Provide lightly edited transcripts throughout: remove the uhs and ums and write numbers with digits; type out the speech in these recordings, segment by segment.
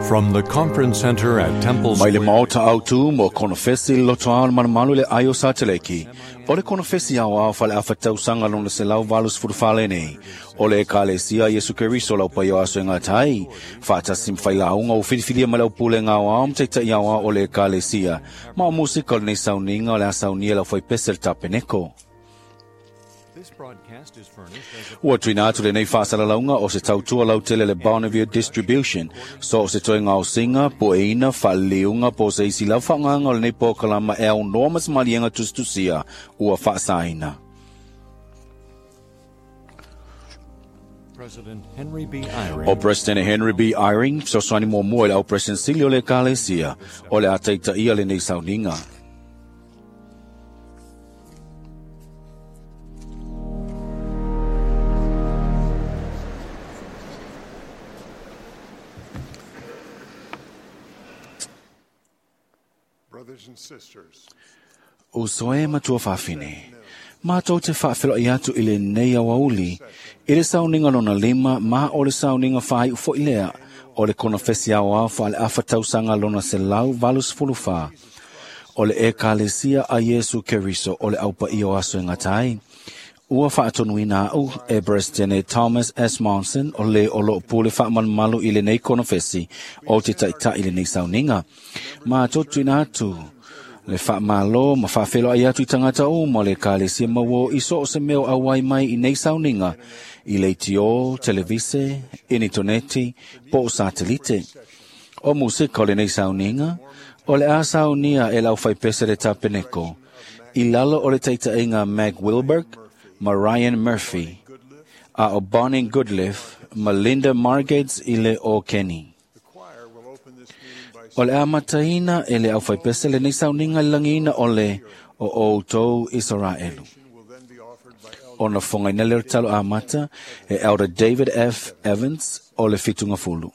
From the Conference Center at Temple Mai le Square. maota au tu mo konofesi loto ao malumalu le aio sa teleki. O le konofesi au ao fale afa tausaga lona 184 nei. O le ekalesia Iesu Keriso lau paio aso e ngā tai. Whaatasi mwhai launga o whiriwhiria ma lau pule ngā ao mtaita i au o le ekalesia. Ma o musika o lenei sauninga o le asaunia lau whai pese le tapeneko. This broadcast is furnished as a Ua tuina atu lenei faasalalauga o se tautua lautele le Bonneville Distribution. So o se toega o singa, po e ina, faaliliuga po o se isi lau faagaga o lenei polokalama e aunoa ma se maliega tusitusia ua faasaina. President Henry B. Eyring. O President Henry B. Eyring, fesoasoani muamua i le au President sili o le Ekalesia, o le a taitaia lenei sauniga. Brothers and sisters, Uso e matua faafine. Mātou te whaawhelo i atu i le nei awauli, i le sauniga lona lima, ma o le sauniga whai ufo i lea, o le konofesi au au wha le afa tausaga lona 184. O le ekalesia a Iesu Keriso o le aupa i o aso e ngatai. Ua whaatonuina au e President Thomas S. Monson o le o loo pule whaamalumalu i lenei konofesi o te taitai i lenei sauniga. Mātou tuina atu le whaamalo ma whaawhelo ai atu i tangata o ma le ekalesia maua i so o se meo auai mai i nei sauniga i leitio, televise, initoneti, po o satelite. O musika o lenei sauniga, o le a saunia e lau whaipese le tapeneko. I lalo o le taitaiga Meg Wilberg ma Ryan Murphy, a o Bonnie Goodliff ma Linda Margates i le o Kenny. the choir will open this meeting by O le a mataina e le au whaipese lenei sauniga i langiina o le o outou Israelu. will then be offered by Elder Ona whangaina le talo a mata e Elder David F. Evans o le whitunga fulu.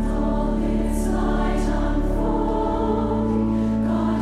All its light unfolding, God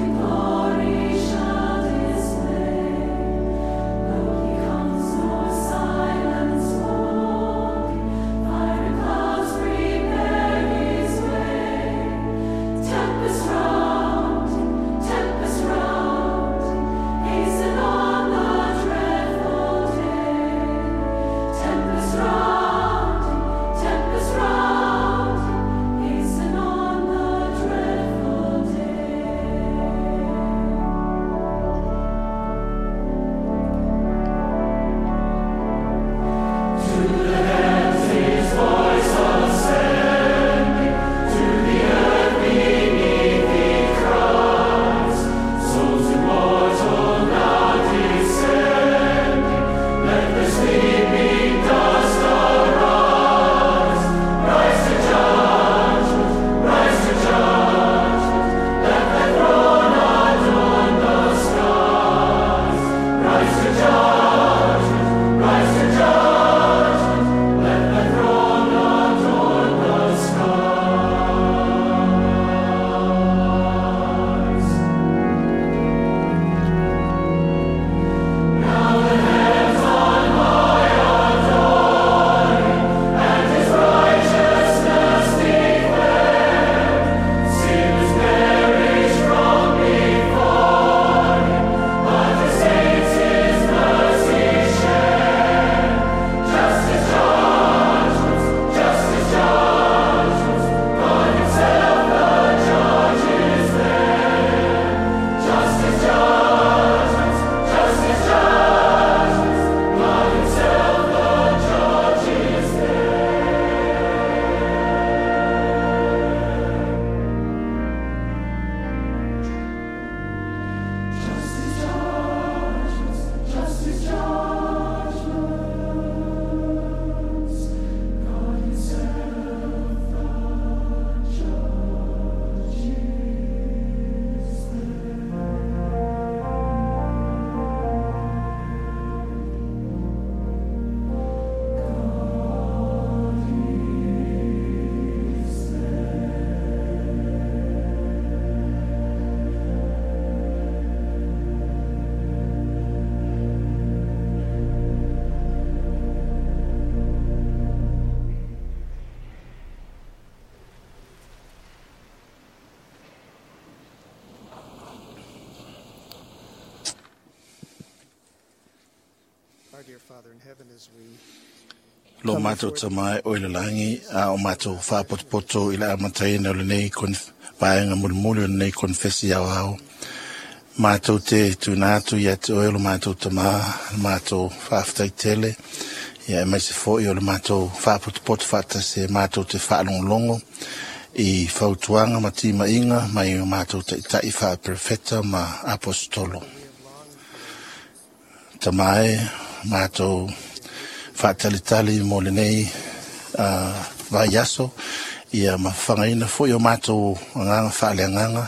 Lo mātou tamai o ile langi a o mātou whāpotopoto i la amataina o lenei vaenga mulimuli o lenei konfesi au au. Mātou te tuna atu ia te oe o lo mātou tamā, le mātou whaafetai tele, ia e mai se foi o le mātou whāpotopoto whaatasi e mātou te whaalongolongo i fautuanga ma timainga mai o mātou taitai whaaperefeta ma apostolo. Tamae, mātou whaatalitali mo lenei vai aso, ia mawhangaina foi o mātou anganga whaaleanganga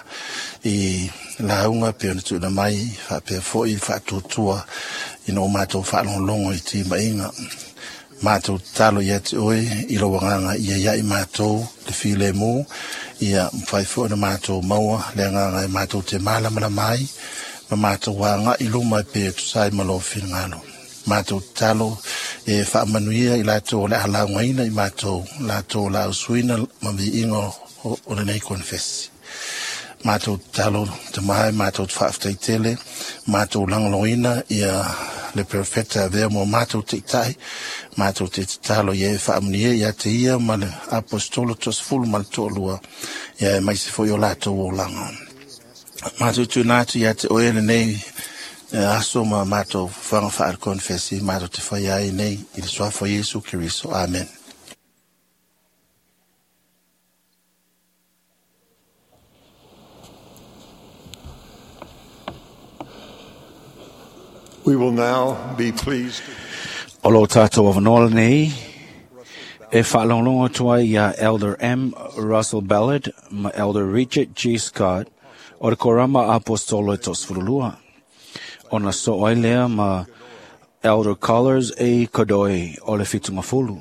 i launga pe ona tuna mai whaapea foi whaatuatua i no mātou whaalongolongo i timainga. Mātou talo ia te oe i lo anganga ia ia i mātou le file mō, ia mwhai foi na mātou maua le anganga i mātou te mālamala mai, ma mātou wānga i luma pe tusai malo whingalo. Mātou talo e whaamanuia i lātou o le alaungaina i mātou, lātou la usuina ma viinga o lenei konfesi. Mātou talo te mai, mātou te whaafetai tele, mātou langaloina ia le perfecta avea mo mātou te itai, mātou te talo ia e whaamunia ia te ia ma le apostolo tosfulu ma le toalua, ia e maise foi o lātou o langa. Mātou tūna atu ia te oe lenei aso ma mātou whanga whaar konfesi, mātou te whai ai nei i le suafa Yesu Keriso. Amen. We will now be pleased. O lo tātou awanoa nei, e whaalonglongo atu ai ia Elder M. Russell Ballard ma Elder Richard G. Scott o le Korama Apostolo e tosfurulua. Ona so ai lea ma Elder Collars A. Kodoi o le Fitungafulu.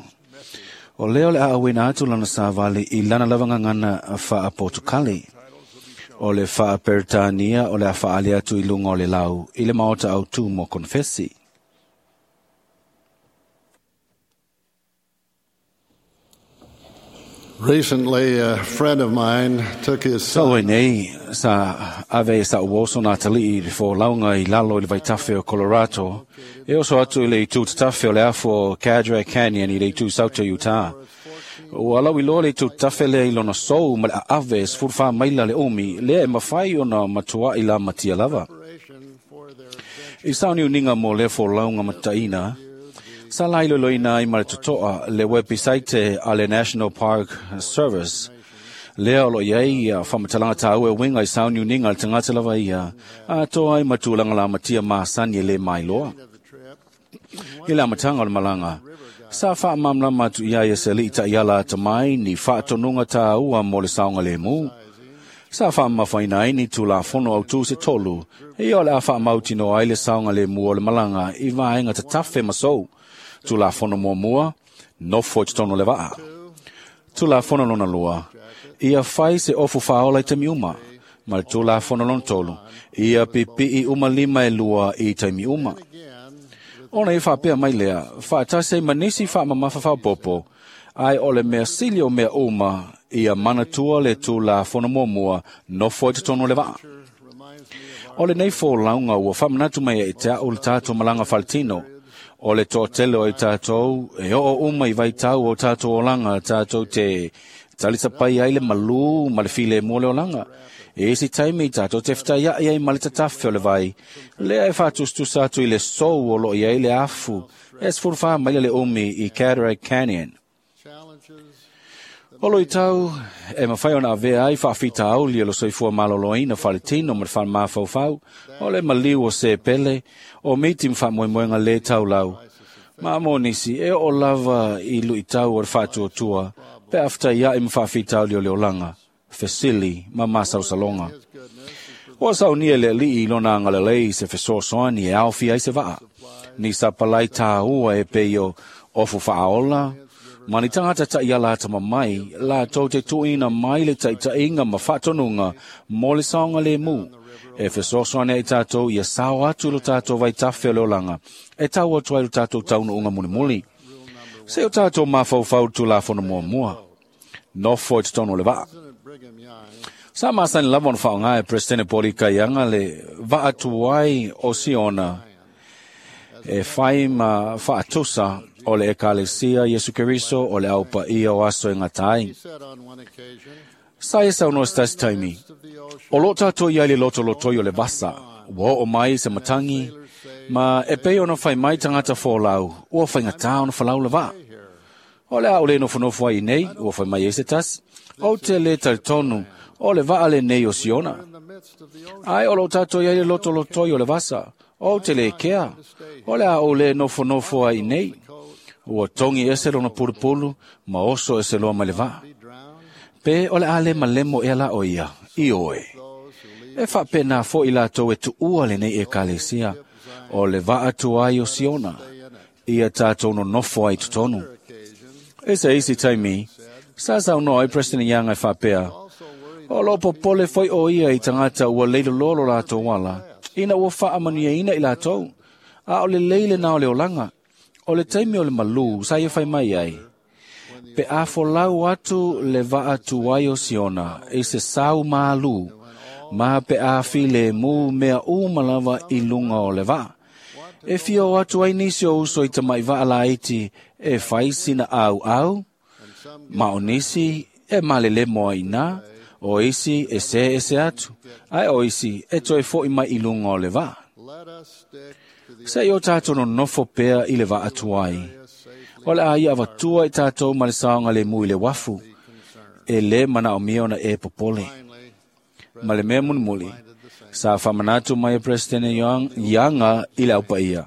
O leo le aawina atu lana savali i lana lavangangana wha Portugali. O le wha Peretania o le awhaali atu i lunga o le lau i le maota au tū mo konfesi. Recently, a friend of mine took his son. Sa nei, sa ave sa uoso nā tali i le fōlaunga i lalo i le vaitafe o Colorado. E oso atu i le itu tatafe o le afu o Cadre Canyon i le itu Sauta, Utah. Ua lau i loa le itu tatafe le i lona sou ma le ave sfurfa maila le umi, lea e mawhai ona matua i la matia lava. I sauni uninga mo le fōlaunga mataina, sa lai loloina ai ma le totoa le website a le National Park Service. Lea o lo iai ia whamatalanga tāu e winga i sauni uninga le tangata lava ia, a toa ai matulanga la matia maasani e le mailoa. I le amatanga o le malanga, sa whaamamlama atu ia ia se li ta iala atamai ni whaatonunga tāua mo le saonga le mū. Sa whaamawhaina ai ni tū la fono au tū se tolu, e o le a whaamautino ai le saonga le mū o le malanga i vaenga tatafe masou. Tū la fono mua mua, nofo i tatono le vaa. Tū la fono lona lua, ia whai se ofu whaola i taimi uma, ma le tū la fono lona tolu, ia pipi i uma lima e lua i taimi uma. Ona i whaapea mai lea, whaatase manisi whaamamafa whaopopo, ai o le mea sili o mea uma, ia manatua le tū la fono mua mua, nofo i tatono le vaa. O le nei fōlaunga ua whamanatu mai e te au le tātou malanga whaletino, o le toatele o i tātou, e o uma i vaitau o tātou olanga, tātou te talisapai ai le malu ma le file mo le olanga. E isi taimi tātou te whitai ai ma le tatafe o le vai. Lea e whātustusa atu i le sou o lo i ai le afu, e sfurwha mai le umi i Cataract Canyon. O lo i tau, e mawhai ona avea ai whaafita auli o lo soifua maloloina whaletino ma le whaamawhauwhau, o le maliu o se pele, o miti mwhamoemoenga le taulau. Ma mō nisi, e o lava i lui tau o le whaatuatua, pe awhita ia i mwhaafita auli o le olanga, fesili ma masalsalonga. O saunia le alii i lona angalalei se fesoasoani e aofi ai se vaa. Ni sa palai tāua e peio ofu whaaola, ma ni tangata tai a lātama mai, la tau te tuina mai le taitainga ma whaatonunga mō le saonga le mū. E fesoasoani ai tātou ia sao atu lo tātou vai tawhe o le olanga, e tau atu ai lo tātou taunu unga mulimuli. Se o tātou mawhauwhau tu la fono mua mua. Nofo i te tono le vaa. Sa masani lava ona whaonga e President Poli Kaianga le vaatuai o Siona. E fai ma faatusa o le Ekalesia Iesu Keriso o le au paia o aso e gata ai. He said on one occasion, Sa e saunoa se tasi taimi, "Midst of the ocean, o lo tātou ia i le lotolotoi o le vasa, ua oo mai se matangi, ma e pei ona fai mai tagata folau, ua faigata ona falau le vaa. O le a o le nofonofo ai nei, ua fai mai ai se tasi, o te le talitonu, o le vaa lenei o Siona. in the midst of the ocean, Ai o lo tātou ia i le lotolotoi o le vasa, o te le kea, o le a o le nofonofo ai nei, ua tongi ese lona pulupulu, ma oso ese loa mai le vaa. be drowned, Pe o le a le malemo ea la o ia, i oe. those who leave E faapena fo'i latou e tuua lenei Ekalesia, o le vaa tuai o Siona, ia tātou nonofo ai totonu. occasion, E se isi taimi, sa saunoa ai President Young e faapea, also worried o lo popole foi o ia i tagata ua leilololo latou ala, ina ua faamanuiaina i latou, a o le lei lena o le olaga, o le taimi o le malū sa ia fai mai ai. Pe a folau atu le vaa tuai o Siona i se sau mālū, ma pe a filemu mea uma lava i luga o le vaa. E fia o atu ai nisi o uso i tamai vaa laiti e fai sina au au, ma o nisi e malelemo ai nā, o isi e se ese atu, ai o isi e toe foi mai i luga o le vaa. let us stick to the Se i o tātou nonofo pea i le vaa tuai. safely O le a ia avatua i tātou ma le saoga le mu i le wafu, e le manaomia ona e popole. finally Ma le mea mulimuli, sa faamanatu mai e President Younga i le aupaia.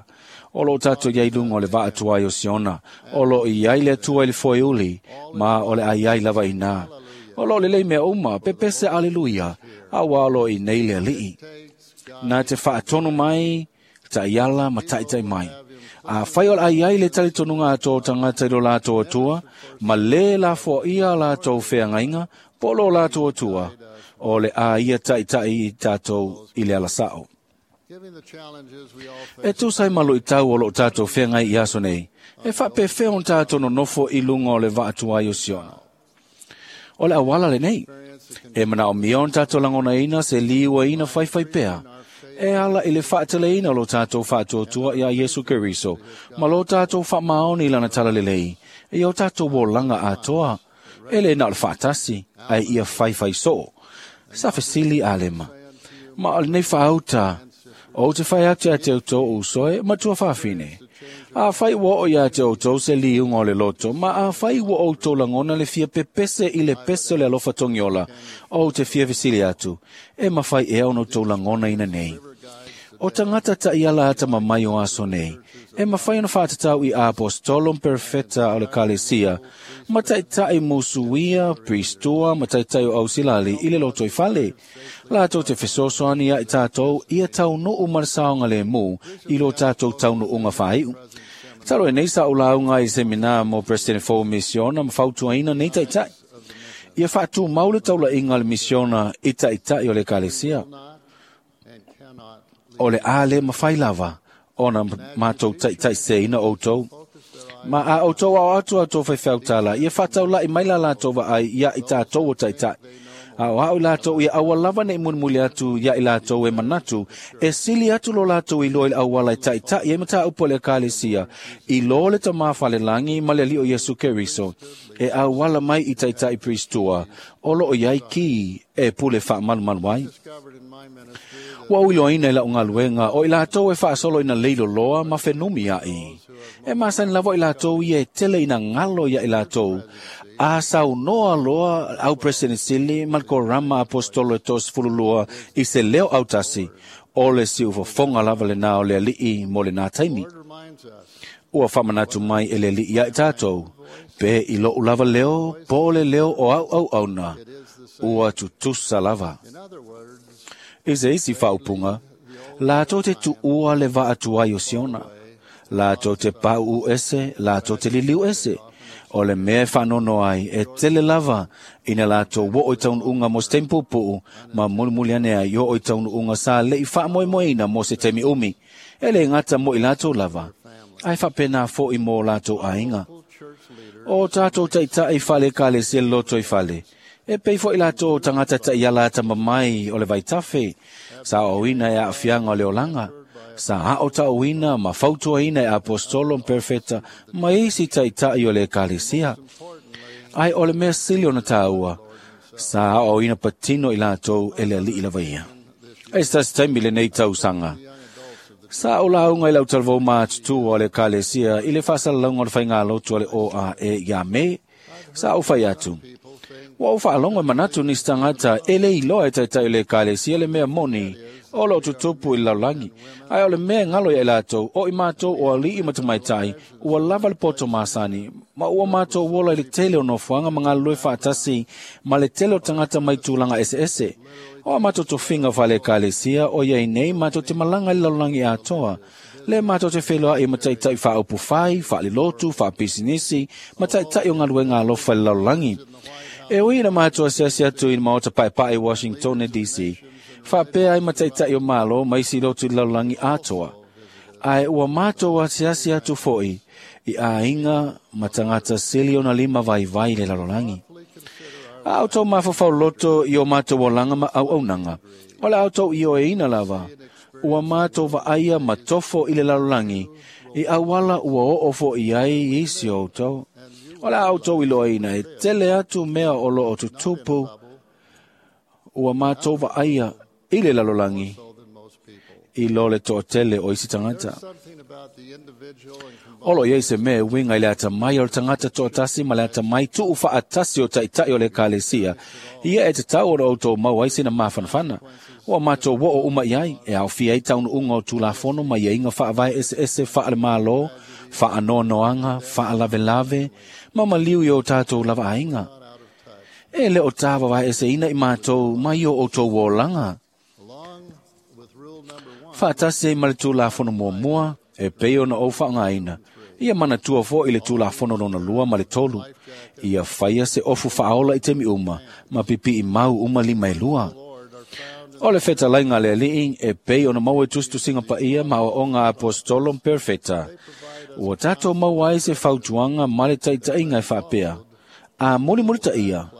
O lo tātou iai luga o le vaa tuai o Siona, o lo i ai le Atua i le foeuli, ma o le ai ai lava i nā. O lo lelei mea uma, pepese aleluia, a ua o lo i nei le alii. takes God Na te faatonu mai, ta'iala ma ta'itai mai. A fai o le ai ai le talitonuga a tō tagata i lo latou Atua, ma lē lafoaia latou feagaiga, po o lo latou Atua, o le a ia taʻitaʻi i tātou i le alasao. giving the challenges we all E face tusa ai ma luʻitau o loo tātou feagai i aso nei, e faapefea ona tātou nonofo i luga o le vaa tuai o Siona. O le auala lenei, experience the e manaomia ona tātou lagonaina se liuaina faifai pea, e ala i le faateleina o lo tātou faatuatua iā Iesu Keriso, ma lo tātou faamaoni i lana talalelei, e o tātou olaga atoa, e le na o le faatasi, ai ia faifai soo. Sa fesili a lema. Ma o lenei faauta, o te fai atu ia te outou uso e matua faafine. A fai ua oo ia te outou se liuga o le loto, ma a fai ua outou lagona le fia pepese i le pese o le alofa togiola, o te fia fesili atu, e mafai ea ona outou lagonaina nei. O tagata taʻiala ata mamai o aso nei, e mafai ona faatatau i apostolo ma perofeta o le Ekalesia, ma taʻitaʻi musuia, pristua ma taʻitaʻi o ausilali i le lotoifale. Latou te fesoasoani ia i tātou ia taunuu ma le saogalēmū i lo tātou taunuuga faaiu. Talo e nei sa o lauga i semina mo President Fou Misiona ma fautuaina nei taʻitaʻi. Ia faatumau le taulaʻiga a le misiona i taʻitaʻi o le Ekalesia. not and cannot O le a le mafai lava ona matou taʻitaʻiseina outou. Ma a outou ao atu a outou faifeautala, ia faataulaʻi mai la latou vaai ia i tātou o taʻitaʻi. A o au i latou ia aua lava nei mulimuli atu ia i latou e manatu, e sili atu lo latou i loa i le auala e taʻitaʻi ai mataupu a le Ekalesia, i lo le tamā falelagi ma le alii o Iesu Keriso, e auala mai i taʻitaʻi pristua, o loo iai ki e pule faamalumalu ai. discovered in my ministry that Ua uiloaina i lau galuega o i latou e faasolo ina leiloloa ma fenumi aʻi. E masani lava i latou ia e tele ina galo ia i latou. A saunoa loa au President Sili ma le korama apostolo e 32 i se leo autasi, o le siufofoga lava lenā o le alii mo lenā taimi. Lord reminds us Ua faamanatu mai e le alii ia i tātou, pe i loʻu lava leo, po o le leo o au auauna, ua tutusa lava. in other words I se isi faaupuga, latou te tuua le vaa tuai o Siona. Latou te pauu ese, latou te liliu ese. O le mea e faanono ai, e tele lava ina latou oo i taunuuga mo se taimi puupuu, ma mulimuli ane ai oo i taunuuga sa leʻi faamoemoeina mo se taimi umi. E le gata mo i latou lava, ae faapena foʻi mo latou aiga. church leaders O tātou taʻitaʻi fale Ekalesia le loto i fale. E pei foʻi latou tagata taʻiala ata mamai o le vaitafe, sa oina e aafiaga o le olaga. Sa aʻotauina ma fautuaina e apostolo ma perofeta ma isi taʻitaʻi o le Ekalesia. Ae o le mea sili ona tāua, sa aʻoaoina patino i latou e le Aliʻi lava ia. E se tasi taimi lenei tausaga, sa ou lauga i le autalavou matutua o le Ekalesia i le faasalalauga o le faigalotu a le OAE ia Me, sa ou fai atu, ua ou faalogo e manatu nisi tagata e le iloa e taʻitaʻi o le Ekalesia le mea moni o loo tutupu i le lalolagi. Ae o le mea e galo ia i latou, o i matou o aliʻi ma tamaitai, ua lava le poto masani, ma ua matou ola i le tele o nofoaga ma galulue faatasi ma le tele o tagata mai tulaga eseese. O a matou tofiga faale-Ekalesia o iai nei matou te malaga i le lalolagi atoa, le matou te feiloai ma taʻitaʻi faaupufai, faalelotu, faapisinisi, ma taʻitaʻi o galuega alofa i le lalolagi. E ui ina matou asiasi atu i le maota paepae i Washington DC, faapea ai ma taʻitaʻi o Malo ma isi lotu i le lalolagi atoa. Ae ua matou asiasi atu foi i aiga ma tagata sili ona lima vaivai i le lalolagi. A outou mafaufau loto i o matou olaga ma auaunaga, o le a outou ioeina lava, ua matou vaaia ma tofo i le lalolagi, i auala ua oo foi ai isi o outou. O le a outou iloaina e tele atu mea o loo tutupu, ua matou vaaia i le lalolagi, i lo le toatele o isi tagata. O lo o iai se mea e uiga i le atamai o le tagata toatasi ma le atamai tuufaatasi o taʻitaʻi o le Ekalesia, ia e tatau ona outou maua ai sina mafanafana. Ua matou oo uma i ai, e aofia ai taunuuga o Tulafono ma iaiga faavae eseese faale-Malo, faanoanoaga, faalavelave, ma maliu i o tatou lava aiga. E le o tāvavaeeseina i matou mai o outou olaga. Faatasi ai ma le Tulafono muamua, e pei ona ou faaaogaina, ia manatua foi le Tulafono lona lua ma le tolu, ia faia se ofu faaola i taimi uma, ma pipiʻi mau uma lima e lua. O le fetalaiga a le Alii, e pei ona maua i tusitusiga paia ma aoaoga a apostolo ma perofeta, ua tatou maua ai se fautuaga ma le taʻitaʻiga e faapea, a mulimulitaia,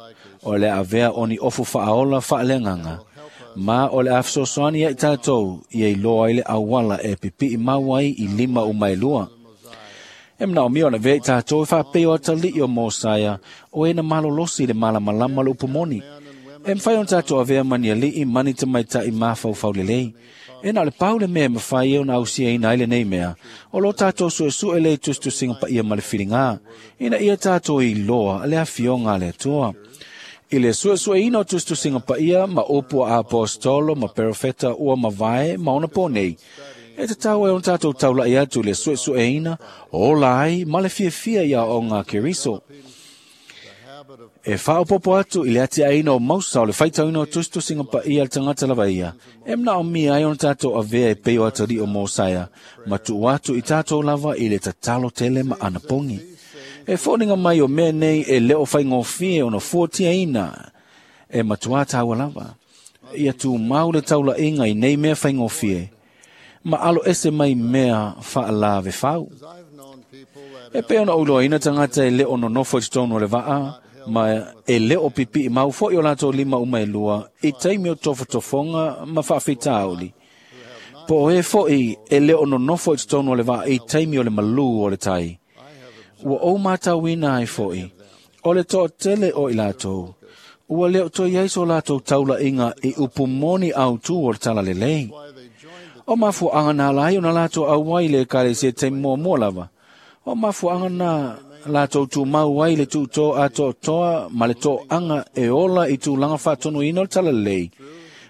o le a avea o ni ofu faaola faaleagaga, ma o le a fesoasoani ia i tatou ia iloa ai le auala e pipiʻi mau ai i lima uma e lua. E manaomia ona avea i tatou e faapei o atalii o Mosaia, o e na malolosi i le malamalama o le upu moni. E mafai ona tatou avea ma ni aliʻi ma ni tamaitai mafaufau lelei. E na o le pau le mea e mafai ai ona ausiaina ai lenei mea, o lo tatou suesue lea i tusitusiga paia ma le filiga, ina ia tatou iloa le afioga a le Atua. I le suesueina o tusitusiga paia ma upu a apostolo ma perofeta ua mavae ma ona po nei, e tatau ai ona tatou taulaʻi atu i le suesueina, ola ai ma le fiafia i aoaoga a Keriso. E faaopoopo atu i le atiaeina o mausa o le faitauina o tusitusiga paia a le tagata lava ia, e manaomia ai ona tatou avea e pei o atalii o Mosaia, ma tuu atu i tatou lava i le tatalo tele ma anapogi. E foliga mai o mea nei e le o faigofie ona fuatiaina, e matuā tāua lava. Ia tumau le taulaʻiga i nei mea faigofie, ma alo ese mai mea faalavefau. E pei ona ou iloaina tagata e le o nonofo i totonu o le vaa, ma e le o pipiʻi mau foi o latou lima uma e lua i taimi o tofotofoga ma faafitauli. Po o e foi e le o nonofo i totonu o le vaa i taimi o le malū o le tai. Ua ou matauina ai foi, o le toatele o i latou, ua le o toe i ai so latou taulaʻiga i upu moni autū o le talalelei. O mafuaaga na ala ai ona latou auai i le Ekalesia i taimi muamua lava. O mafuaaga na latou tumau ai i le tuutō atoatoa ma le toaga e ola i tulaga faatonuina o le talalelei,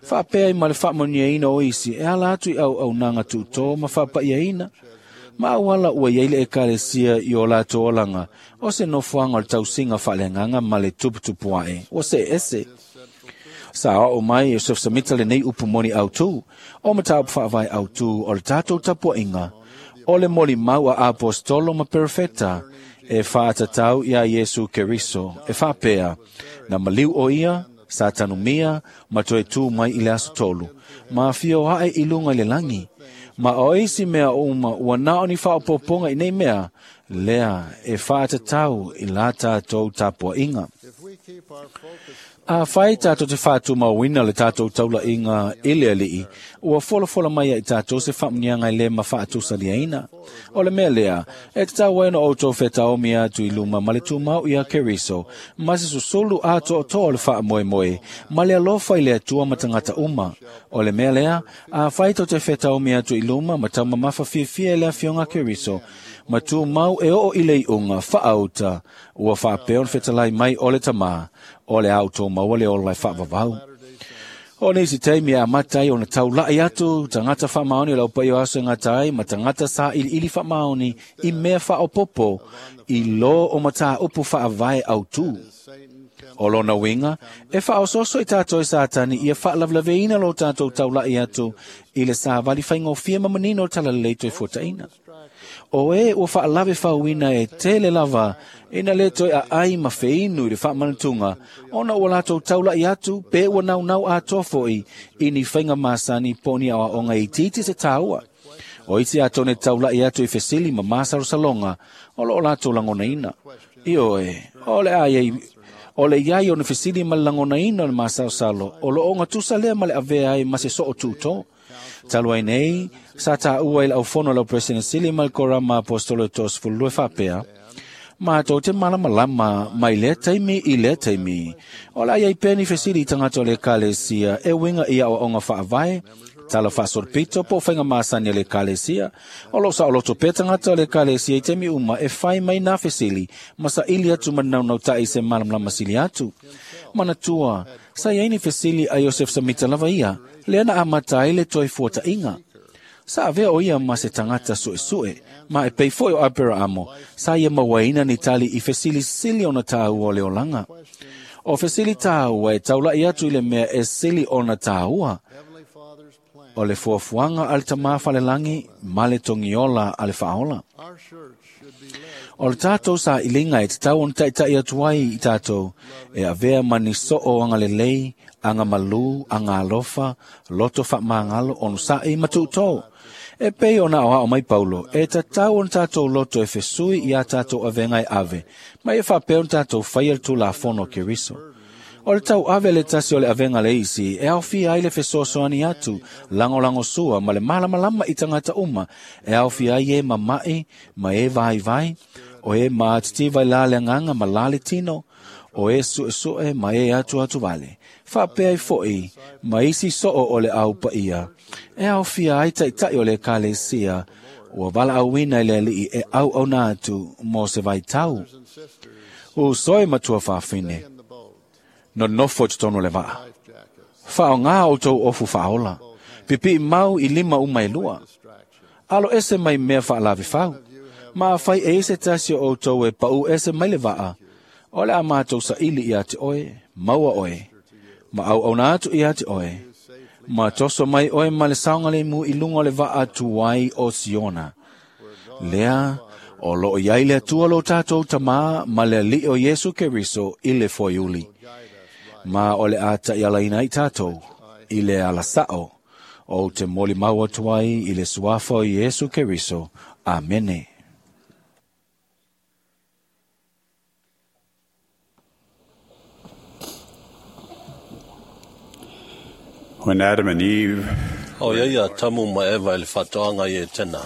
faapea ai ma le faamanuiaina o isi e ala atu i auaunaga tuutō ma faapaiaina, ma auala ua i ai le Ekalesia i o latou olaga, o se nofoaga o le tausiga faaleagaga ma le tuputupu ae, ua seese. Sa oo mai e Joseph Smith lenei upu moni autū, o mataupu faavae autū o le tatou tapuaiga, o le molimau a apostolo ma perofeta, e faatatau iā Iesu Keriso, e faapea, na maliu o ia, sa tanumia, ma toe tū mai i le aso tolu, ma afio ae i luga i le lagi. Ma o isi mea uma ua na o ni faaopoopoga i nei mea, lea e faatatau i la tatou tapuaiga. A fai tātou te whātumauina le tātou taulaiga i le alii, ua folafola mai ai tātou se faamuniaga i le ma faatusa-liaina. O le mea lea, e tatau ai ona outou fetaomi atu i luma ma le tumau ia Keriso, ma se susulu atoatoa o le faamoemoe, ma le alofa i le Atua ma tagata uma. O le mea lea, a fai tou te fetaomi atu i luma ma taumamafa fiafia i le afioga Keriso, ma tumau e oo i le iuga faaauta, ua faapea ona fetalai mai o le Tamā, o le a outou maua le ola e faavavau. O nisi taimi e amata ai ona taulai atu tagata faamaoni o le aupaia o aso e gata ai ma tagata sailiili faamaoni i mea faaopoopo i lō o mataupu faavae autū. O lona uiga, e faaosooso i tātou e Satani ia faalavelaveina lo tātou taulai atu i le savali faigofie ma manino o le talalelei toe fuataina. O e ua faalave fauina e tele lava ina le toe aai ma feinu i le faamanatuga, ona ua latou taulai atu pe ua naunau atoa foi i ni faiga masani po o ni aoaoga itiiti se tāua. O isi atonu e taulai atu i fesili ma masalosaloga o loo latou lagonaina. Ioe, o le a iai o le iai o ni fesili ma le lagonaina o le masalosalo o loo ogatusa lea ma le avea ai ma se soo tutō. Talu ai nei, sa tāua i le aufono lau President Sili ma le Korama Apostolo e 32 faapea, mātou te malamalama mai lea taimi i lea taimi. O le a iai pea ni fesili i tagata o le Ekalesia e uiga i aoaoga faavae, tala faasolopito po o faiga masani a le Ekalesia. O loo saoloto pea tagata o le Ekalesia i taimi uma e fai mai nā fesili ma saili atu ma naunautai se malamalama sili atu. Manatua, sa iai ni fesili a Iosef Samita lava ia, lea na amata ai le toe fuata'iga. Sa avea o ia ma se tagata su'esu'e, ma e pei foi o Aperaamo, sa ia mauaina ni tali i fesilisili ona tāua o le olaga. O fesili tāua e taula'i atu i le mea e sili ona tāua, o le fuafuaga a le Tamā falelagi ma le togiola a le faaola. O le tātou sailiga e tatau ona taʻitaʻi atu ai i tātou, e avea ma ni soo agalelei, agamalū, agalofa, loto faamagalo, onosaʻi ma tuʻutō. E pei ona aoao mai Paulo, e tatau ona tātou loto e fesui iā tātou avega e ave, ma ia faapea ona tātou faia le Tulafono a Keriso. O le tau ave le tasi o le avega le isi, e aofia ai le fesoasoani atu, lagolagosua ma le malamalama i tagata uma, e aofia ai e mamaʻi ma e vaivai, o e maatitiva i la le agaga ma la le tino, o e suʻesuʻe ma e atuatu vale. Faapea ai foʻi ma isi soo o le aupaia, e aofia ai taʻitaʻi o le Ekalesia, ua valaauina i le alii e auauna atu mo se vaitau. Uso e matua faafine, nonofo i totonu o le vaa. Faaaogā outou ofu faaola, pipiʻi mau i lima uma e lua. Alo ese mai mea faalavefau. Ma afai e i se tasi o outou e paʻū ese mai le vaa, o le a mātou saili iā te oe, maua oe, ma auauna atu iā te oe, ma toso mai oe ma le saogalemu i luga o le vaa tuai o Siona. Lea, o loo iai le Atua lo tātou Tamā ma le Alii o Iesu Keriso i le foiuli. Ma o le a taʻialaina ai tātou i le alasao o te molimau atu ai i le suafa o Iesu Keriso. Amene. When Adam and Eve O ia ia tamu ma Eva i le faatoaga i Etena.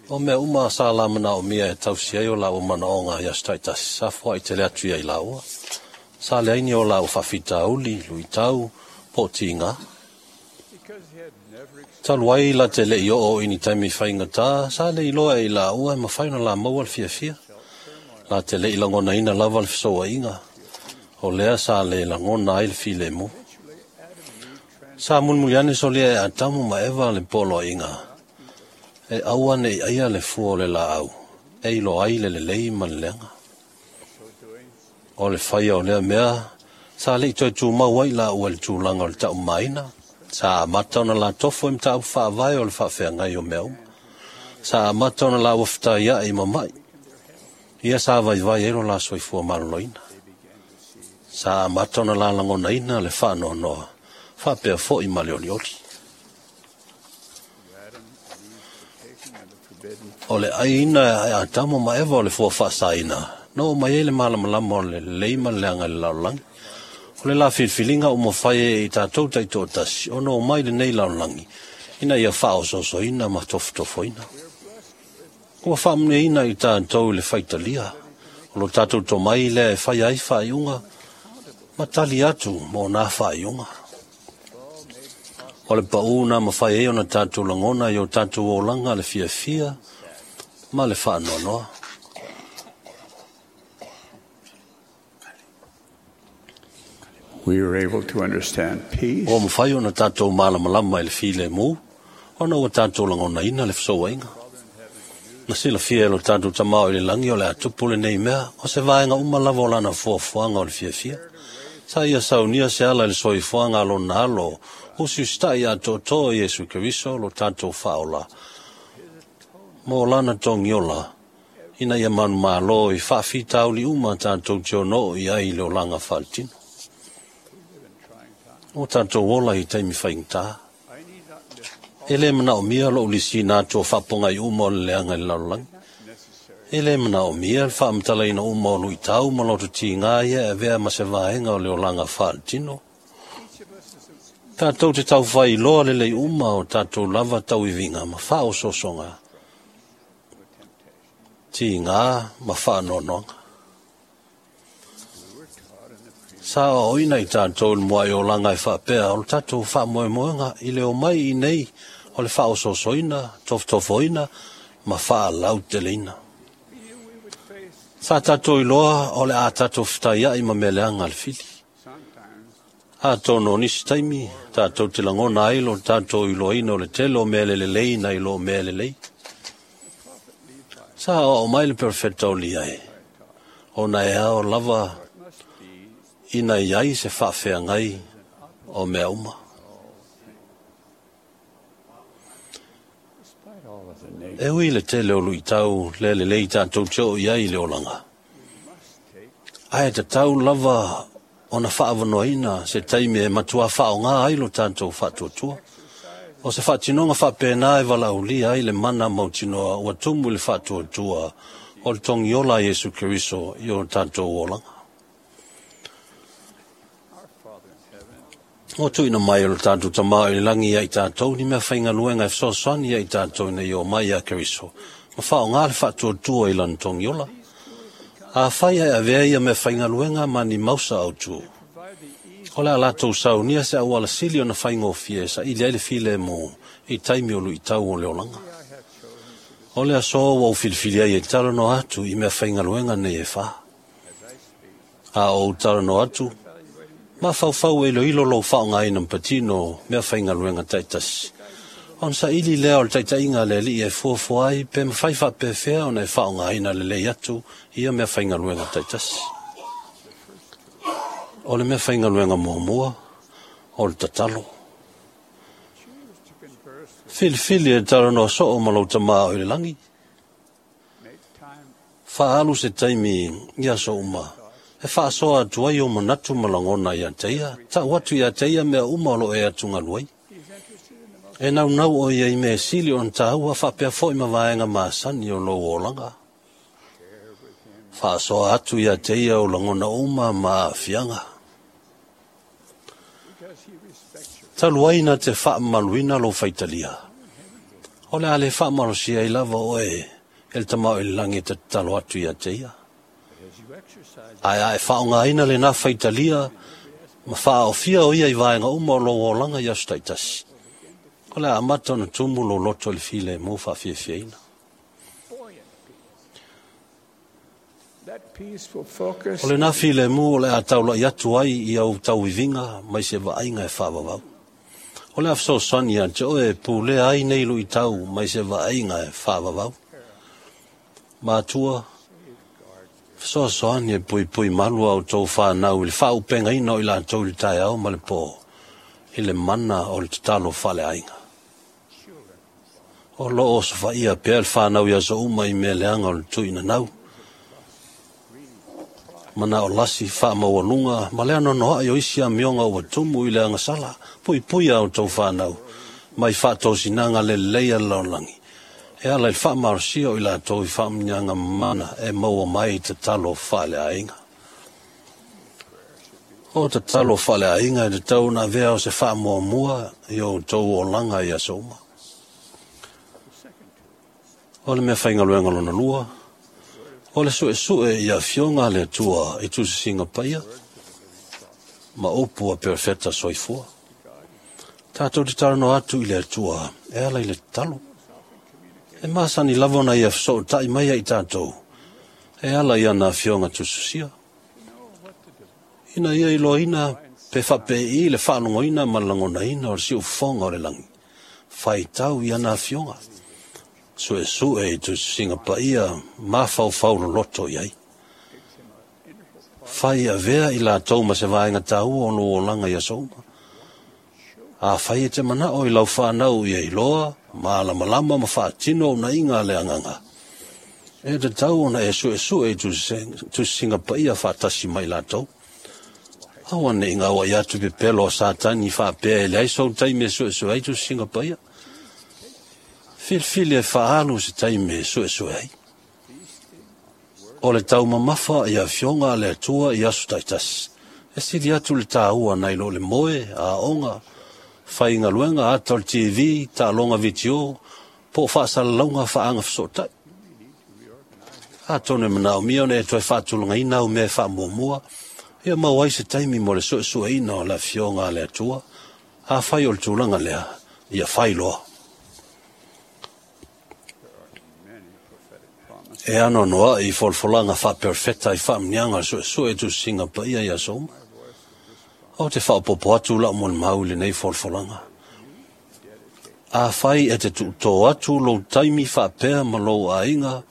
O mea uma sa la manao mia e tausi ai o laua manaoga i aso taitasi, sa foai tele atu ia i laua. Sa leai ni o laua faafitauli, luitau, po o tiga. Talu ai la te leʻi oo i ni taimi faigata, sa le iloa e i laua e mafai ona lamauа le fiafia. La te leʻi lagonaina lava le fesouaiga, o lea sa le lagona ai le filemu. Sa mulimuli ane solia e Atamu ma Eva le poloaiga, e aua neʻi aia le fua o le laau, e iloa ai le lelei ma le leaga. O le faia o lea mea, sa leʻi toe tumau ai laua i le tulaga o le taʻumaina, sa amata ona latofo i mataupu faavae o le faafeagai o mea uma. Sa amata ona laua fetaiaʻi ma maʻi, ia sa vaivai ai lo la soifua maloloina. Sa amata ona lalagonaina le faanoanoa, faapea foʻi ma le olioli. O le ʻaiina e Atamo ma Eva o le fua faasaina, Na oo mai ai le malamalama o le lelei ma le leaga i le lalolagi. O le la filifiliga ua mafai ai e i tatou taitoatasi ona omai i lenei lalolagi, ina ia faaosoosoina ma tofotofoina. Ua faamanuiaina i tatou i le faitalia, o lo tatou tomai lea e faia ai faaiuga ma tali atu mo na faaiuga. O le pau na mafai ai ona tatou lagona i o tatou olaga le fiafia ma le faanoanoa. We were able to understand peace. Ua mafai ona tatou malamalama i le filemu, ona ua tatou lagonaina le fesouaiga. Na silafia e lo tatou tamao i le lagi o le a tupu lenei mea, o se vaega uma lava o lana fuafuaga o le fiafia. Sa ia saunia se ala i le soifuaga a lona alo, usiusitai atoatoa i Iesu Keriso lo tatou faaola, mo lana togiola, ina ia manumalo i faafitauli uma tatou te ono oo i ai i le olaga faaletino. Ua tatou ola i taimi faigata. E le manaomia lou lisiina atu o faapogai uma o le leaga i le lalolagi. E le manaomia le faamatalaina uma o luitau ma loto tiga ia e avea ma se vaega o le olaga faaletino. Tatou te taufai iloa lelei uma o tatou lava tauiviga ma faaosoosoga, tiga ma faanoanoaga. Sa aoaoina i tatou i le muai olaga e faapea o le tatou faamoemoega i le omai i nei o le faaosoosoina, tofotofoina ma faalauteleina. Sa tatou iloa o le a tatou fetaiai ma mea leaga a le fili. Atonu o nisi taimi, tatou te lagona ai lo tatou iloaina o le tele o mea le lelei nai lo mea lelei. Sa aoao mai le perofeta o Liai, ona e ao lava ina i ai se faafeagai o mea uma. E ui i le tele o luitau le lelei tatou te oo i ai i le olaga, ae tatau lava ona faavanoaina se taimi e matua faaaoga ai lo tatou faatuatua. O se faatinoga faapena e valaaulia ai le mana mautinoa ua tumu i le faatuatua o le togiola a Iesu Keriso i o tatou olaga. Ua tuuina mai e lo tatou tamao i le lagi ia i tatou ni mea faigaluega e fesoasoani ia i tatou ina ia omai ia Keriso, ma faaaoga le faatuatua i lana togiola. Afai ae avea ia mea faigaluega ma ni mausa autu, o le a latou saunia se auala sili ona faigofie e saili ai le filemu i taimi o luitau o le olaga. O le aso ua ou filifili ai e talanoa atu i mea faigaluega nei e fa. A ou talanoa atu, mafaufau e iloilo lou faaaogaina ma patino mea faigaluega taitasi. Ona saili lea o le taitaiga a le Alii e fuafua ai pe mafai faapefea ona e faaaogaina lelei atu ia mea faigaluega taitasi. O le mea faigaluega muamua, o le tatalo. Filifili e talanoa soo ma lou tamao i le lagi. Faaalu se taimi i aso uma e faasoa atu ai o manatu ma lagona ia te ia, tau atu ia te ia mea uma o lo e atugalu ai. E naunau o ia i mea sili ona tāua faapea foi ma vaega masani o lou olaga. Faasoa atu ia te ia o lagona uma ma aafiaga. Talu ai na te faamamaluina lou faitalia, o le a le faamalosia ai lava oe e le tamao i le lagi e tatalo atu ia te ia. Ae a e faaaogaina lena faitalia ma faaofia o ia i vaega uma o lou olaga i aso taitasi, o le a amata ona tumu lou loto i le filemu faafiafiaina. That peace will focus O lena filemu o le a taulai atu ai i au tauiviga mai se vaaiga e faavavau. O le a fesoasoani ia te oe e pulea ai nei luitau mai se vaaiga e faavavau. Matua, fesoasoani e puipui malu a outou whanau i le faaupegaina o i latou i le taeao ma le pō, i le mana o le tatalo faaleaiga. O loo osofaia pea le whanau i aso uma i mea leaga o le tuinanau. Mana o lasi faamaualuga ma le anoanoai o isi amioga ua tumu i le agasala, puipui a outou whanau, mai faatosinaga le lelei a le lalolagi. E ala i le faamalosia o i latou i faamanuiaga mamana e maua mai i tatalo faaleaiga. O tatalo faaleaiga e tatau ona avea o se faamuamua i o outou olaga i aso uma. O le meafaigaluega lona lua, o le suesue i afioga a le Atua i tusisiga paia ma upu a perofeta soifua. Tatou te talanoa atu i le Atua e ala i le tatalo. E masani lava ona ia fesootai mai ai tatou e ala i ana afioga tusitusia. Ina ia iloaina pe faapei le faalogoina ma le lagonaina o le siufofoga o le lagi, faitau i ana afioga, suesue i tusitusiga paia mafaufau loloto i ai. Fai avea i latou ma se vaega taua o lou olaga i aso uma. Afai e te manao i lau whanau ia iloa, malamalama ma faatino unaiga a le agaga, e tatau ona e suesue i tusisiga paia faatasi mai latou. Aua ne i gauai atu pepelo o Satani faapea e leai sou taimi e suesue ai tusisiga paia. Filifili e faaalu se taimi e suesue ai. O le taumamafa i afioga a le Atua i aso taitasi, e sili atu le taua nai lo le moe, aoga, faigaluega, ata o le TV, taaloga vitio, po o faasalalauga faagafesootai. Atonu e manaomia ona e toe faatulagaina au mea e faamuamua, ia maua ai se taimi mo le suesueina o le afioga a le Atua. Afai o le tulaga lea, ia fai loa. E anoanoai i folafolaga faaperofeta i faamanuiaga o le suesue i tusisiga paia i aso uma. O te faaopoopo atu lau molimau i lenei folafolaga. Afai e te tuutō atu lou taimi faapea ma lou aiga,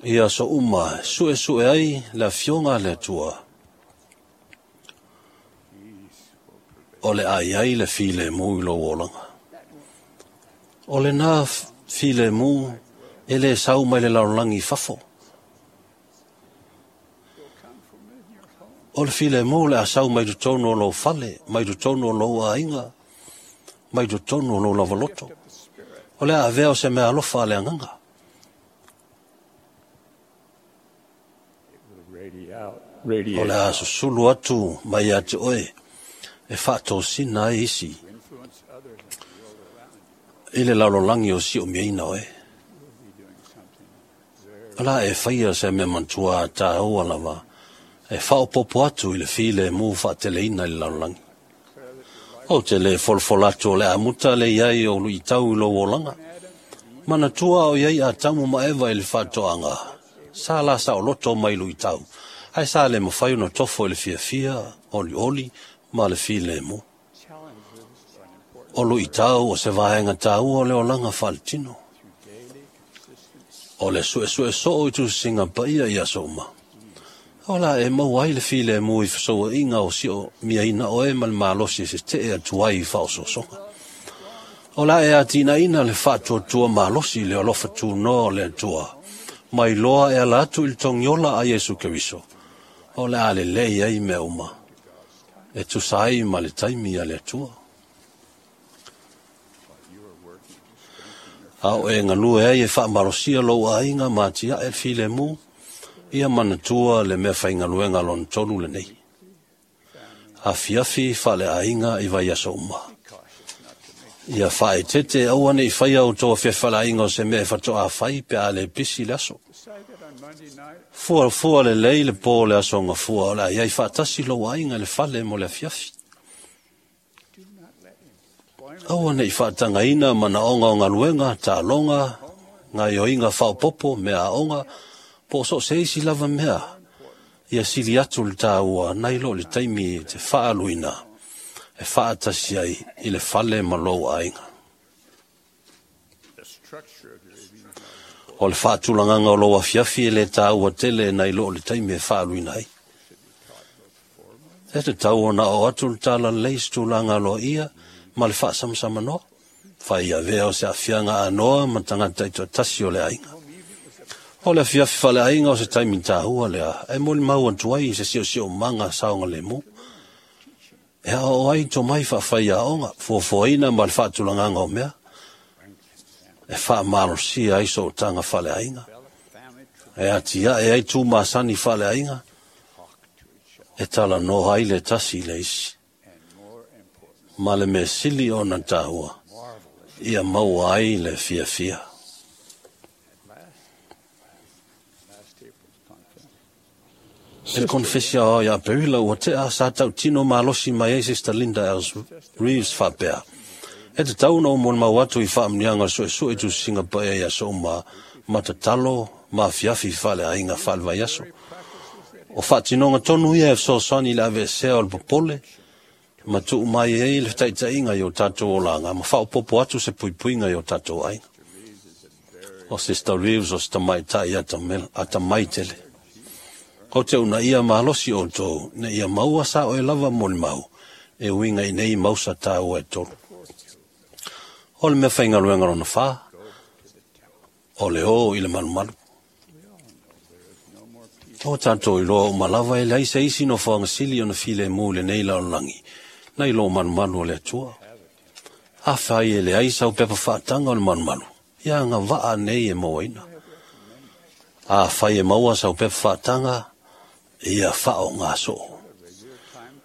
i aso uma suesue ai le afioga a le Atua, o le a iai le filemu i lou olaga. O lena filemu e le sau mai le lalolagi i fafo. O le filemu le a sau mai totonu o lou fale, mai totonu o lou aiga, mai totonu o lou lavaloto. O le a avea o se mea alofa a le agaga. O le a susulu atu mai ia te oe e faatosina ai isi i le lalolagi o siomiaina oe. O la e whaia se mea mantua a tāua lava e whaopopo atu i le filemu faateleina i le lalolagi. O te le folafola atu o le amuta le iai o luitau i lou olaga. Manatua o iai Atamu ma Eva i le faatoaga, sa la saoloto mai luitau, ae sa le mafai ona tofo i le fiafia, olioli ma le filemu. O luitau o se vaega taua o le olaga faaletino. O le suesue soo i tusisiga paia i aso uma. O la e maua ai le filemu i fesouaiga o sio miaina oe ma le malosi e se tee atu ai i faaosoosoga. O la e atinaina le faatuatua malosi i le alofa tunoa o le Atua, mai loa e ala atu i le togiola a Iesu Keriso. O le a lelei ai mea uma, e tusa ai ma le taimi a le Atua. A o e galue ai e faamalosia lou aiga ma atiae le filemu, ia manatua le mea faigaluega lona tolu lenei. Afiafi faaleaiga i vaiaso uma. Ia faaeteete aua ne i faia outou afiafi faaleaiga o se mea e faatoa fai pe a le pisi le aso. Fuafua lelei le po o le aso gafua o le a iai faatasi lou aiga i le fale mo le afiafi. Aua ne i faatagaina manaoga o galuega, taaloga, gaioiga faaopoopo, mea aoga, po o so o se isi lava mea, ia sili atu le taua nai lo le taimi e te faaluina, e faatasi ai i le fale ma lou aiga. O le faatulagaga o lou afiafi e le taua tele nai lo le taimi e faaluina ai. E tatau ona oo atu le talalelei i se tulaga aloaia ma le faasamsamanoa. Fai avea o se aafiaga anoa ma tagata taitoatasi o le aiga. O le afiafi faaleaiga o se taimi taua lea, e molimau atu ai i se siosiomaga saogalemu. E aoao ai tomai faafai aoga, fuafuaina ma le faatulagaga o mea. E faamalosia ai sootaga faaleaiga. E atiae ai tumasani faaleaiga. E talanoa ai le tasi i le isi. Ma le mea sili ona taua, ia maua ai le fiafia. E le konefesi aoao ia Aperila ua tea sa tautino malosi mai ai Sister Linda Els Reeves faapea, E tatau ona ou molimau atu i faamanuiaga o le suesue i tusiga paia i aso uma ma tatalo ma afiafi faaleaiga faalevaiaso. O faatinoga tonu ia e fesoasoani i le aveesea o le popole ma tuu mai ai le fetaitaiga i o tatou olaga ma faaopoopo atu se puipuiga i o tatou aiga. O Sister Reeves o se tamaitai atamai tele. Ou te uunaia malosi outou ina ia maua sa oe lava molimau e uiga i nei mausa taua e tolu. O le meafaigaluega lona fa, o le o i le malumalu. O tatou iloa uma lava e leai se isi nofoaga sili ona filemu i lenei lalolagi, nai lo malumalu o le Atua. Afai e leai sau pepa faataga o le malumalu, ia agavaa nei e mauaina. Afai e maua sau pepa faataga, ia faaaoga soo.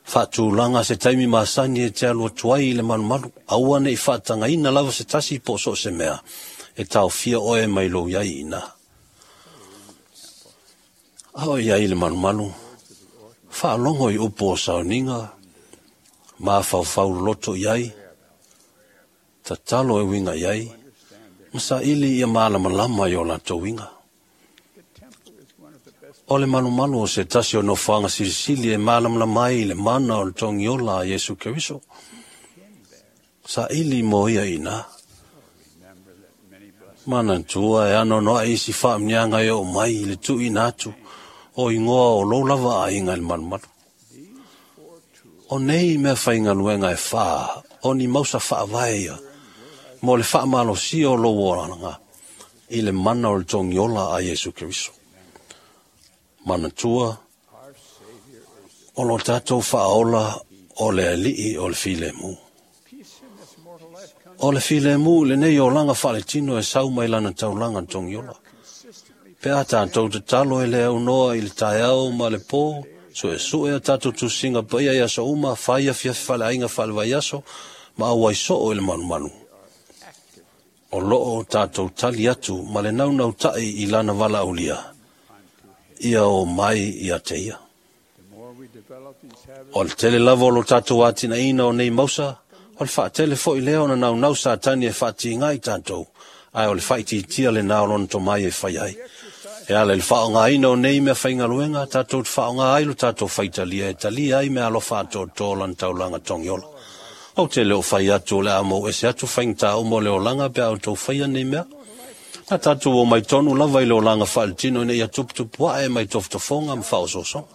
Faatulaga se taimi masani e te alu atu ai i le malumalu, aua ne i faatagaina lava se tasi po o so o se mea, e taofia oe mai lou iai i ina. A o i ai i le malumalu, faalogo i upu o sauniga, mafaufau loloto i ai, tatalo e uiga i ai, ma saili ia malamalama i o latou uiga. O le malumalu o se tasi o nofoaga silisili e malamalama ai i le mana o le togiola a Iesu Keriso. Saili mo ia i ina. Manatua e anoanoai isi faamanuiaga e oo mai i le tuuina atu o igoa o lou lava aiga i le malumalu. O nei meafaigaluega e fa, o ni mausa faavae ia, mo le faamalosia o lou olaga i le mana o le togiola a Iesu Keriso. Manatua, o lo tatou faaola o le alii o le filemu. O le filemu i lenei olaga faaletino e sau mai lana taulaga togiola. Pe a tatou tatalo e le aunoa i le taeao ma le po, suesue a tatou tusiga paia i aso uma, fai afiafi faaleaiga faalevaiaso, ma auai soo i le malumalu. O loo tatou tali atu ma le naunautai i lana valaaulia, ia o mai ia te ia. O le tele lava o lo tatou atinaeina o nei mausa, o le faatele foi lea ona naunau Satani e faatiga i tatou, ae o le faaitiitia lena o lona tomai e fai ai. E ala i le faaaogaina o nei meafaigaluega, tatou te faaaoga ai lo tatou faitalia e talia ai meaalofa atoatoa o lana taulaga togiola. Ou te le o fai atu o le a mou ese atu faigata uma o le olaga pe a outou faia nei mea. Na tatou o mai tonu lava i le olaga faaletino ina ia tuputupuae mai tofotofoga ma faaosoosoga.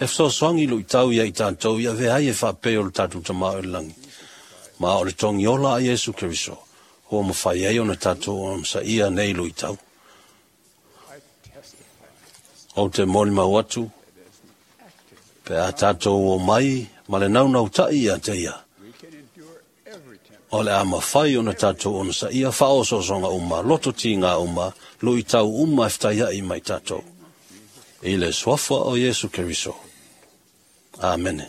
E fesoasoani luitau ia i tatou ia avea ai e faapei o le tatou Tama o i le lagi. Ma o le togiola a Iesu Keriso, ua mafai ai ona tatou onosaia nei luitau. Ou te molimau atu, pe a tatou o mai ma le naunautai ia te ia, o le a mafai ona tatou onosaia faaosoosoga uma, loto tiga uma, luitau uma e fetaiai mai tatou. I le suafa o Iesu Keriso. Amene.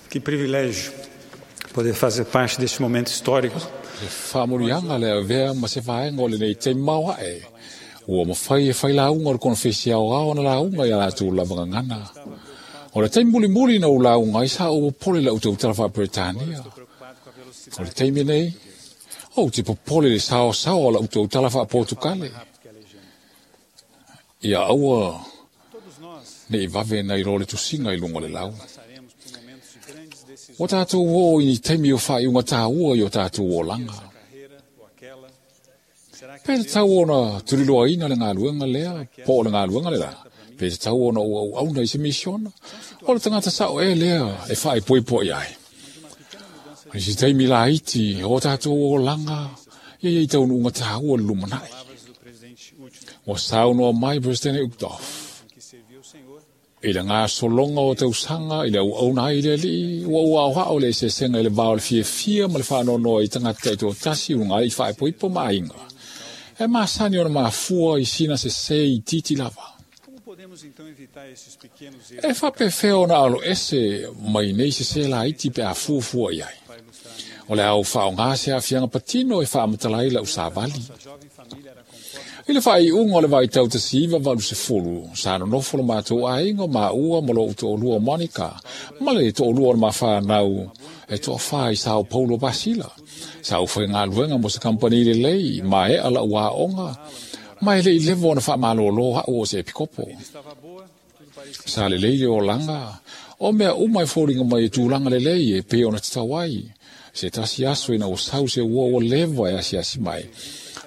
Que privilégio poder fazer parte deste momento histórico. E faamanuiaga le avea ma se vaega o lenei taimi maoae. Ua mafai e fai lauga o le konefesi aoao na lauga ia latou lava gagana. O le taimi mulimuli na ou lauga ai sa ou popole i lau tautala faa-Peretania. O le taimi nei, ou te popole i le saosaoa o lau tautala faa-Portukale. Ia aua nei vave nai lo le tusiga i luga o le lau. Ua tatou oo i ni taimi o faaiuga taua i o tatou olaga. Pe tatau ona tuliloaina le galuega lea, po o le galuega le la, pe tatau ona ou auauna i se misiona, o le tagata sao ea lea e faaipoipo i ai. I se taimi laiti o tatou olaga, ia iai taunuuga taua i le lumanai. Ua saunoa mai Peresetene Uchtdorf. I le gasologa o tausaga i le auauna ai i le Alii, ua ou aoao le eseesega i le va o le fiafia ma le faanoanoa i tagata taitoatasi i luga ai i faaipoipo ma aiga. E masani ona mafua i sina sesē itiiti lava. E faapefea ona aloese mai nei sesē laiti pe a fuafua i ai. O le a ou faaaogā se aafiaga patino e faamatala ai lau savali. I le faaiuga o le vaitau 1980, sa nonofo lo matou aiga o maua ma lo'u to'alua o Monica, ma le to'alua o le mafanau e to'afā i Sao Paulo, Pasila. Sa ou faigaluega mo se kamupani lelei, mae'a la'u aoga, ma e le'i leva ona faamalōlō a'u o se epikopo. Sa lelei le olaga, o mea uma e foliga mai e tulaga lelei e pei ona tatau ai. Se tasi aso ina ua sau se uo ua leva e asiasi mai,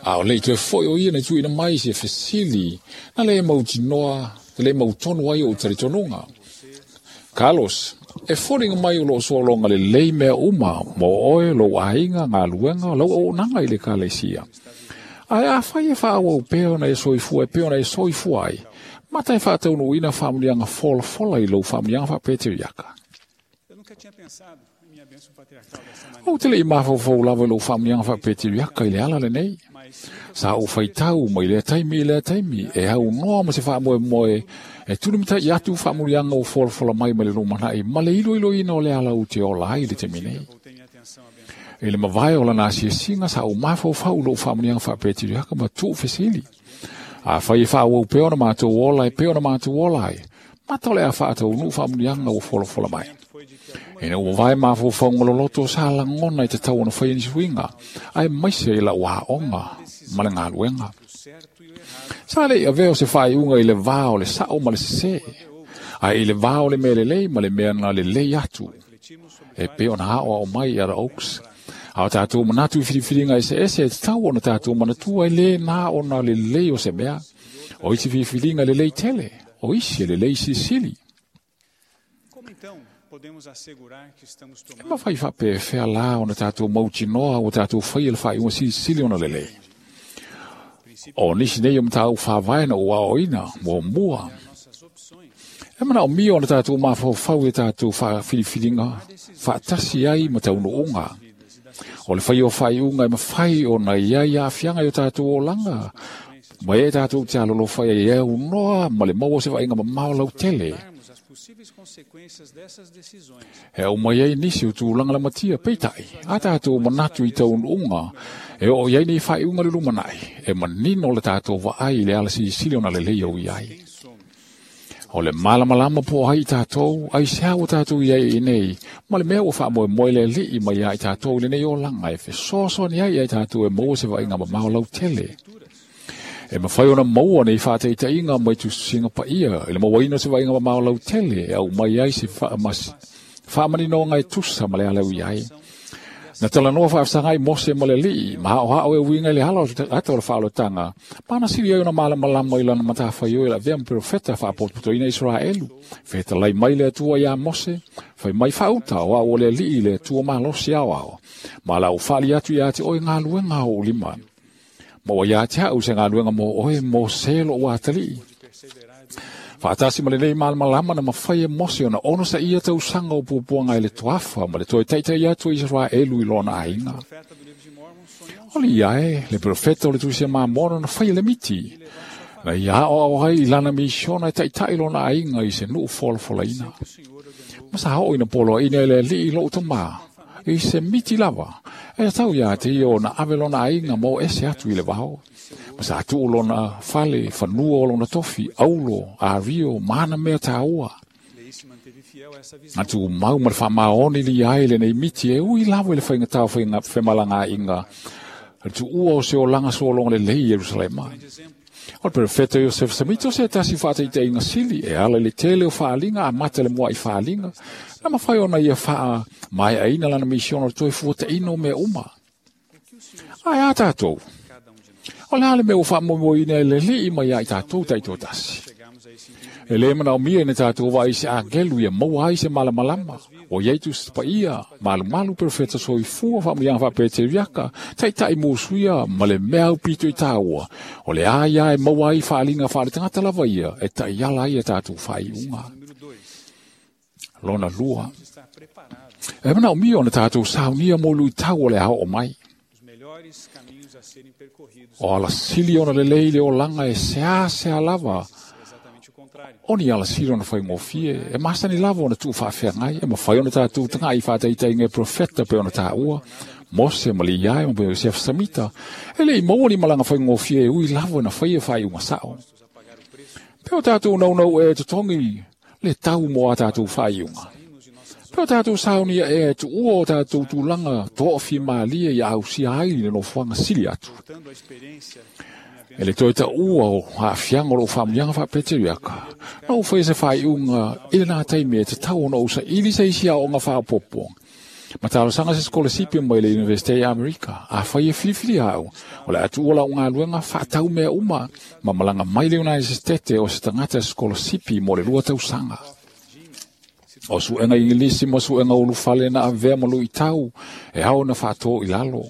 a o le'i toe fo'i o ia na tuuina mai se fesili na lē mautinoa na lē mautonu ai o'u talitonuga. Carlos, e foliga mai o lo'o sologa lelei mea uma mo oe, lou aiga, galuega, lau auaunaga i le ekalesia. Ae afai e faaauau pea ona e soifua e pei ona e soifua ai, mata e faataunuuina faamanuiaga folafola i lou faamanuiaga faapeteriaka. Ou te le'i mafaufau lava i lou faamanuiaga faapeteriaka i le ala lenei. Sa ou faitau mai lea taimi i lea taimi e aunoa ma se faamoemoe e tulimata'i atu faamanuiaga ua folafola mai mai le lumana'i ma le iloiloina o le ala ou te ola ai i le taimi nei. I le mavae o lana asiasiga sa ou mafaufau i lou faamanuiaga faapeteriaka ma tu'u fesili. Afai e faaauau pea ona matou ola e pei ona matou ola ai, mata o le a faataunuu faamanuiaga ua folafola mai. Ina ua mavae mafaufauga loloto sa lagona e tatau ona faia nisi uiga, aemaise i la'u aoga ma le galuega. Sa le'i avea o se faaiuga i le va o le sa'o ma le sesē, ae i le va o le mea lelei ma le mea na lelei atu, e pei ona aoao mai i Elder Oaks. A o tatou manatu i filifiliga eseese e tatau ona tatou manatua e lē na ona lelei o se mea. O isi filifiliga e lelei tele, o isi e lelei silisili. E mafai faapefea lā ona tatou mautinoa ua tatou faia le faaiuga silisili ona lelei? O nisi nei o mataupu faavae na ou aoaoina, muamua, e manaomia ona tatou mafaufau i a tatou filifiliga faatasi ai ma taunuuga. O le faia o faaiuga e mafai ona i ai aafiaga i o tatou olaga, ma e tatou te alolofa ai e aunoa ma le maua o se vaaiga mamao lautele. E aumai ai nisi o tulaga lamatia, peitai, a tatou manatu i taunuuga e oo i ai nei faaiuga i le lumanai, e manino le tatou vaai i le ala silisili ona lelei au i ai. O le malamalama po o ai i tatou, aisea ua tatou i ai i inei, ma le mea ua faamoemoe le Alii mai ia i tatou i lenei olaga e fesoasoani ai ia i tatou e maua se vaaiga mamao lautele. E mafai ona maua nei faataitaiga mai tusitusiga paia i le mauaina o se vaaiga mamao lautele e aumai ai se faamaninoga e tusa ma le ala e ui ai. Na talanoa faafesagai Mose ma le Alii, ma aoao e uiga i le ala o ata o le faaolotaga, ma na sili ai ona malamalama i lana matafaioi e le avea ma perofeta faapotopotoina Iseraelu. Fetalai mai le Atua iā Mose, fai mai faauta o au o le Alii le Atua malosi aoao, ma o le a ou faali atu iā te oe galuega a ou lima. Ma ua ia te a'u se galuega mo oe, Mose lo'u atalii. Faatasi ma lenei malamalama na mafai e Mose ona onosaia tausaga o puapuaga i le toafa ma le toe taita'i atu o Iseraelu i lona aiga. O le ia e, le perofeta o le Tusi a Mamona na faia le miti, na ia aoao ai i lana misiona e taita'i lona aiga i se nu'u folafolaina. Ma sa oo ina poloaiina e le Alii lo'u tamā, i se miti lava, e tatau iā te ia ona ave lona aiga ma o ese atu i le vao. Ma sa tuu lona fale, fanua o lona tofi, aulo, ario, ma ana mea tāua. Na tumau ma le faamaoni lia ai lenei miti e ui lava i le faigata o femalagaaiga, le tuua o se olaga sologa lelei i Ierusalema. O le perofeta Iosefa Samito o se tasi o faataitaiga sili e ala i le tele o faaaliga amata i le mua'i faaaliga, na mafai ona ia faamaeaina lana misiona o le toe fuataina o mea uma. Ae a tatou? O le a le mea ua faamoemoeina e le Alii mai ia i tatou taitoatasi? E le manaomia ina tatou vaai i se agelu ia maua ai se malamalama. Ua iai Tusi Paia, malumalu perofeta soifua faamanuiaga faapereteriaka, taitai musuia ma le mea aupito i taua. O le a ia e maua ai faaliga faaletagata lava ia e taiala ai a tatou faaiuga. Lona lua, e manaomia ona tatou saunia mo luitau o le a oo mai. O alasili ona lelei le olaga e seasea lava, o ni alasili ona faigofie, e masani lava ona tuufaafeagai, e mafai ona tatou taga'i faataitaiga e profeta pe ona taua, Mose ma Liae ma Iosefa Samita, e le'i maua ni malaga faigofie e ui lava na faia faaiuga sa'o. Pe o tatou naunau ea e totogi le tau mo a tatou faaiuga. Pe o tatou saunia ea e tuua o tatou tulaga toafimalie ia ausia ai le nofoaga sili atu. E le toe taua o aafiaga o lou faamanuiaga faapeteriaka, na ou faia se faaiuga i lenā taimi e tatau ona ou saili se isi aoga faaopoopo. Ma talosaga se sikolasipi mai le Universite i Amerika, afai e filifili a'u, o le a tuua la'u galuega faatau mea uma ma malaga mai le United States o se tagata sikolasipi mo le 2 tausaga. O suega Igilisi ma suega ulufale na avea ma luitau e ao na faatō i lalo.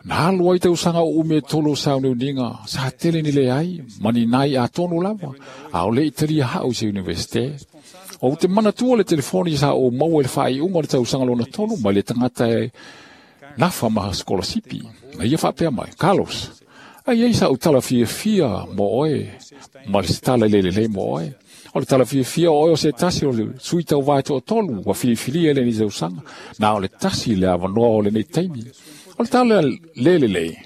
Na alu ai tausaga o umi e 3 sauniuniga, sa tele ni leai, ma ni nai atonu lava, a o le i talia ha'u i se universite. O te manatua le telefoni sa o maua i le faaiuga o le tausaga lona 3 mai le tagata e nafa ma sikolasipi. Na ia faapea mai, Carlos, ai ai sa u tala fiafia mo oe, ma le se tala i lelelei mo oe. O le tala fiafia o oe o se tasi o le sui tauvae toatolu ua filifilia i lenei tausaga, na o le tasi le avanoa o lenei taimi. O le tala lelelei,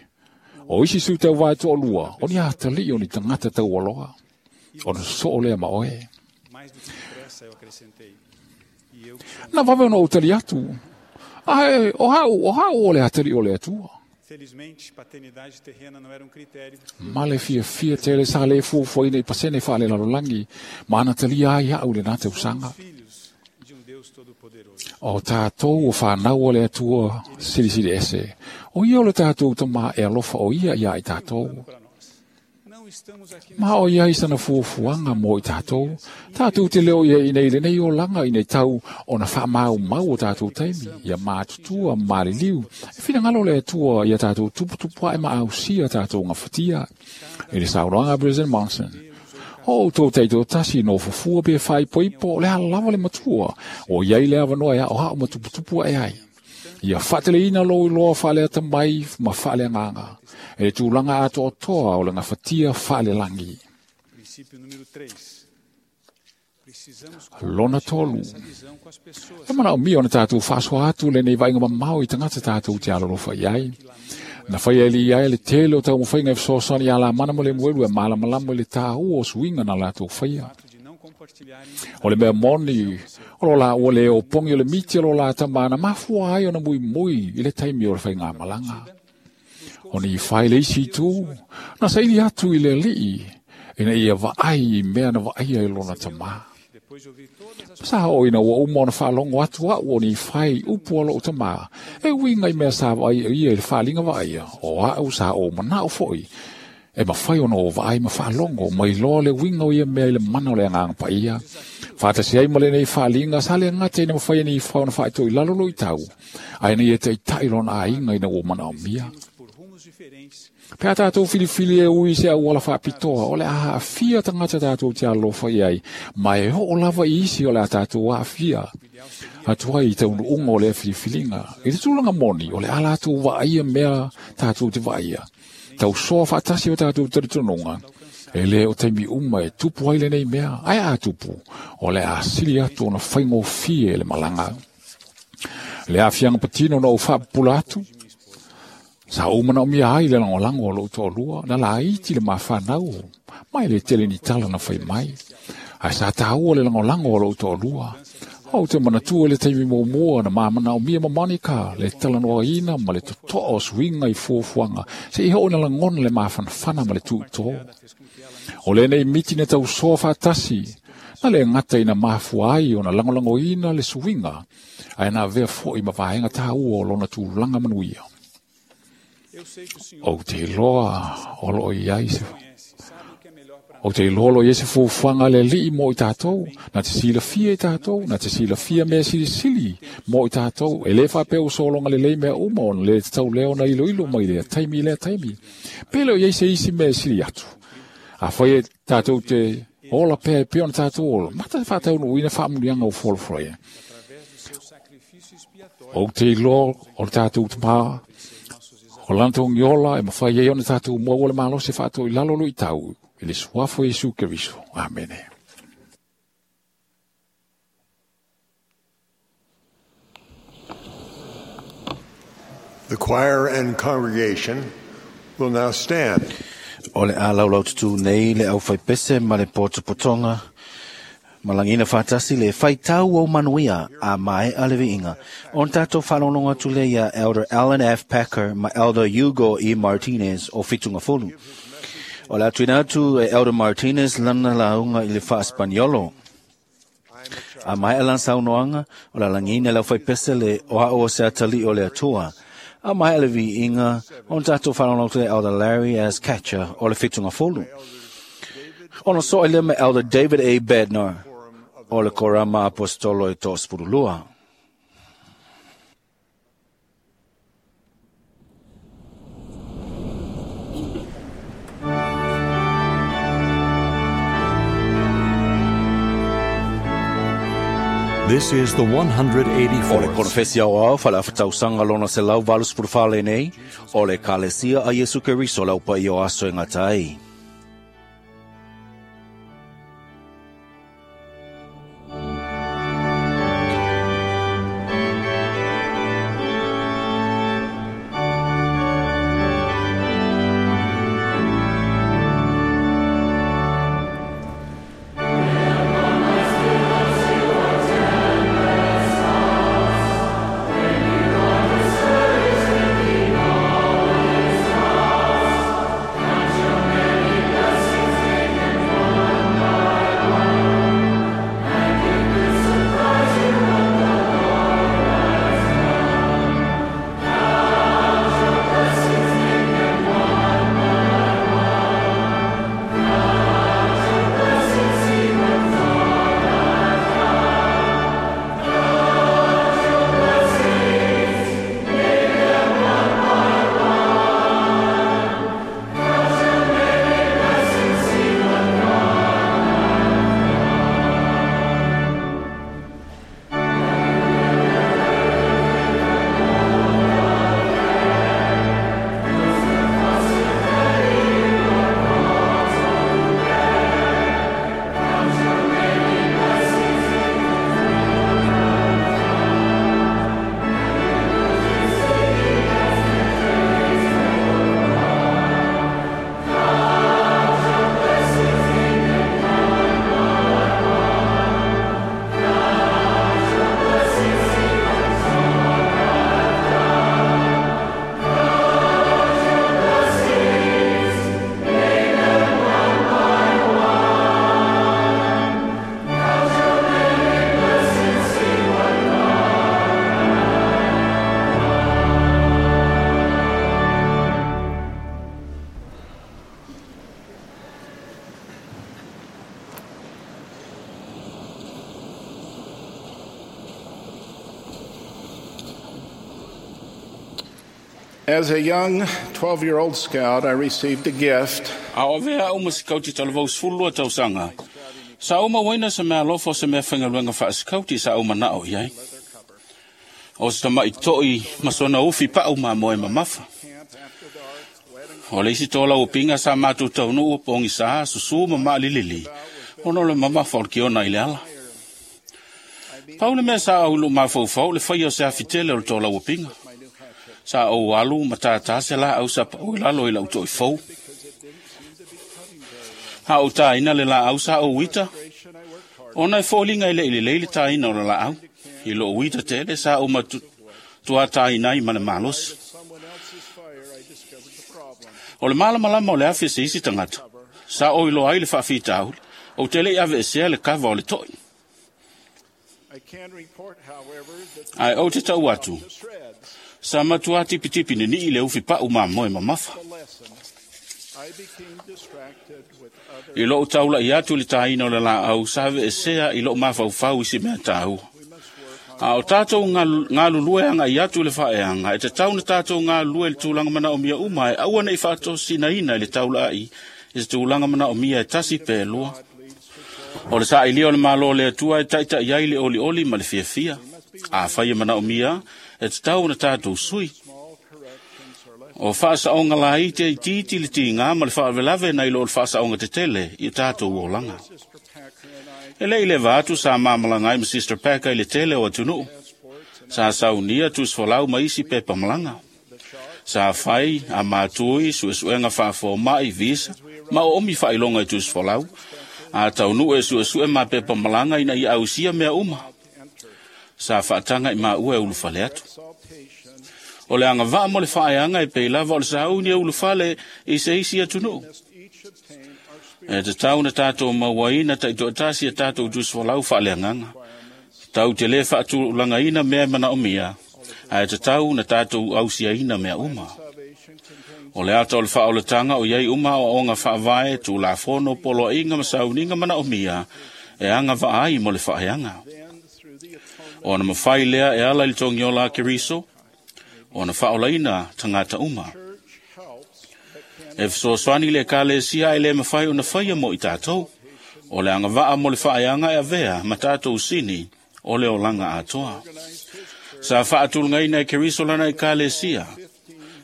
o isi sui tauvae toalua, o ni atalii o ni tagata taualoa, ona sosoo lea ma oe. Na vave ona ou tali atu, ae o ha'u o le atalii o le Atua. Ma le fiafia tele sa le fuafuaina i pasene faalelalolagi, ma ana talia ai a'u lenā tausaga. O tatou o whanau o le Atua silisili ese. O ia o le tatou tamā e alofa o ia ia i tatou. Ma o ia i sana fuafuaga mo i tatou. Tatou te leo ia i nei lenei olaga i nei tau o na whaamau mau o tatou taimi. Ia mātutua maliliu. E finangalo le Atua ia tatou tuputupua e maausia tatou ngafatia. I le saunoaga President Monson. O outou taitoatasi no fufua pe faaipoipo o le alava le matua. O iai le avanoa e a'oa'o ma tuputupu ae ai. Ia faateleina lou iloa faaleata mai ma faaleagaga. E le tulaga atoatoa o le gafatia faalelagi. Lona 3. E manaomia ona tatou faasoa atu lenei vaaiga mamao i tagata tatou te alolofa i ai. Na faia e Liae le tele o taumafaiga e fesoasoani ia Lamana ma Lemuelu e malamalama i le tāua o suiga na latou faia. O le mea moni, o lo laua le opogi o le miti o lo la tamā na mafua ai ona muimui i le taimi o le faigamalaga. O ni fai le isi itu, na saili atu i le alii, ina ia vaai i mea na vaaia i lona tamā. Sa o ina ua uma ona faalogo atu a'u o ni fai upu o lo'u tamā, e uiga i mea sa vaai ia i le faaliga vaaia, o a'u sa ou mana'o fo'i, e mafai ona o vaai ma faalogo mai loa le uiga o ia mea i le mana o le agaga paia. Faatasi ai ma lenei faaliga, sa le gata ina mafai e ni fai ona faaito'i lalo luitau, ae ina ia taita'i lona aiga ina ua manaomia. Pe a tatou filifili e ui se auala faapitoa, o le a aafia tagata tatou te alofa i ai, ma e oo lava i isi o le a tatou aafia. Atu ai i taunuuga o lea filifiliga, i le tulaga moni, o le a latou vaaia mea tatou te vaaia. Tausoa faatasi o tatou talitonuga, e le o taimi uma e tupu ai lenei mea, ae a tupu, o le a sili atu ona faigofie le malaga. Le aafiaga patino na ou faapupula atu, sa ou manaomia ai le lagolago o lou toalua, na laiti le mafanau, mai le tele ni tala na fai mai. Ae sa tāua le lagolago o lou toalua. O te manatua le taimi muamua na mamanaomia ma Monica, le talanoaina ma le toto'a o suiga i fuafuaga, seia oo ina lagona le mafanafana ma le tuitō. O lenei miti na tausoa faatasi, na le gata ina mafua ai ona lagolagoina le suiga, ae na avea fo'i ma vaega tāua o lona tulaga manuia. Ou te iloa o loo i ai se O te iloa i se fuafuaga a le Alii mo i tatou, na te silafia i tatou, na te silafia mea silisili mo i tatou. E le faapea ua sologa lelei mea uma ona le tatau lea ona iloilo mai lea taimi i lea taimi. Pe le o i ai se isi mea e sili atu. Afai e tatou te ola pea e pei ona tatou ola, mata faataunuuina faamuliaga ua folafolaina. Ou te iloa o le tatou Tamā, o lana togiola e mafai ai ona tatou maua le malosi e faatoilalo luitau i le suafa o Iesu Keriso. Amene. The choir and congregation will now stand. O le a laulaututu nei le aufaipese ma le potopotoga malagina faatasi le faitau o manuia a mae'a le viiga. Ona tatou faalogologo atu lea ia Elder Alan F. Packer ma Elder Hugo E. Martinez o Fitugafulu. O le atuina atu e Elder Martinez lana lauga i le faaspaniolo. A mae'a lana saunoaga, o le alagiina le aufaipese le o a'u o se atalii o le Atua. A mae'a le viiga, ona tatou faalogologo atu lea Elder Larry S. Catcher o le Fitugafulu. Ona so'o ai lea ma Elder David A. Bednar o le Korama Aposetolo e 32. This is the O le 184th konofesi aoao faaleafatausaga lona 184 lenei, o le Ekalesia a Iesu Keriso le aupaia o aso e gata ai. As a young 12 year old scout, I received a gift. A o avea a'u ma sikauti talavou 12 tausaga. Sa ou mauaina se meaalofa o se mea faigaluega faasikauti sa ou mana'o i ai. O se tama'i to'i ma sona ufi pa'u mamoe mamafa. O le isi tolauupiga sa matou taunuu pogisā susū ma maalilili ona o le mamafa o le kiona i le ala. Pau le mea sa ou i lou mafaufau le faia o se afi tele o le tolauupiga. Sa ou alu ma tātā se laau sa pau i lalo i la'u to'ifou. A ou tāina le laau sa ou ita, ona e foliga e le'i lelei le tāina o le laau. I lou ita tele sa ou matuā tāina ai ma le malosi. O le malamalama o le afi e se isi tagata, sa ou iloa ai le faafitauli, ou te le'i aveesea le kava o le to'i. Ae ou te ta'u atu, sa matuā tipitipi nini'i le ufi pa'u mamoe mamafa. I lou taula'i atu i le tāina o le laau, sa aveesea i lou mafaufau i si mea tāua. A o tātou galulue agai atu i le faaeaga, e tatau ona tātou galulue i le tulaga manaomia uma e aua ne i faatosinaina i le taulaai i se tulaga manaomia e tasi pe lua. O le saailia o le Malo o le Atua e taita'i ai le olioli ma le fiafia. Afai e manaomia, e tatau ona tātou sui. O faasaoga laiti e itiiti le tiga ma le faalavelave nai lo o le faasaoga tetele i o tātou olaga. E le i leva atu sa mamalaga ai ma Sister Packer i le tele o atunuu. Sa saunia tusifolau ma isi pepa malaga. Sa fai a matui suesuega faafoma'i visa ma oomi faailoga i tusifolau. A taunuu e suesue ma pepa malaga ina ia ausia mea uma. Sa faataga i maua e ulufale atu. O le agavaa mo le faaeaga e pei lava o le sauni e ulufale i se isi atunuu. E tatau na tātou mauaina taitoatasi e tātou tusifolau faaleagaga. Tau te lē faatulagaina mea e manaomia, ae tatau na tātou ausiaina mea uma. O le ata o le faaolataga o iai uma aoaoga faavae, tulafono, poloaiga ma sauniga manaomia e agavaa ai mo le faaeaga. Ona mafai lea e ala i le togiola a Keriso, ona faaolaina tagata uma. E fesoasoani le Ekalesia e le mafai ona faia mo i tātou. O le agavaa mo le faaeaga e avea ma tātou sini o le olaga atoa. Sa faatulagaina e Keriso lana Ekalesia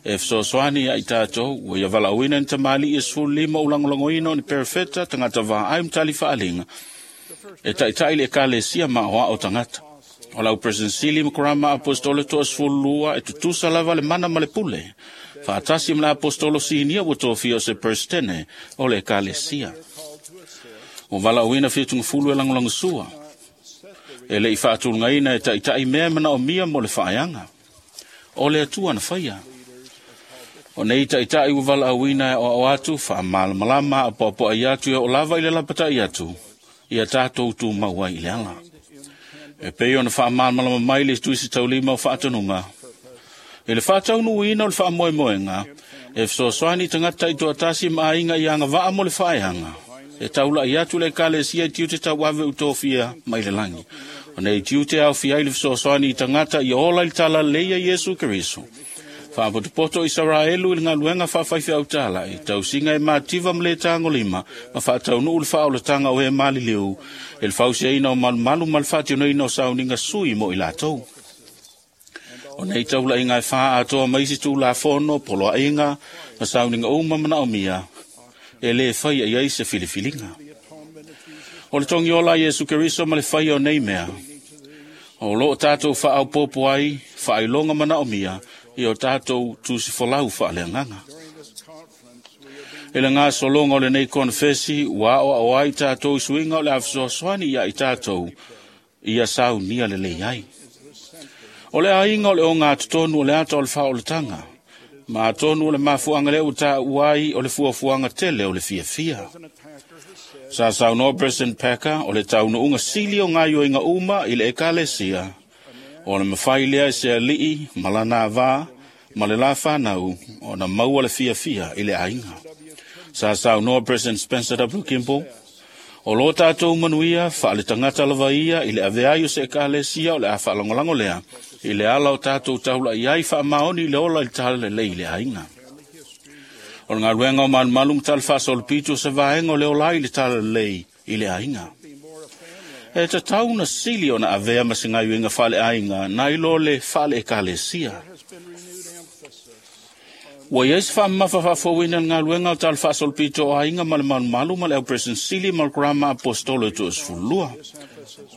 e fesoasoani ia i tātou ua ia valaauina ni tamalii e 15 o lagolagoina o ni perefeta tagata vaai ma tali faaliga e taita'i le Ekalesia ma aoao tagata. O lau President Sili ma Kurama Apostolo toa 12 e tutusa lava le mana ma le pule. Faatasi ma le Apostolo Sinia ua tofia o se Presidente o le Ekalesia. Ua valaauina 70 e lagolagosua. E le i faatulagaina e taita'i mea e manaomia mo le faaeaga. O le Atua na faia. O nei taita'i ua valaauina e aoao atu, faamalamalama apoapoai atu e oo lava i le lapata'i atu, ia tātou tumau ai i le ala. E pei ona faamalamalama mai le tuisi taulima o faatonuga. I le faataunuuina o le faamoemoega, e fesoasoani tagata taitoatasi ma aiga i agavaa mo le faaeaga. E taula'i atu le Ekalesia i tiute tauave utofia mai le lagi. O nei tiute aofia ai le fesoasoani i tagata ia ola i le talalelei a Iesu Keriso. Faapotopoto Isaraelu i le galuega faafaifeau tausiga e mativa ma le tagolima ma faataunuu le faaolataga o e maliliu e le fausiaina o malumalu ma le faatinoina o sauniga sui mo i latou. O nei taulaiga e fā atoa mai isi tulafono, poloaiga ma sauniga uma manaomia e lē faia i ai se filifiliga. O le togiola a Iesu Keriso ma le faia o nei mea. O loo tātou faaopoopo ai, faailoga manaomia i o tātou tusifolau faaleagaga. E le gasologa o lenei konefesi ua aoao ai tātou i suiga o le afesoasoani ia i tātou ia saunia lelei ai. O le aiga o le ogatotonu o le ata o le faaolataga, ma atonu o le mafuaaga lea ua taua ai o le fuafuaga tele o le fiafia. Sa saunoa President Packer o le taunuuga sili o gaioiga uma i le Ekalesia, o le mafai lea e se alii ma lana avā ma le la whanau o na maua le fiafia i le aiga. Sa saunoa President Spencer W. Kimball, o lo tātou manuia wha le tangata lava ia i le aveai o se Ekalesia o le a whaalangolago lea i le ala o tātou taula i ai whaamaoni i le ola i le talalelei i le aiga. O le galuega o malumalu ma tala faasolopito o se vaega o le ola i le talalelei i le aiga. E tatau na sili ona avea ma se gaioiga faaleaiga nai lo le faale-Ekalesia. Ua iai se faamamafa faafouina le galuega o tala faasolopito o aiga ma le malumalu ma le au President Sili ma le Kurama Apostolo e 12.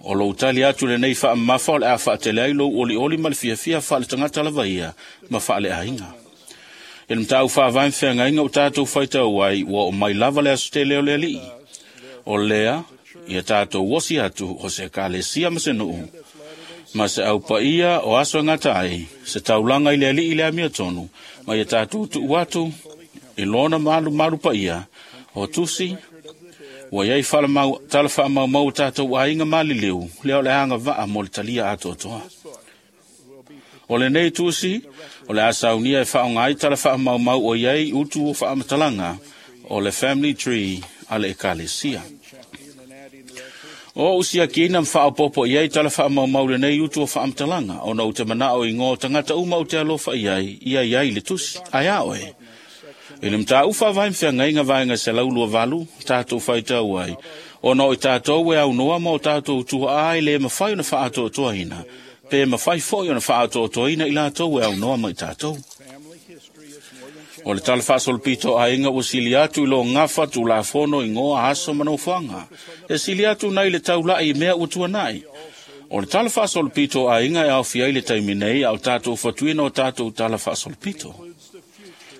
O lou tali atu lenei faamamafa o le a faatele ai lou olioli ma le fiafia faaletagata lava ia ma faaleaiga. E le matau faavae ma feagaiga o tātou faitau ai ua oo mai lava le aso tele o le alii. O lea, ia tātou osi atu o se Ekalesia ma se nuu, ma se aupaia o aso e gata ai, se taulaga i le alii i le amiotonu, ma ia tātou tuu atu i lona malumalu paia o tusi, ua iai tala faamaumau o tātou aiga maliliu, lea o le agavaa mo le talia atoatoa. O lenei tusi, o le a saunia e faaaoga ai tala faamaumau o iai utu o faamatalaga O le family tree a le ekalesia. O usiakiina mwhaapopo i ai tala whaamaumau le nei utu o whaamtalanga, ona o te manao i ngō tangata uma o te alofa i ai, i ai ai le tusi, ai a oe. I le mta uwha vai mwhiangainga vaenga se laulua valu, tātou whaitau ai, ona o i tātou e au noa ma o tātou tua ai le mawhai ona whaatoatoaina, pe mawhai foi ona whaatoatoaina i lātou e au noa ma i tātou. O le tala faasolopito aiga ua sili atu i lo gafa tulafono i goa aso ma nofoaga. E sili atu nai le taula'i i mea ua tuana'i. O le tala faasolopito aiga e aofia ai le taimi nei a o tatou fatuina o tatou tala faasolopito.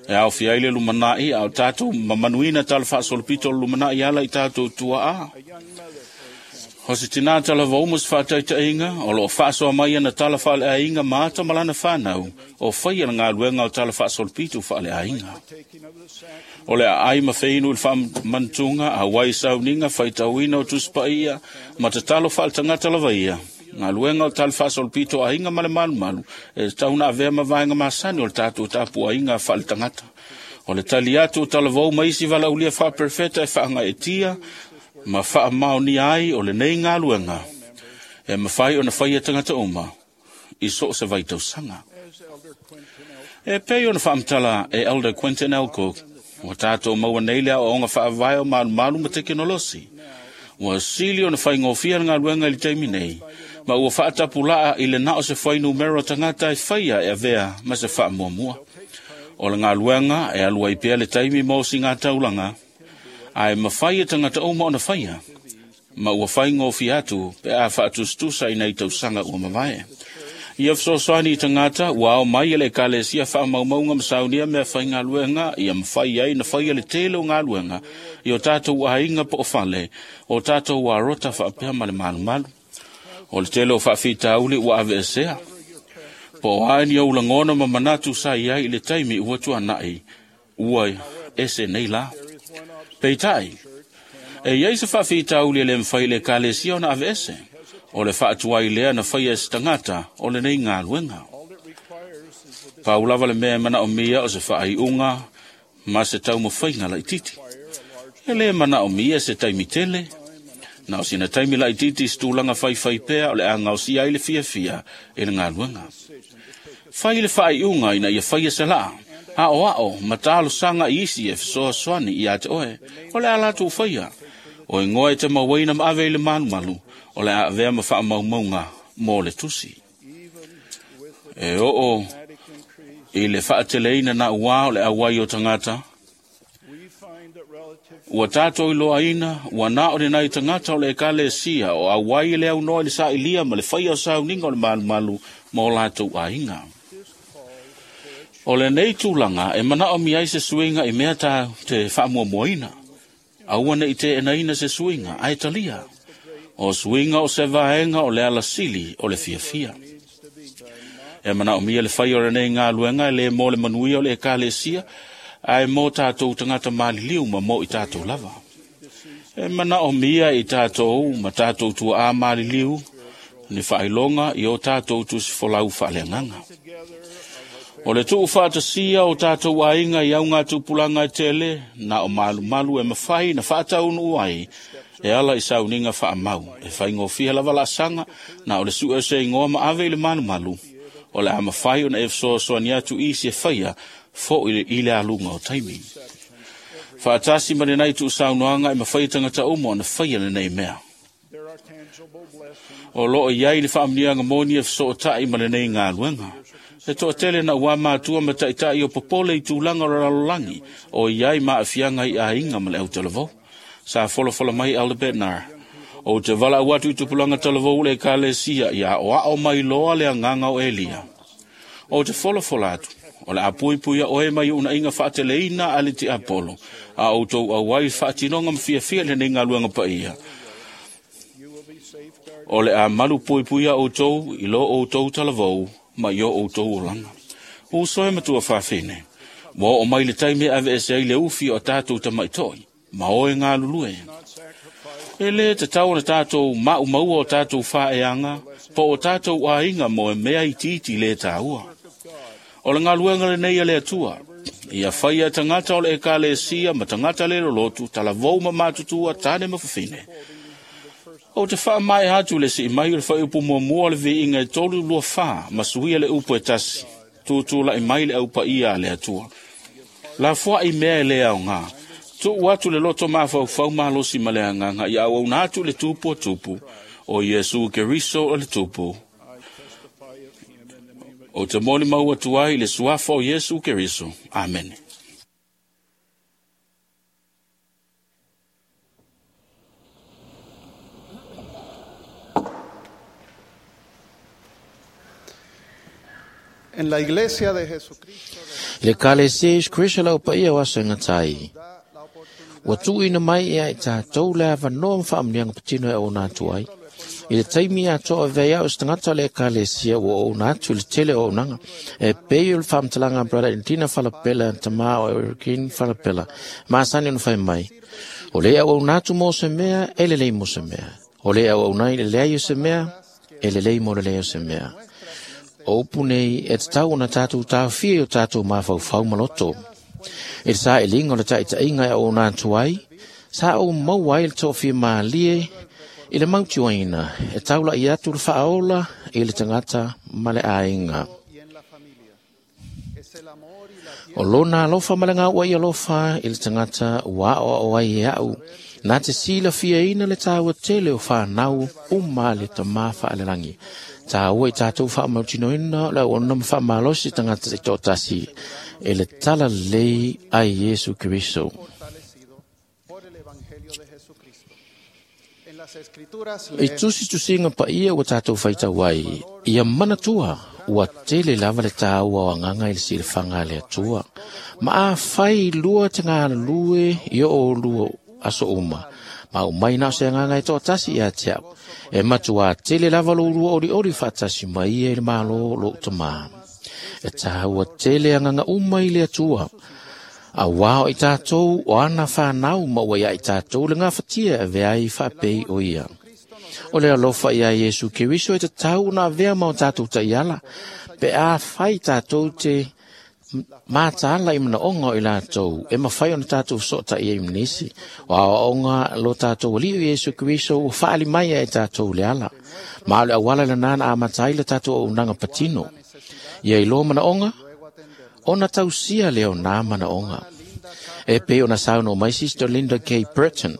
E aofia ai le lumana'i a o tatou mamanuina tala faasolopito o le lumana'i ala i tatou tua'a. O se tinā talavou ma se faataitaiga, o loo faasoa mai ana tala faaleaiga ma ata ma lana fanau, o faia le galuega o tala faasolopito faaleaiga. O le aai ma feinu i le faamanatuga, auai sauniga faitauina o tusipaia, ma tatalo faaletagata lava ia. Galuega o tala faasolopito aiga ma le malumalu, e tatau ona avea ma vaega masani o le tatou tapuaiga faaletagata. O le tali atu o talavou ma isi valaaulia faaperefeta e faagaeetia, ma faamaonia ai o lenei galuega e mafai ona faia tagata uma i so o se vaitausaga. E pei ona faamatala e Elder Quentin L. Cook, ua tatou maua nei le aoaoga faavae o malumalu ma tekenolosi. Ua sili ona faigofia le galuega i le taimi nei, ma ua faatapulaa i le na o se fuainumera tagata e faia e avea ma se faamuamua. O le galuega e alu ai pea le taimi mo sigataulaga, ae mafai e tagata uma ona faia, ma ua faigofie atu pe a faatusatusa i nai tausaga ua mavae. Ia fesoasoani i tagata ua ao mai e le ekalesia faamaumauga ma saunia mea faigaluega ia mafai ai na faia le tele o galuega i o tatou aiga po o fale, o tatou arota faapea ma le malumalu. O le tele o faafitauli ua aveesea, po o a ni ou lagona ma manatu sa i ai i le taimi ua tuana'i, ua ese nei la. Peitai, e iai se faafitauli e le mafai i le ekalesia ona aveese, o le faatuai lea na faia e se tagata o lenei galuega. Pau lava le mea e manaomia o se faaiuga ma se taumafaiga laititi. E le manaomia se taimi tele, na o sina taimi laititi i se tulaga faifai pea o le a gaosia ai le fiafia i le galuega. Fai le faaiuga ina ia faia se laa, aoao ma talosaga i isi e fesoasoani ia te oe, o le a latou faia. O igoa e te mauaina ma ave i le malumalu, o le a avea ma faamaumauga mo le tusi. E oo i le faateleina na ua o le auai o tagata, ua tatou iloaina, ua na o lenai tagata o le ekalesia o auai i le aunoa i le sailia ma le faia o sauniga o le malumalu ma o latou aiga. O lenei tulaga e manaomia ai se suiga i mea ta te faamuamuaina. Aua nei teenaina se suiga, ae talia. O suiga o se vaega o le alasili o le fiafia. E manaomia le faia o lenei galuega e le mo le manuia o le ekalesia, ae mo tatou tagata maliliu ma mo i tatou lava. E manaomia i tatou ma tatou tuaa maliliu ni faailoga i o tatou tusifolau faaleagaga. O le tuu faatasia o tatou aiga i auga tupulaga e tele, na o malumalu e mafai na faataunuu ai, e ala i sauniga faamau. E faigofie lava laasaga, na o le sue o se igoa ma ave i le malumalu, o le a mafai ona e fesoasoani atu isi e faia fo'i i le aluga o taimi. Faatasi ma lenei tuusaunoaga e mafai e tagata uma ona faia lenei mea. O loo i ai le faamanuiaga moni e fesootai ma lenei galuega. E toatele na ua matua ma taitai o popole i tulaga o le lalolagi, o i ai maafiaga i aiga ma le autalavou. Sa folafola mai Elder Bednar, o te valaau atu i tupulaga talavou le ekalesia ia aoao mai loa le agaga o Elia. O te folafola atu, o le a puipui oe mai unaiga faateleina a le tiapolo, a outou auai faatinoga ma fiafia lenei galuega paia. O le a malu puipuia outou i lo outou talavou ma i o outou olaga. Uso e matua faafine, ua oo mai le taimi e aveese ai le ufi o tatou tamaitoi, ma oe galulue. E le tatau ona tatou maumaua o tatou faaeaga, po o tatou aiga mo e mea itiiti le tāua. O le galuega lenei a le Atua, Ia faia e tagata o le ekalesia ma tagata le lolotu, talavou ma matutua, tane ma fafine. O te whaamae atu le si mai o le whaiupu muamua o le viiga e 324, ma suia le upu e tasi, tūtū lai mai le aupa ia a le atua. La fua i mea e le au ngā, tuu atu le loto mafaufau malosi ma le agaga, ia auauna atu le tupu o tupu, o Iesu Keriso o le tupu. O te moni mau atu ai le suafa o Iesu Keriso. Amen. En la iglesia de Jesucristo Le ekalesia Iesu Keriso lau paia o aso e gatai. Ua tuuina mai ia i tatou le avanoa ma faamanuiaga patino e auauna atu ai. I le taimi atoa avea ai au se tagata o le ekalesia ua auauna atu i le tele o auaunaga. E pei o le faamatalaga a Brother Edina Falapela, tamā o Erikine Falapela, masani ona fai mai. O le auauna atu mo se mea, e lelei mo se mea. O le auauna i le leai o se mea, e lelei mo le leai o se mea. O upu nei e tatau ona tatou taofia i o tatou mafaufau ma loto. I le sailiga o le taitaiga e auauna atu ai, sa ou maua ai le toafia malie i le mautioaina e taulai atu le faaola i le tagata ma le aiga. O lona alofa ma le gauai alofa i le tagata ua aoao ai e au, na te silafiaina le taua tele o whanau uma le tamā whaalelagi. Tāua i tātou whaamautinoina o le auauna ma faamalosi tagata i toatasi e le tala lelei a Iesu Keriso. I tusitusiga paia ua tātou faitau ai, ia manatua ua tele lava le tāua o agaga i le silafaga a le Atua. Ma afai lua te galulue i o oulua aso uma, ma aumai na o se agaga e toatasi ia te au, e matuā tele lava lo ulua olioli faatasi mai ia i le Malo o lou tamā. E tāua tele agaga uma i le Atua. Auā o i tātou o ana whanau ma ua ia i tātou le gafatia e avea ai faapei o ia. O le alofa ia Iesu Keriso e tatau ona avea ma o tātou taiala, pe a fai tātou te mataala i manaoga o i latou, e mafai ona tātou fesootaiai ma nisi. O aoaoga lo tātou Alii o Iesu Keriso ua faali mai ai e tātou le ala. Ma o le auala lena na amata ai le tātou auaunaga patino. Ia iloa manaoga, ona tausia lea o nā manaoga. E pei ona saunoa mai Sister Linda K. Burton,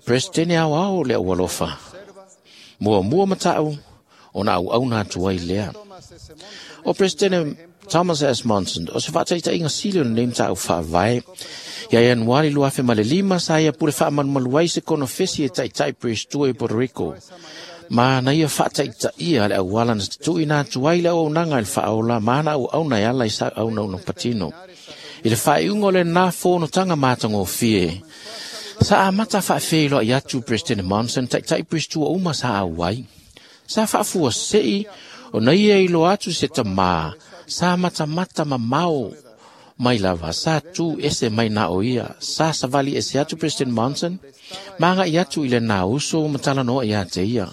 Peresetene aoao o le Aualofa. Muamua matau, ona auauna atu ai lea. O Peresetene Thomas S. Monson, o se faataitaiga sili o lenei mataupu faavae. Ia Ianuari 2005, sa ia pule faamalumalu ai se konofesi e taitai Peresetua i Puerto Rico. Ma na ia faataitaia le auala na tuuina atu ai le auaunaga i le faaola ma ana auauna e ala i sa auaunauna patino. I le faaiuga o lenā fonotaga matagofie, sa amata faafeiloai atu Peresetene Monson taitai Peresetua uma sa auai. Sa faafuasei ona ia iloa atu se tamā, sa matamata mamao mai lava, sa tu ese mai na o ia, sa savali ese atu President Monson, ma agai atu i lenā uso ma talanoa ia te ia.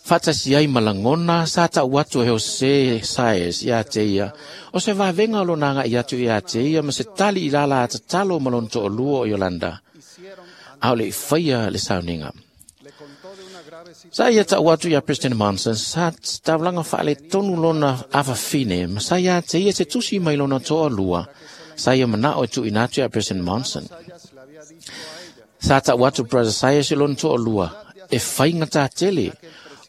Faatasi ai ma lagona, sa tau atu e Jose Saez ia te ia, o se vavega o lona agai atu ia te ia ma se tali i lala tatalo ma lona toalua o Yolanda. A o le i faia le sauniga. Sa ia tau atu ia President Monson, sa taulaga faaletonu lona afafine, ma sa ia te ia se tusi mai lona toalua, sa ia manao e tuuina atu ia President Monson. Sa tau atu Brother Sayers i lona toalua, e faigata tele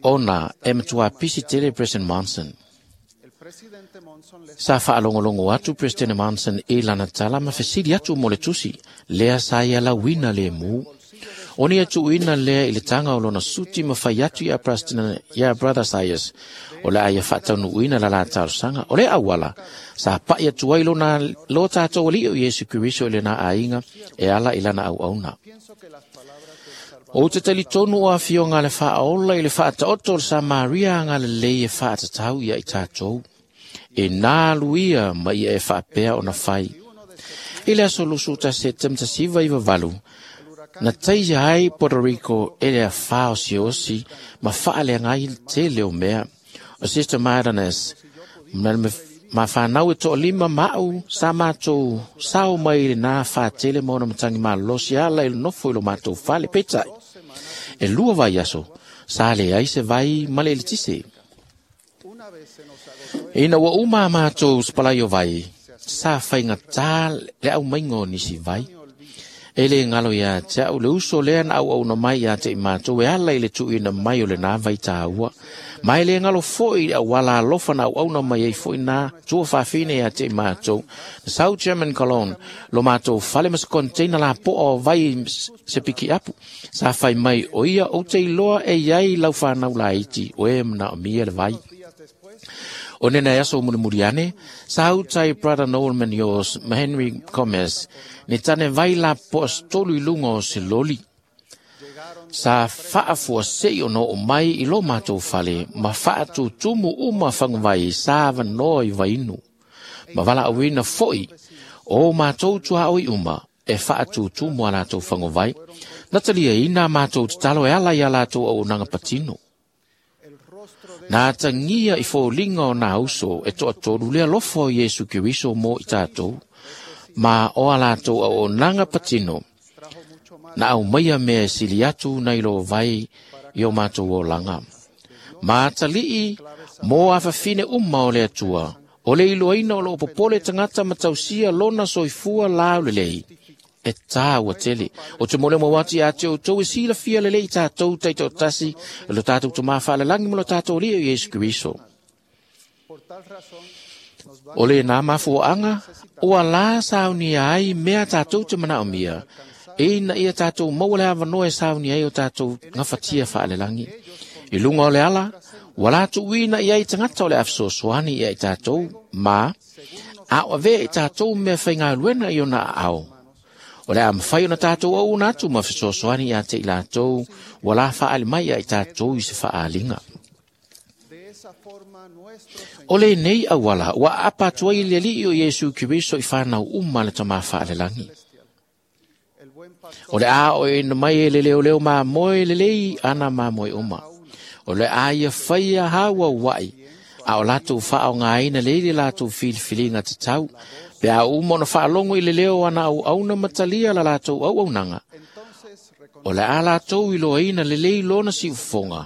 ona e matua pisi tele President Monson. Sa faalogologo atu President Monson i lana tala ma fesili atu mo le tusi, lea sa ia lauina le mu. Ona ia tuuina lea i le taga o lona suti ma fai atu ia President, ia Brother Sayers, o le a ia faataunuuina la la talosaga. O le auala, sa pai atu ai lona lo tātou Alii o Iesu Keriso i lena aiga e ala i lana auauna. Ou te talitonu o afioga a le Faaola i le faataoto o le Samaria agalelei e faatatau ia i tātou. E nā alu ia ma ia e faapea ona fai. I le aso 21 Setema 1998, na taia ai Puerto Rico e le afā osiosi ma faaleaga ai le tele o mea. O Sister Martinez, na Ma whanau e toa lima mau sa mātou sao mai le nā whātele ma ona matangi malosi ala i le nofo i lo mātou fale. Peitai, e lua vai aso, sa le ai se vai male le tise. Ina ua uma a mātou spalai o vai, sa whainga tā le au maingo nisi vai. E le ngalo ia te au le uso lea na au au na mai ia te i mātou e ala i le tuina mai o le nā vai tāua. Mai le ngalo foi le au ala alofa na au au na mai ei foi nā tua whawhine ia te i mātou. Na South German Cologne, lo mātou fale mas container la po o vai se piki apu. Sa whai mai o ia o te iloa e iai lau whanau la iti o e mana o mia le vai. O nena e aso murimuri ane, sa utai Brother Noel Munoz, ma Henry Gomez, ni tane vai la po tolu i lunga o se loli. Sa whaafua sei o no o mai i lo mātou fale, ma whaatutumu uma whangwai sa wanoa i vainu. Ma wala awina foi, o mātou tua oi uma, e whaatutumu a lātou whangwai. Natalia ina mātou tatalo e ala i a lātou au nanga patino. Nā tangia i fōlinga o nā uso e toa tolu lea lofo o Iesu Keriso mō i tātou, ma o a lātou au o nanga patino, na au maia mea e sili atu nei lo vai i o mātou o langa. Ma talii mō a whawhine uma o le atua, o le iloaina o lo popole tangata matausia lona soifua lau lelei. E tāua tele. O te mole mo wati a te o tau e sila fia lelei tātou teito tasi, lo tātou tō māwhaalalangi mo lo tātou lia o Iesu Keriso. O le nā mafuaanga, o a la sauni ai mea tātou te mana o mia, e ina ia tātou maua le awanoa e sauni ai o tātou ngawhatia whaalelangi. I lunga o le ala, wala tuuina ia i tangata o le awhisosoani ia i tātou, ma, a o ave i tātou mea whainga luena i ona ao. O le a mawhai ona tātou au una atu ma whisosoani ia te i lātou, wala whaali mai ia i tātou i se whaalinga. O le nei awala, ua apa atua i le alii o Iesu Keriso i whanau uma le tama whaalelangi. O le a o e na mai e le leo leo mā moe le lei ana mā moe uma. O le a ia whaia haua wai, a o lātou whao ngā aina leile lātou filifiliga te tau, pe a uma ona whaalongo i le leo ana au auna matalia la lātou au aunanga. O le a lātou i loaina le lei lona si ufonga,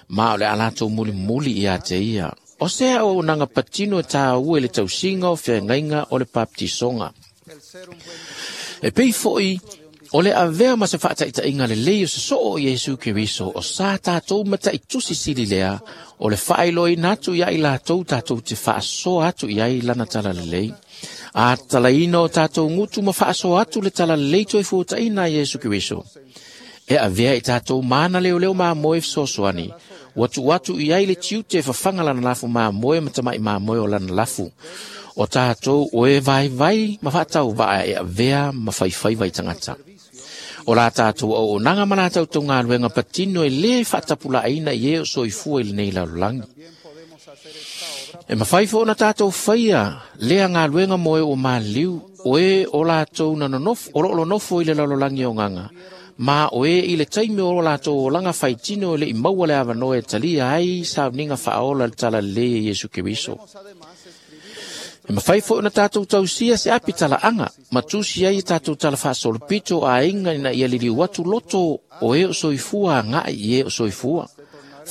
ma o le a lātou muli muli i a te ia. O se au aunanga patino e tā ue le tausinga o whengainga o le paptisonga. E pei foi, o le avea ma se whaataitainga le lei o se soo o Iesu Keriso o sa tātou mata i tusi sili lea o le whailoi natu ia i lātou tātou te whaasoa atu i ai lana tala lelei. A talaina o tātou ngutu ma whaasoa atu le tala lelei toi fuataina Iesu Keriso. E avea i tātou mana leo leo mā moe sosoani. Watu watu i ai le tiute whawhanga lana lafu mā moe matamai mā moe o lana lafu. O tātou o e vai vai ma whaatau vaa e avea ma whaiwhai vai tangata. O la tātou o nanga mana tātou tō ngā luenga patino e le whaatapula aina i e o soifua i le nei lalulangi. E mawhai fo na tātou whaia lea ngā luenga moe o māliu o e o lātou na nonofo, o lo nofo i le lalulangi o nganga. Ma o e i le taimi o lātou o langa whaitino le i maua le awanoa e talia ai sauninga whaola le tala le e Iesu Keriso. E mawhai fo na tātou tausia se api tala anga, ma tusi ai tātou tala whaasolopito a inga ina ia lili watu loto o e o soifua ngai i e o soifua.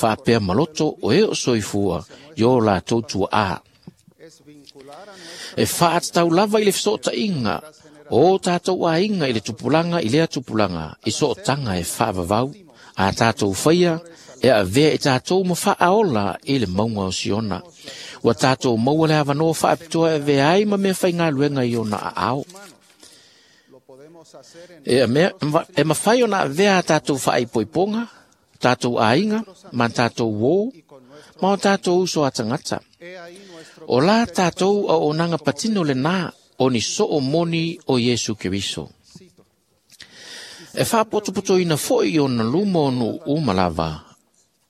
Whaapea maloto o e o soifua, i o lātou tua a. E whaatau lava i le whasota inga, o tātou a inga i le tupulanga i lea tupulanga, i sootanga e whaavavau, a tātou whaia, e avea i tātou ma whaaola i le maunga o Siona. Ua tātou maua le awanoa whaapitoa e vea ai ma mea whai ngā luenga i ona a ao. E mawhai ona avea tātou whaaipoiponga, tātou ainga, ma tātou wō, ma o tātou uso a tangata. O la tātou o onanga patino le nā, o ni soo moni o Iesu Keriso. E whaapotopoto ina foi o na luma o nu umalava,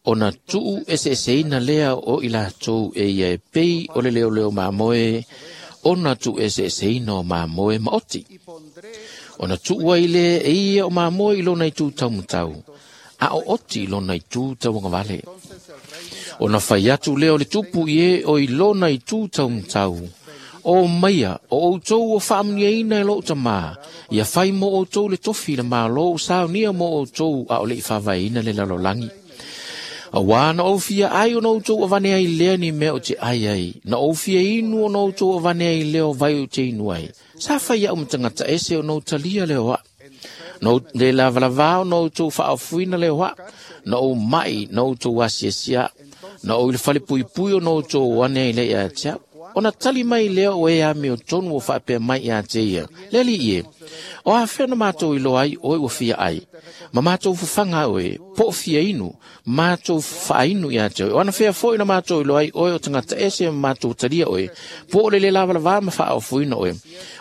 o na tuu ese ese ina lea o i lātou e ia e pei o le leo leo māmoe, o na tuu ese ese ina o māmoe maoti. O na tuu ai le e ia o māmoe i lona i tū taumatau, a o oti i lona i tū tauangavale. Ona fai atu lea o le tupu i e o i lona i tū taumatau. O maia, o outou o faamuniaina e lou tamā, ia fai mo outou le tofi le malo o saunia mo outou a o le i faavaeina le lalolagi. Auā na ou fia ai o na outou avane ai lea ni mea o te ai ai, na ou fia inu o na outou avane ai lea o vai o te inu ai. Sa fai au matangata ese o na ou talia leo a. Na ou le lavalavā o na outou faaofuina leo a. Na ou mai na outou asiasia. Na ou i le fale puipui o na outou ane ai lea ia te au. Ona tali mai lea o e ame o tonu o faapea mai ia te ia. Le alii e, o afea na mātou iloa ai oe ua fia ai. Ma mātou fafaga oe, po o fia inu, mātou faainu ia te oe. O anafea foi na mātou iloa ai oe o tagata ese ma mātou talia oe, po o le le lavalavā ma faaofoina oe.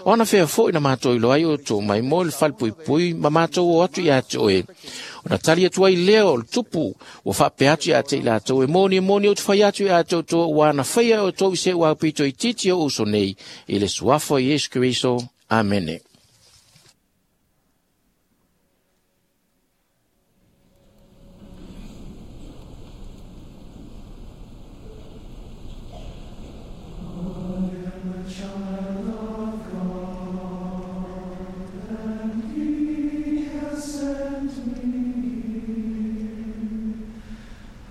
O anafea foi na mātou iloa ai o tou mai mo le falepuipui ma mātou o atu ia te oe. Ona tali atu ai lea o le tupu, ua faapea atu ia te i latou e moni e moni ou te fai atu ia te outou ua na faia e outou i se'u aupito itiiti o uso nei, i le suafa o Iesu Keriso. Amene.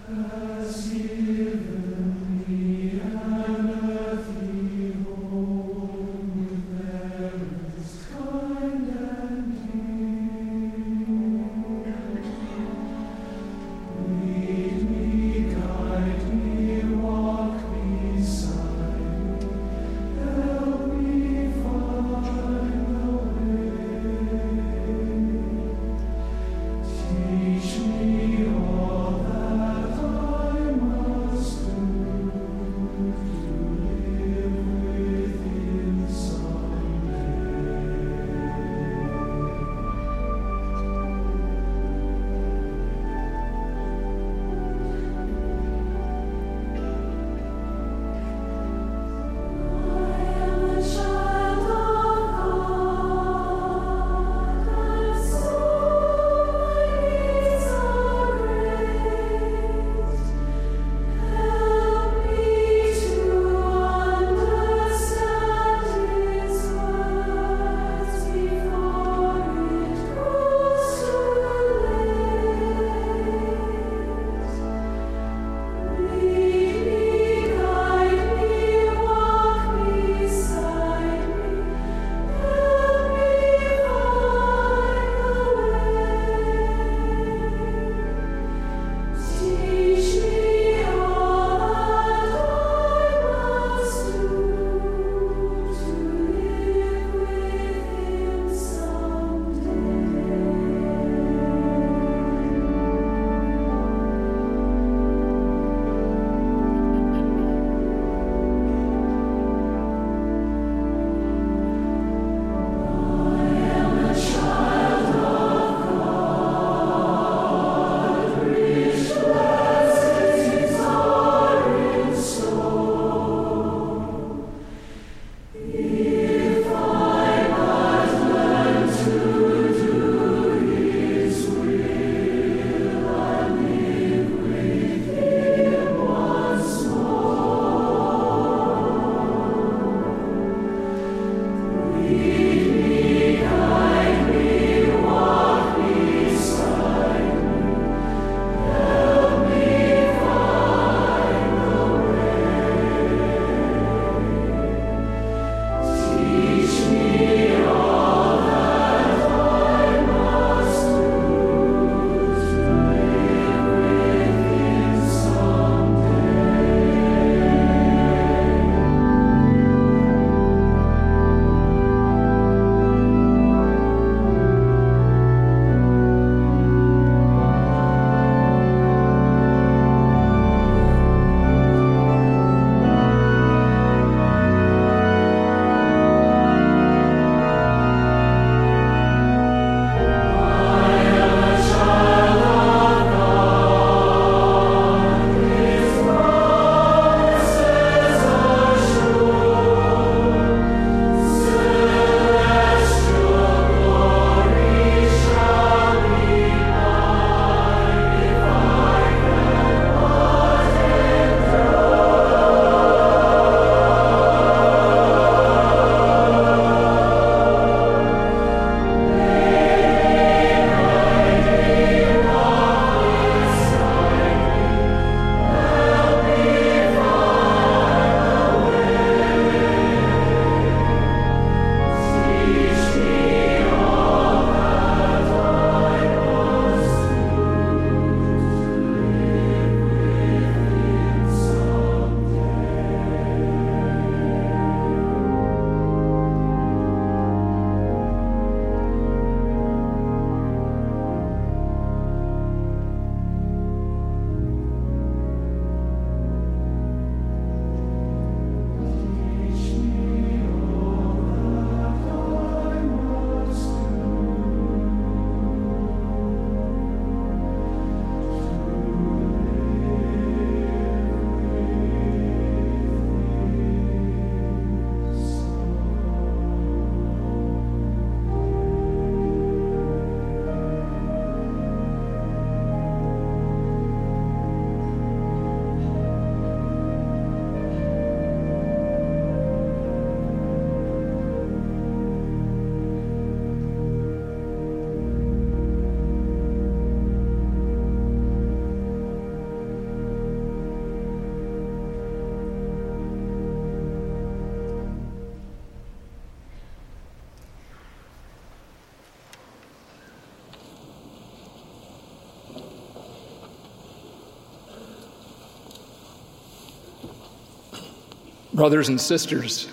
Has given me an earthly home with Brothers and sisters,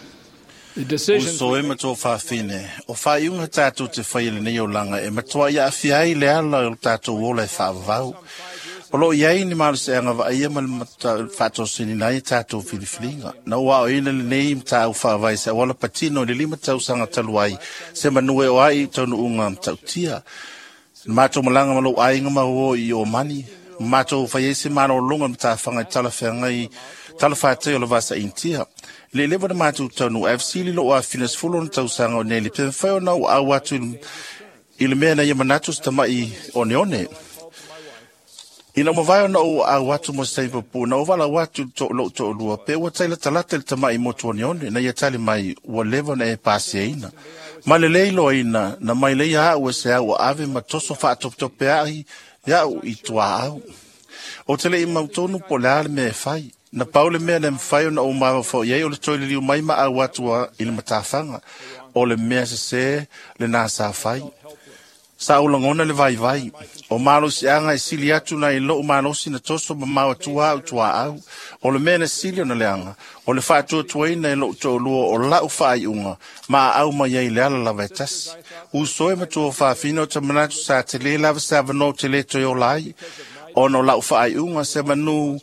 the decisions Uso e matua whawhine, o whaiunga tātou te whai lenei o langa e matua ia awhia ai le ala o tātou ola e whaavau. O lo iai ni malu se anga vaia ma le whaatosini nei tātou whiliwhilinga. Na ua o ina le nei mta au whaavai se awala patino le lima tau sanga taluai se manue o ai taunu unga mtautia. Mātou malanga malo ainga ma o i o mani. Mātou whaiese mana o longa mta whangai talawhangai talawhātei o la vasa intia. Le lewa na mātou taunu FC li lo a finas fulo na tausanga o neli. Pe mwhai o nau au atu i le mea na ia manatu sa tamai one one. Ina mawai ona o au atu mo se papu, na o wala watu to lo to lua, pe ua taila talata le tamai motu one one, na ia tali mai ua lewa na e pasi ina. Ma le leilo ina, na mai leia au e se au ave ma toso whaatoptope ai, iau i tua au. O te le i mautonu po le ale mea e whai. Na paule mea na mwhai ona o mawa fo iei o le toi liliu mai ma au atua i le matawhanga. O le mea se se le nā sa whai. Sa o langona le vai vai. O malosi anga e sili atu na i loo malosi na toso ma maua tua au tua au. O le mea na sili o na leanga. O le whaatua tuaina e loo toolua o lau whaaiunga. Ma au mai ai le ala lava e tasi. Uso e matua whaafina o te manatu sa te le lava sa vano te le toi o lai. Ono lau whaaiunga se manu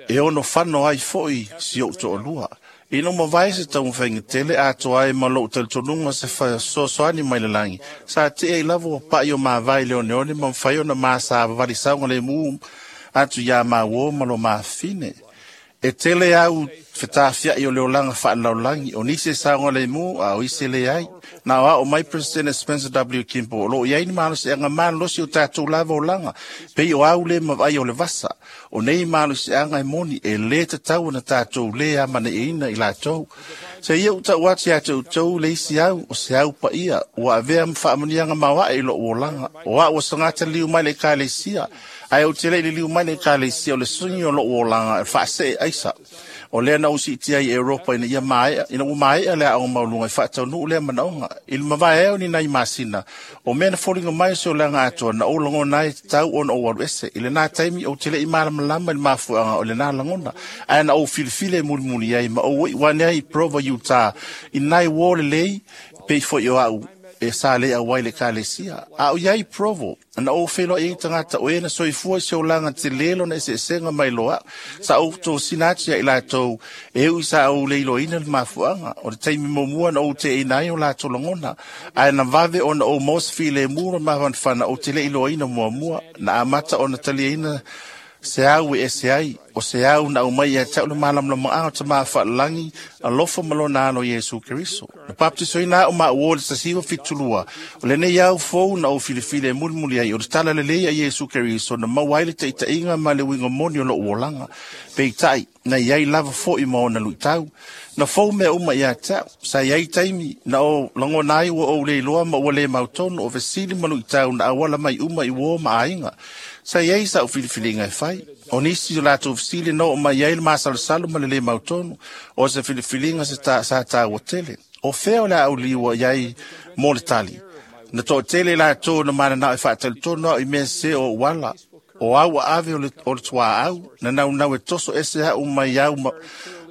e ono whano ai foi si o toolua. Ina mawai se tau whainga tele atoa e malo talitonunga se whasosoani mai le langi. Sa te e lavo o pai o mawai le one one ma mwhai ona maa sa wawari saunga le muu atu ia maa malo maa fine. E tele au whetawhia i o leo langa whaanaulangi o nise saunga le muu a o ise le ai. Nā o mai President Spencer W. Kimpo o lo iai ni malosi anga malosi o tātou lava o langa. Pei o au le mawai o le vasa. O nei malosi anga e moni e le tatau na tātou le amane e ina i lātou. Se ia uta uati a te utou le isi au o se au pa ia. Ua avea mwhaamanianga mawa e lo o langa. O a ua sangata liu mai le kālesia. Ai o te le liu mai le kālesia o le sungi o lo o langa e whaase e aisa. O lea na usi tia i Europa ina ia maea, ina ua maea lea au maulunga i whaataunu lea manaonga. I le mavae eo ni nai masina, o mea na folinga mai se o langa atoa na o langona ai tau ona o waru ese. I le nā taimi o te le i malamalama i le mafuanga o le nā langona. Ae na o filifile mulimuli ai ma o wane ai Provo Utah. I nai wōle lei, pei foi o au e sa le au le kālesia. A o iai Provo, na o whelo i tangata o ena soifua se o langa te lelo na ese esenga mai loa. Sa o tō sinati i lātou e ui sa o leilo ina le mafuanga. O le taimi momua na o te inai o lātou langona. Ae na vave ona o mos file mura mawanwhana o te leilo ina mua mua. Na amata ona talia ina se au e se ai, o se au na umai ia tau le malamlama ao te maa whaalangi alofa malona ano Yesu Keriso. Na paptiso ina o maa uo le sasiwa fitulua, o le nei au fou na o filifile mulimuli ai, o le tala le lea Yesu Keriso na mau ai le teitainga ma le winga moni o lo uolanga. Peitai, na iai lava fo i maona luitau. Na fou mea uma ia tau, sa iai taimi na o langona ai ua o le iloa ma ua le mautono o vesili ma luitau na awala mai uma i uo ma ainga. Sa iai sa o filifilinga e whai. O nisi o lātou fisili no o mai ai le masalusalu ma le le mautono o se filifilinga se ta, sa tāua tele. O feo le au liwa iai mō le tali. Na tō tele lātou na mana nao e whaatalitono au i mea se o wala. O au a ave o le tua au. Na nau nau e toso ese au mai au ma,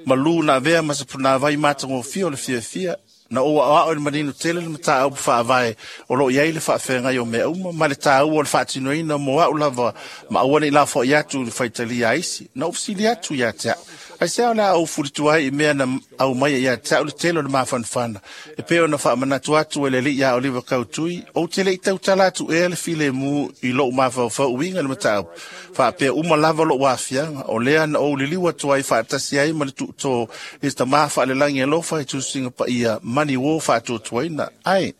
malu na avea ma se puna vai mātango fia o le fia fia. Na o a o le manino tele le mata au whaavae o lo iai le whaawhengai o mea uma ma le tāu o le whaatinoina mo au lava ma awane i la wha iatu le whaitalia aisi na ufsili atu ia te au. Ai se au le au furitu ai i mea na au mai ia te au le tele o le mawhanwhana. E peo na whaamanatu atu e le li ia o liwa kautui o tele i tautala atu e le file mu i lou mawhawhau uinga le mata au. Whaapea uma lava lo wafianga o lea na o liliwa atu ai whaatasi ai ma le tuto i ta mawha le langi alofa i tusinga pa ia mani wo whaatuatuaina. Ai,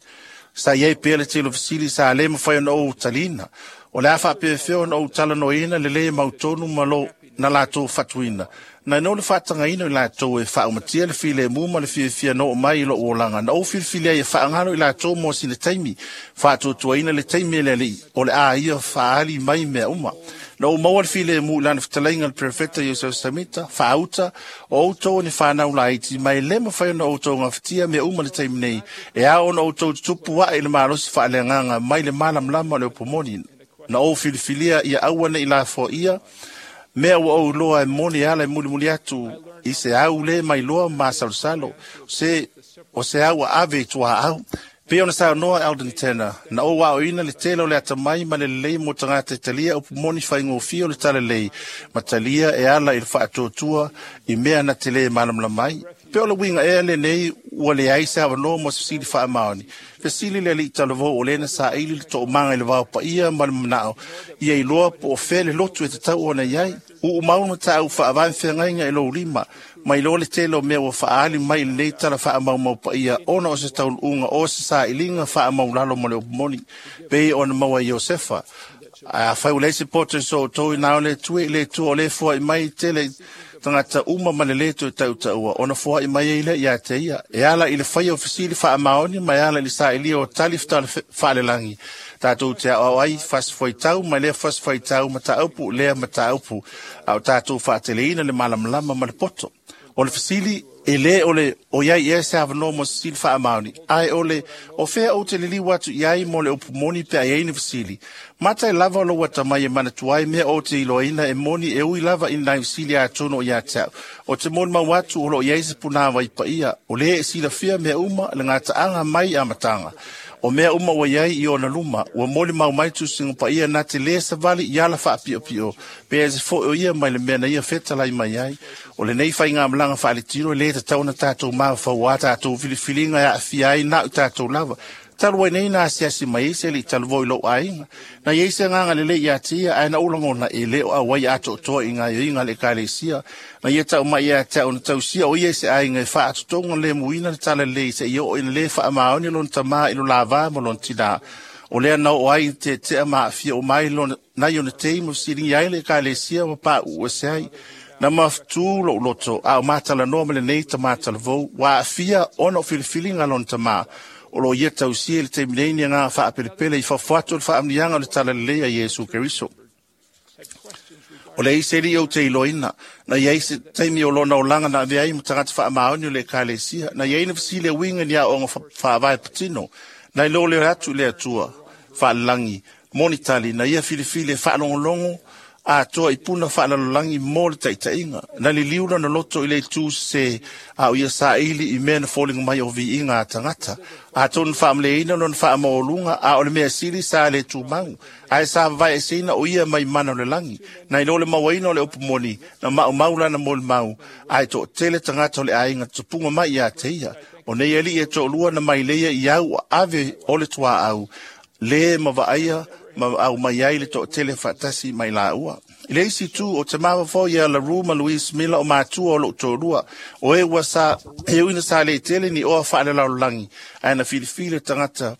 sa iai pea le telo fisili sa le mawhai ona o talina. O le a whaapea ona o talanoina le le mautonu ma lo na lātou fatuina. Na no le whaatangaina i lātou e whaaumatia le file mu ma le fiafia no mai i lo uolanga. Na o filifili ai e whaangalo i lātou mō sine taimi. Whaatuatuaina le taimi le li o le a ia whaali mai mea uma. Na o maua le file mu lana fitalainga le prefeta Yosef Samita, whaauta, o outou ni whanau laiti, mai le mawhai ona outou ngā whitia mea uma le taimi nei. E ao ona outou tutupu wa i le malosi whaaleanganga mai le malamlama o le upomoni. Na o filifilia ia aua nei la fo ia, mea ua au loa e moni ala e mulimuli atu i se au le mailoa ma masalosalo, se o se au a ave i tuaau. Pe ona saunoa Eldon Tanner, na ou aoina le tele o le atamai ma le lelei mo tagata e talia upu moni faigofie o le talalelei, ma talia e ala i le faatuatua i mea na te le malamalama ai. Pe o le uiga ea lenei ua leai se avanoa mo se fesili faamaoni. Fesili le alii talavou o lea na saili le toomaga i le vao paia ma le manao, ia iloa po o fea le lotu e tatau ona i ai. Uumau na tāu faavae feagaiga i lou lima, mai loa le tele o mea ua faaali mai i lenei tala faamaumau paia ona o se taunuuga o se sailiga faamaulalo mo le upu moni, pei ona maua i Iosefa. Ae afai ua leai se poto i so outou i na o le Atua i le Atua o lea e foai mai tele tagata uma ma le lē toe tautaua, ona foai mai ai lea ia te ia. E ala i le faia o fesili faamaoni ma e ala i le sailia o tali faalelagi, tatou te aoao ai fasifuaitau ma lea fasifuaitau, mataupu lea mataupu, a o tatou faateleina le malamalama ma le poto. O le fesili, e lē o le o iai ea se avanoa mo se fesili faamaoni, ae o le o fea ou te liliu atu i ai mo le upu moni pe a iai ni fesili. Mata e lava o lou atamai e manatua ai mea ou te iloaina e moni e ui lava i nai fesili atonu o ia te au. O te molimau atu o loo iai se punāvai paia, o lē e silafia mea uma le gataaga mai amataga. O mea uma ua iai i ona luma, ua molimau mai tusiga paia na te lē savali i ala faapiopio, pe ese foi o ia mai le mea na ia fetalai mai ai. O lenei faigamalaga faaletino e lē tatau ona tatou mafaufauā tatou filifiliga e aafia ai na o i tatou lava. Talu ai nei na asiasi mai ai se alii talavou i lou aiga. Na iai se agaga lelei ia te ia, ae na ou lagona e lē o auai atoatoa i gaoioiga a le ekalesia. Na ia tau mai ia te au na tausia o ia i se aiga e faatotoga lemuina le talalelei seia oo ina lē faamaoni lona tamā i lo lavā ma lona tinā. O lea na oo ai tetea ma aafia uma ai lona, nai ona tei ma fesiligia ai le ekalesia ma pauu ese ai. Na mafutū lou loto a o matalanoa ma lenei tamā talavou, ua aafia ona o filifiliga a lona tamā. O loo ia tausia i le taimi nei ni agaga faapelepele i fafo atu o le faamanuiaga o le talalelei a Iesu Keriso. O le isi alii ou te iloaina, na iai se taimi o lona olaga na avea ai ma tagata faamaoni o le ekalesia, na iai na fesili e uiga i ni aoaoga faavae patino, na iloa lea atu i le Atua faalelagi moni tali, na ia filifili e faalogologo atoa i puna faalalolagi mo le taitaiga. Na liliu lona loto i le itu sesē, a o ia saili i mea na foliga mai o viiga a tagata. Atonu faamaleina lona faamaualuga, a o le mea sili sa le tumau, ae sa vavaeeseina o ia mai mana o le lagi. Na iloa le mauaina o le upu moni, na maumau lana molimau, ae toatele tagata o le aiga tupuga mai ia te ia. O nei alii e toalua na mai leia i au ave o le tuaau, lē ma vaaia ma au mai ai le toatele faatasi mai laua. I le isi itu, o te mafaufau ia Laru ma Louise Miller o matua o lou toalua, o e ua sa e ui na sa le tele ni oa faalelalolagi, ae na filifili le tagata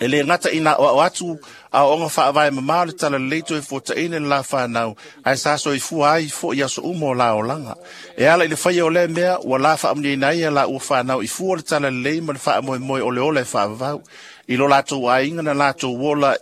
e le gata ina aoao atu aoaoga faavae mamao le talalelei toe fuataina i le la fanau, ae sa soifua ai foi i aso uma o la olaga. E ala i le faia o lea mea, ua la faamanuiaina ai a laua fanau i fua o le talalelei ma le faamoemoe o le ola e faavavau. I lo latou aiga na latou ola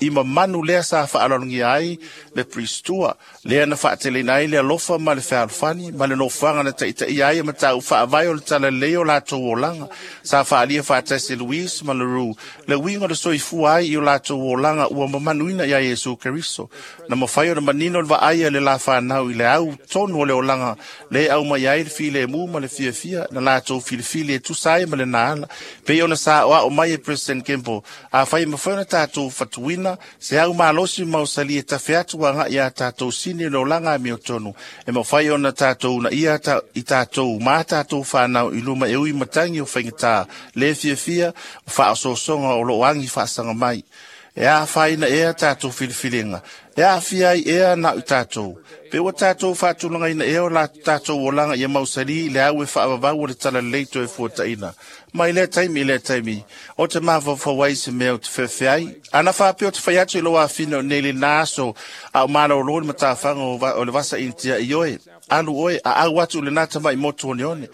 i mamanu lea sa faaaloalogia ai le Pristua, lea na faateleina ai le alofa ma le fealofani ma le nofoaga na taitaia ai mataupu faavae o le talalelei o latou olaga. Sa faaalia faatasi e Louise ma Leroux le uiga o le soifua ai i o latou olaga ua mamanuina iā Iesu Keriso. Na mafai ona manino le vaai a le la fanau i le au tonu o le olaga le aumai ai le filemu ma le fiafia na latou filifili e tusa ai ma lena ala. Pei ona saoao mai e President Kimball, afai e mafai ona tatou fatuina se au malosi ma mausali e tafe atu agai iā tatou sini o le olaga amiotonu, e mafai ona tatou uunaia i tatou ma tatou fanau i luma e ui matagi o faigata le fiafia ma faaosoosoga o loo agi faasaga mai. E afaina ea tatou filifiliga, e aafia ai ea na o i tatou. Pe ua tatou faatulagaina ea o la tatou olaga ia mausali i le au e faavavau o le talalelei toe fuataina. Mai lea taimi i lea taimi, o te mafaufau ai i se mea ou te feafeai. Ana faapea ou te fai atu i lou afine o nei lena aso a o malōlō le matafaga o le vasa Initia i oe, alu oe, a au atu i lena tamai motu oneone.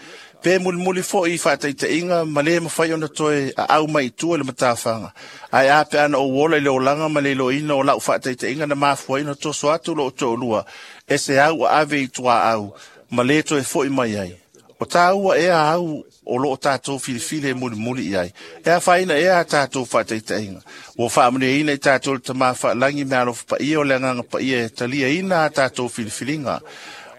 Pe mulimuli foi i faataitaiga ma le mafai ona toe aau mai i tua i le matafaga. Ae a pe ana ou ola i le olaga ma le iloaina o lau faataitaiga na mafua ai ona toso atu lou toalua, e se au a ave i tuaau ma le toe foi mai ai. O tāua ea au o loo tatou filifili e mulimuli i ai. E afaina ea a tatou faataitaiga. Ua faamanuiaina i tatou le Tamā Faalagi me alofa paia o le Agaga Paia e taliaina a tatou filifiliga.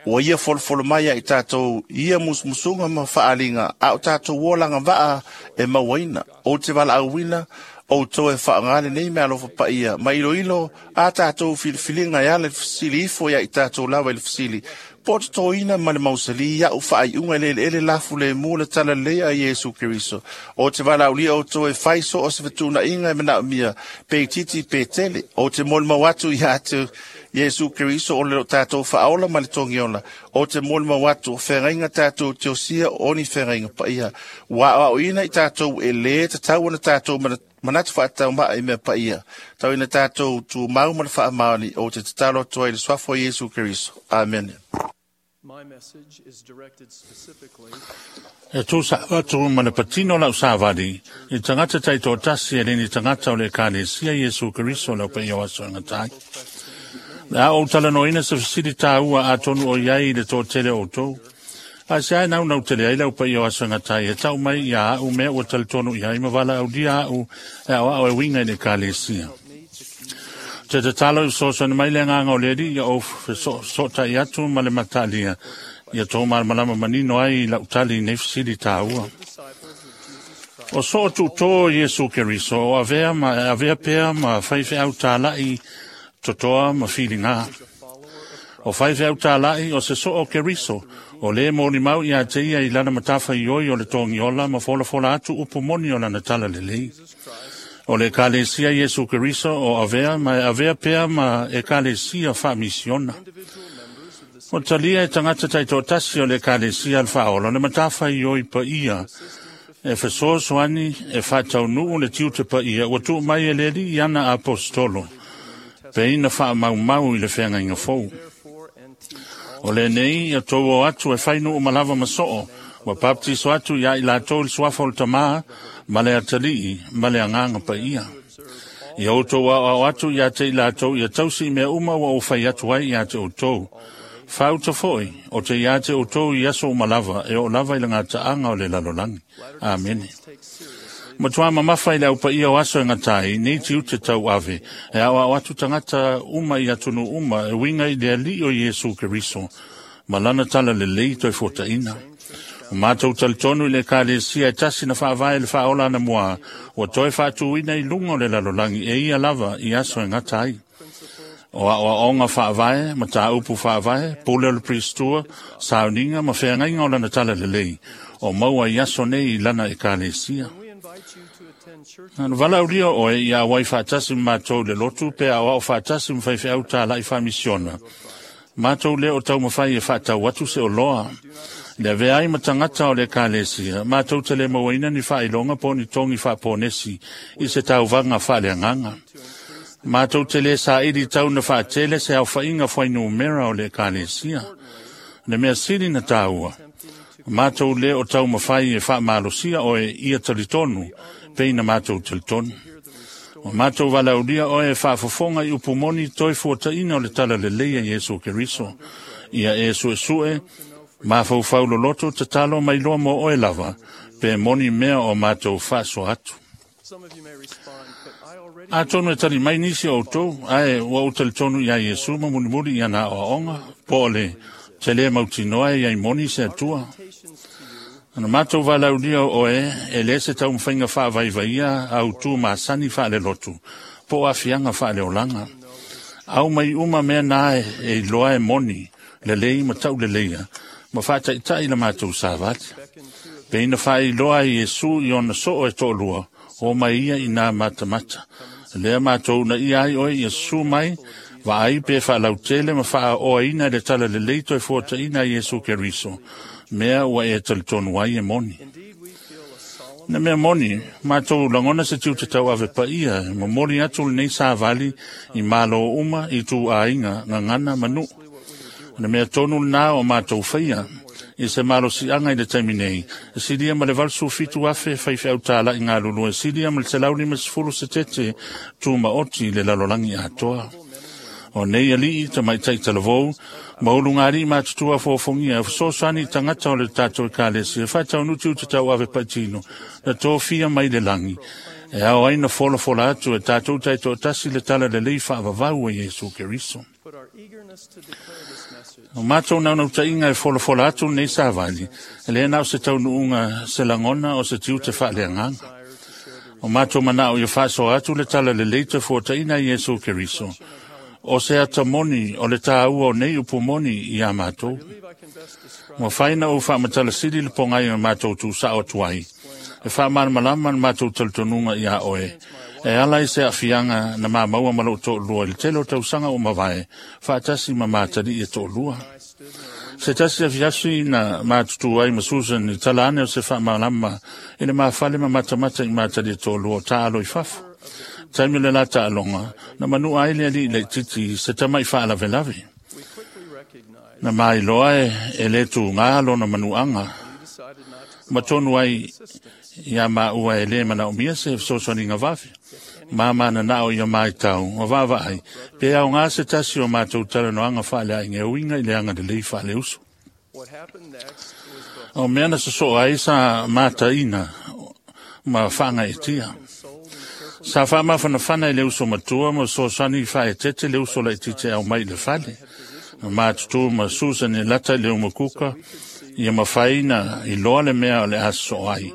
Ua ia folofolo mai ai tātou ia musumusuga ma faaaliga a o tatou olaga vaa e mauaina. Ou te valaauina outou e faaaogā lenei meaalofa paia ma iloilo a tatou filifiliga e ala i le fesili ifo ia i tatou lava i le fesili po o totoina ma le mausalī a'u faaiuga i le eleele lafu lemu le talalelei a Iesu Keriso. O te valaaulia outou e fai so o se fetuunaiga e manaomia pe itiiti pe tele. Ou te molimau atu ia te Iesu Keriso o le tatou faaola ma le togiola. O te molimau atu o feagaiga tatou te osia o ni feagaiga paia. Ua aoaoina i tatou e lē tatau ona tatou manatu faataumaa i mea paia. Tau ina tatou tumau ma le faamaoni ou te tatalo atu ai i le suafa o Iesu Keriso. Amene. E tusa atu ma le patino lau savali i tagata taitoatasi e le ni tagata o le Ekalesia Iesu Keriso le aupaia o aso e gata ai. Le a ou talanoaina se fesili tāua atonu o i ai i le toatele o outou. A se ae naunau tele ai le aupaia o aso e gata ai e tau mai ia a'u mea ua talitonu i ai ma valaaulia a'u e aoao e uiga i le Ekalesia. Te tatalo i fesoasoani mai le agaga o le Alii ia ou fesootai atu ma le mataalia ia tou malamalama manino ai i lau tali i nei fesili tāua. O soo tuutō Iesu Keriso o avea ma e avea pea ma faifeau tāla'i totoa ma filigā. O faifeau tāla'i o se soo Keriso o lē molimau iā te ia i lana matafaioi o le togiola ma folafola atu upu moni o lana talalelei. O le Ekalesia Iesu Keriso o avea ma e avea pea ma Ekalesia faamisiona. O talia e tagata taitoatasi o le Ekalesia a le Faaola le matafaioi paia e fesoasoani e faataunuu le tiute paia ua tuu mai e le Alii i ana aposetolo pe ina faamaumau i le feagaiga fou. O lenei ia tou o atu e fai nuu ma lava ma soo, ua baptiso atu ia i latou i le suafa o le Tamā ma le Atalii ma le Agaga Paia. Ia outou aoao atu ia te i latou ia tausi i mea uma ua ou fai atu ai ia te outou. Faauta foi, o te ia te outou i aso uma lava, e oo lava i le gataaga o le lalolagi. Amene. Matuā mamafa i le aupaia o aso e gata ai, nei tiute tauave, e aoao atu tagata uma i atunuu uma e uiga i le Alii o Iesu Keriso ma lana talalelei toe fuataina. O matou talitonu i le Ekalesia e tasi na faavae i le faaola anamuā, ua toe faatuina i luga o le lalolagi e ia lava i aso e gata ai. O aoaoga faavae, mataupu faavae, pule o le Pristua, sauniga ma feagaiga o lana talalelei, o maua i aso nei i lana Ekalesia. Na valaaulia oe ia auai faatasi ma matou i le lotu pe aoao faatasi ma faifeau tāla'i faamisiona. Matou lē o taumafai e faatau atu se oloa. Le avea ai ma tagata o le Ekalesia, matou te le mauaina ni faailoga po o ni togi faaponesi i se tauvaga faaleagaga. Matou te lē saili tau na faatele se aofaiga fuainumera o le Ekalesia. Le mea sili na tāua, matou lē o taumafai e faamalosia oe ia talitonu pei na matou talitonu. O matou valaaulia oe e faafofoga i upu moni toe fuataina o le talalelei a Iesu Keriso. Ia e suesue, mafaufau loloto tatalo mai loa mo oe lava, pe moni mea o matou faasoa atu. Atonu e tali mai nisi o outou, ae ua ou talitonu iā Iesu ma mulimuli i ana aoaoga, po o le te lē mautinoa e iai moni se Atua. Na matou valaaulia o oe e lē se taumafaiga faavaivaia autū masani faalelotu po o aafiaga faaleolaga. Au mai uma mea na e iloa e moni, lelei ma tauleleia, ma faataitai la matou savali. Pe ina faailoa ai Iesu i ona soo e toalua, o mai ia i nā matamata. Lea matou na ia ai oe ia susu mai, vaai pe faalautele ma faaoaina i le talalelei toe fuataina a Iesu Keriso, mea ua e talitonu ai e moni. Na mea moni, matou lagona se tiute tauave paia e momoli atu lenei savali i malo uma i ituaiga gagana ma nuu. O le mea tonu lenā o matou faia i se malosiaga i le taimi nei, e silia ma le 87,000 faifeau tāla'i galulue, silia ma le 150 setete tumaoti i le lalolagi atoa. O nei alii tamaitai talavou, ma ulugalii matutua fofogia e fesoasoani i tagata o le tatou Ekalesia e faataunuu tiute tauave paitino na tofia mai le lagi e ao ai na folafola atu e tatou taitoatasi le talalelei faavavau a Iesu Keriso. O mātou naunauta inga e folafola atu nei savali, e le nao se taunuunga se lagona o se tiute faaleagaga. O mātou manao ia faasoa atu le tala lelei tafuataina Iesu Keriso. O se atamoni o le tāua o nei upu moni ia mātou. Ua faina o faamatalasili le pogai o mātou tūsao atu ai. E faamalamalama le mātou talitonuga ia oe. E ala i se afianga na mamaua ma lou to'olua i le tele o tausaga o mavae, faatasi ma matali e to'olua. Se tasi afiafi na matutu ai ma Susan i tala ane o se faamalama i le mafale ma matamata i matali e to'olua o taalo i fafo. Taimi le la taaloga, na manua ai le alii laititi se tamai faalavelave. Na mailoa e le tūgā lona manuaga. Ma tonu ai ia maua e le manaomia se fesoasoaniga vave. Ma mananao ia maitau, o vaavaai, pe aogā se tasi o matou talanoaga faaleaiga e uiga i le agalelei faaleuso. O mea na sosoo ai sa mataina ma faagaeetia. Sa faamafanafana i le uso matua ma fesoasoani faaetete le uso laitiiti e aumai i le fale. Matutu ma Susan e lata i le umukuka, ia mafai na iloa le mea o le a sosoo ai.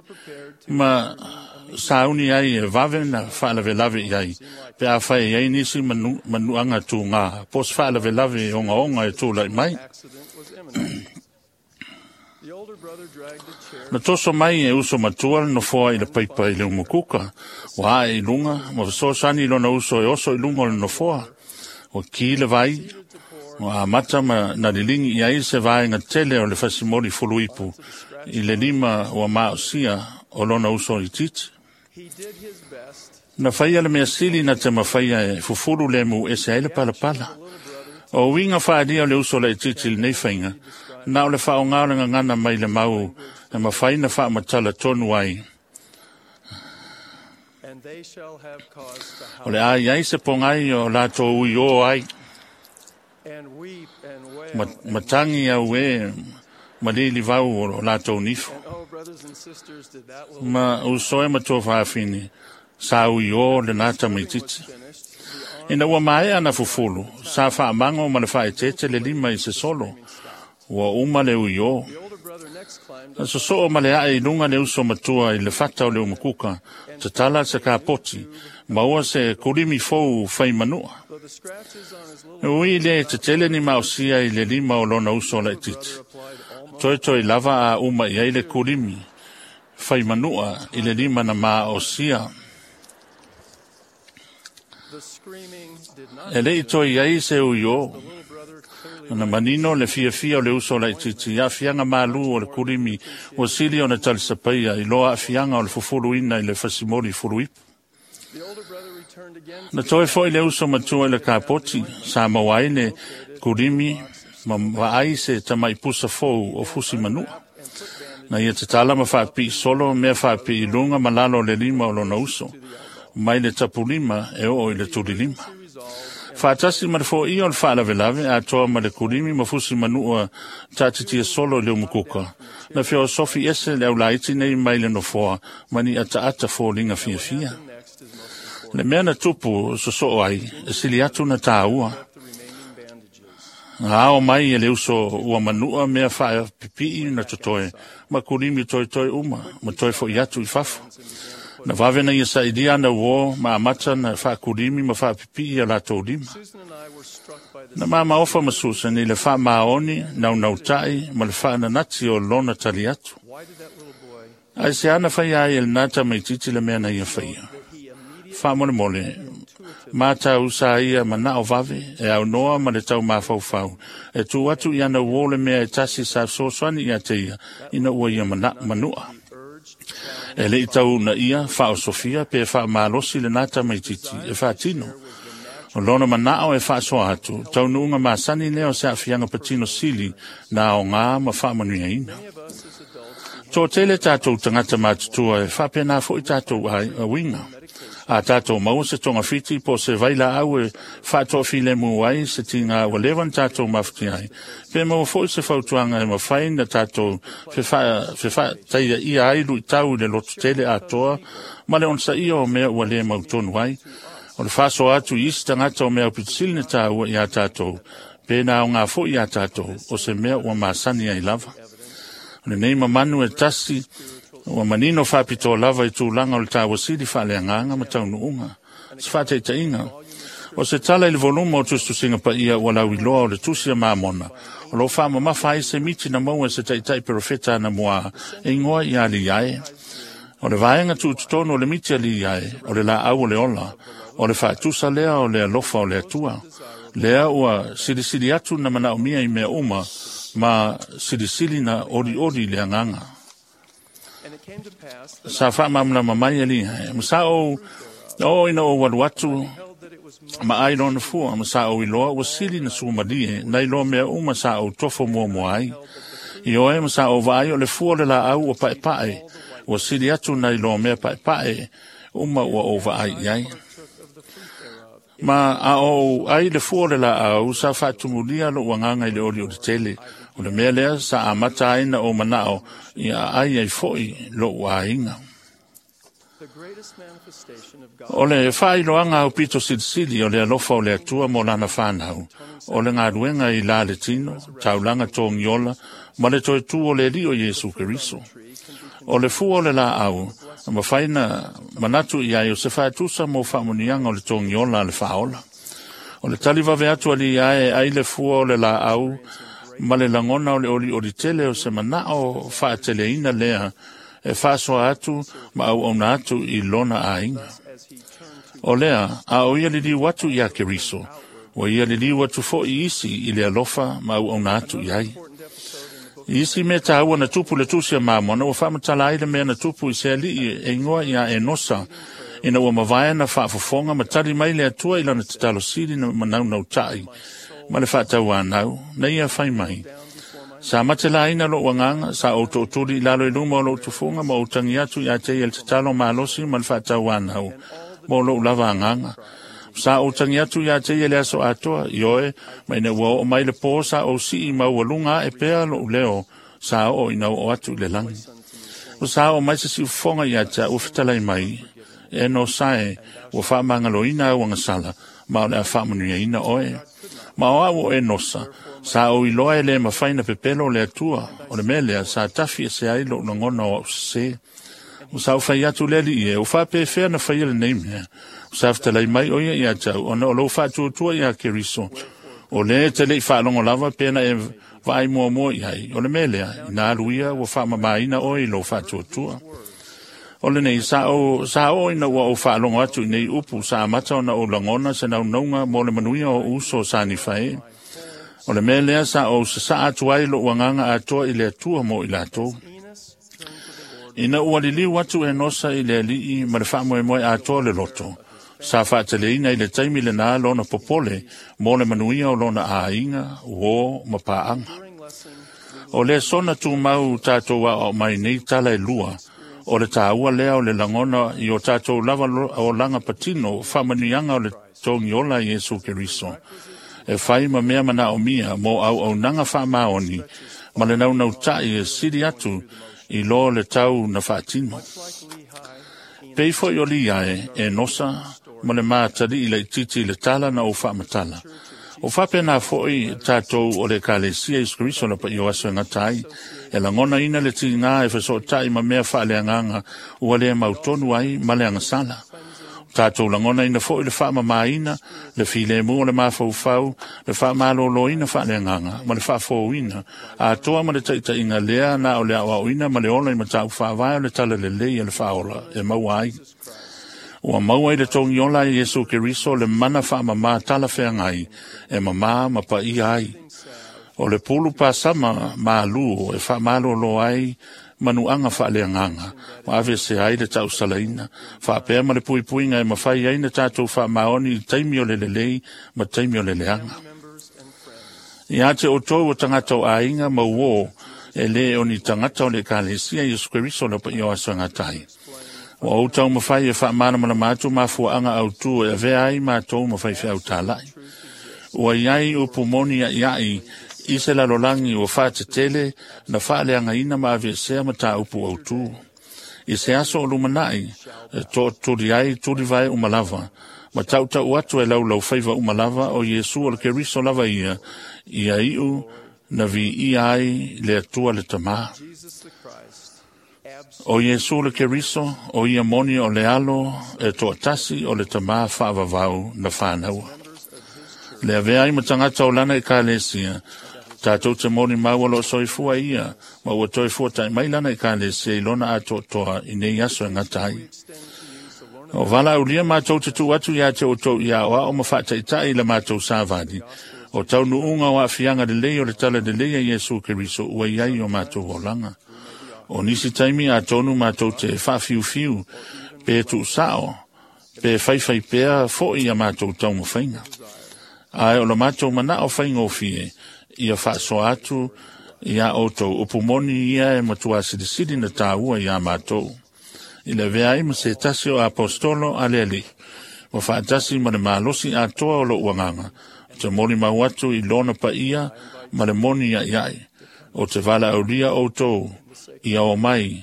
Ma sauni ai e vave na faalavelave i ai, pe a fai ai nisi manuaga tūgā, po se faalavelave e ogaoga e tūlai mai. Na toso mai e uso matua le nofoa i le paipa i le umukuka, ua ae i luga, ma fesoasoani i lona uso e oso i luga o le nofoa. Ua ki le vai, ua amata ma na liligi i ai se vaega tele o le fasimoli fuluipu i le lima ua maosia o lona uso itiiti. Na faia le mea sili na te mafaia e fufulu le mu ese ai le palapala. O uiga faalia o le uso laitiiti i lenei faiga, na o le faaaoga o le gagana mai le mau e mafai na faamatala tonu ai. O le a iai se pogai o latou ui o ai. Matangi au e malili vau o latou nifo. Ma usoe ma tua faafini, sa ui o le nata maititi. Ina ua maea na fufulu, sa faamago ma le faaeteete le lima i se solo, ua uma le ui o. Na sosoo ma le ae i luga le uso matua i le fata o le umukuka, tatala se kapoti, maua se kulimi fou fai manua. Ui le tetele ni maosia i le lima o lona uso laititi. Toi toi lava a uma i ai le kulimi, fai manua i le lima na maosia. E lei toi ai se ui o. Na manino le fiafia o le uso laititi, afianga malu o le kulimi, ua sili o na talisapaia i loa afianga o le fufuluina i le fasimoli fuluipu. Na toe foi le uso matua i le kapoti, sa maua ai le kulimi ma vaai se tamai pusa fou o fusi manua. Na ia tatala ma faapii solo mea faapii luga ma lalo o le lima o lona uso, mai le tapulima e oo i le tulilima. Faatasi ma le foia o le faalavelave, atoa ma le kulimi ma fusi manua taatitia solo i le umukuka. Na feosofi ese le aulaiti nei mai le nofoa, ma ni ataata foliga fiafia. Le mea na tupu sosoo ai, e sili atu na tāua. Na ao mai e le uso ua manua mea faapipii na totoe, ma kulimi toetoe uma, ma toe foi atu i fafo. Na vave na ia sailia na uo, ma amata na faakulimi ma faapipii a latou lima. Na mamaofa ma Susan i le faamaoni, naunautai, ma le faananati o lona tali atu. Ae se ana faia ai e lena tamaitiiti le mea na ia faia. Faamolemole, matau sa ia manao vave, e aunoa ma le tau mafaufau, e tu atu i ana uo le mea e tasi sa fesoasoani ia te ia, ina ua ia manua. E lei tau na ia faaosofia pe faamalosi lena tamaitiiti e faatino. O lona manao e faasoa atu, taunuuga masani lea o se aafiaga patino sili na aogā ma faamanuiaina. Toatele tatou tagata matutua e faapena foi tatou auiga. A tatou maua se togafiti po se vailaau e faatoafilemu ai se tiga ua leva na tatou mafuti ai. Pe maua foi se fautuaga e mafai na tatou fefaataiaia ai luitau i le lototele atoa ma le onosaia o mea ua le mautonu ai. O le faasoa atu i isi tagata o mea aupitisili na tāua iā tatou, Pe na o ngā fo i a tātou, o se mea ua masani ai lava. O le nei mamanu e tasi, ua manino whapito lava i tūlanga o le tāwasili whaaleanganga ma taunuunga. Se whāteitainga. O se tala i le volumo o tustusinga pa ia ua lau iloa o le tusi a mamona. O lo wha mamafa ai se miti na maua se taitai perofeta na mua e ingoa i ali iae. O le vaenga tuututonu o le miti ali iae, o le la au o le ola, o le whaatusa lea o le alofa o le atua. Lea ua silisili atu na manaomia i mea uma, ma silisili na ori ori le anganga. Sa whaamamla mai ali, masa o o ina o walu atu, ma ai lona fua, ma sa o iloa ua sili na sumalie, na iloa mea uma sa o tofo mua mua ai. I oe ma sa o vaai o le fua le la au o pae pae, ua sili atu na iloa mea pae pae, uma ua o vaai iai. Ma a o ai le fua le la au, sa whaatumulia lo uanganga i le oli o le tele, o le mea lea sa amata ai na o manao, i a ai ai foi lo uainga. O le whailoanga au pito silisili o le alofa o le atua mo lana whanau, o le ngāruenga i la le tino, taulanga tōngiola, ma le toe tū o le lio Iesu Keriso. O le fua o le la au, ma whaina manatu i ai o se whaatusa mo whaamunianga o le tōngiola a le whaola. O le talivawe atu ali ai ai le fua o le la au, ma le langona o le oli oli tele o se manao whaateleina lea, e whaasoa atu ma au auna atu i lona ainga. O lea, a o ia liliu atu i a Keriso, o ia liliu atu fo i isi i le alofa ma au auna atu i ai. Isi me tāua na tupu le tusi a mamona, ua whaamatala ai le mea na tupu i se alii e ingoa i a Enosa, ina ua mawaea na whaafofonga ma tali mai le atua i lana tatalo sili na manaunau tai, ma le whaatau anau, na ia whai mai. Sa mate la ina lo uanganga, sa o tōturi i lalo i luma o lo tufunga, ma o tangi atu i a te i el tatalo malosi ma le whaatau anau, mo lo ulava anganga. Sa o tangi atu i a te i le aso atoa, i oe, ma ina ua o mai le pō sa o sii ma ua lunga e pea lo uleo, sa o ina o atu i le langi. O sa o mai se si ufonga i a te ua fitalai mai, e no sae, ua whaamangaloina au angasala, ma o le a whaamanuia ina oe. Ma o au o e nosa, sa o iloa e le mawhaina pepelo le atua, o le melea sa tafi e se ai lo langona o au se. O sa o whai atu le li e, o whaapewhea na whai le nei mea. O sa whatalai mai o ia ia tau, ona o lo whaatuatua i a Keriso. O le te lei whaalongo lava pena e vaai mua mua i ai, o le melea, i nā aluia ua whaamamaina o i lo whaatuatua. O le nei, sa o ina ua o whaalongo atu i nei upu, sa amata ona o langona se naunaunga mo le manuia o uso sa ni whae. O le mea lea sa o sa atu ai lo uanganga atoa i le atua mo i lātou. Ina ua liliu atu e nosa i le alii ma le whaamoemoe atoa le loto. Sa whaateleina i le taimi le nā lona popole mo le manuia o lona āinga, uo ma pāanga. O le sona tūmau tātou a o mai nei tala e lua, o le tāua lea o le langona i o tātou lava o langa patino whaamanuianga o le tōngiola i Iesu Keriso. E whai ma mea mana o mia mo au au nanga whaamaoni, ma le naunau tai e siri atu i lo le tau na whaatino. Peifo i oli iae e nosa ma le mātali i le titi i le tala na o whaamatala. O whapena foi tātou o le kalesia i Kristo la pa i o aso e ngatai, e langona ina le tingā e whasotai ma mea whaaleanganga ua le mautonu ai ma le angasala. Tātou langona ina foi le whaamamaina, le filemu o le mafaufau, le whaamaloloina whaaleanganga, ma le whaafouina, a toa ma le taitainga lea na o le awauina ma le ola i matau whaavae o le tala lelei e le whaola e maua ai. Ua maua i le tongiola i Iesu Keriso le mana whaamama tala wheangai, e mama ma pa ia ai. O le pulu pāsama mālu e whaamalolo ai manuanga whaaleanganga, ma ave se ai le tau salaina, whaapea ma le puipuinga e mawhai ai na tātou whaamaoni i taimi o le lelei ma taimi o le leanga. I ate o tō o tangata o āinga mau o e le o ni tangata o le kalesia Iesu Keriso la pa i o aso ngatai. Ua o tau mawhai e whaamana mātu mafuaanga au tū e avea ai mātou mawhai whiau tālai. Ua iai upu moni a iai i se lalolangi ua whaatetele na whaaleanga ina ma avesea ma tā upu au tū. I se aso o lumanai, e tō turi ai turi vai umalava, Ma tautau atu e laulau faiva uma lava o Iesu o le Keriso lava ia, ia iu na viia ai le Atua le Tamā. O Iesu le Keriso, o ia moni o le alo e toatasi o le Tamā faavavau na whānaua. Le avea ai ma tagata o lana ekalesia, tātou te moni maua lo soifua ia, ma ua toifua tai mai lana ekalesia i lona atoatoa i nei aso e ngata ai. O vala aulia mātou te tu atu ia te o tau ia o ao ma whaataitai la mātou sāvali. O tau nuunga o afianga le lei o le tala le lei a Iesu Keriso ua iai o mātou olanga. O nisi taimi a tonu mātou te whawhiuwhiu, pe tu sao, pe whaiwhai pea fo i a mātou taumawhainga. Ae o la mātou mana o whaingofie, ia whaasoa atu ia outou upumoni ia e matua silisili na tāua ia mātou. I le vea ai ma se tasi o apostolo a le ali, wa whaatasi ma le malosi atoa o lo uanganga, o te moni mau atu i lona pa ia ma le moni ia iai, o te vala aulia outou ia o mai,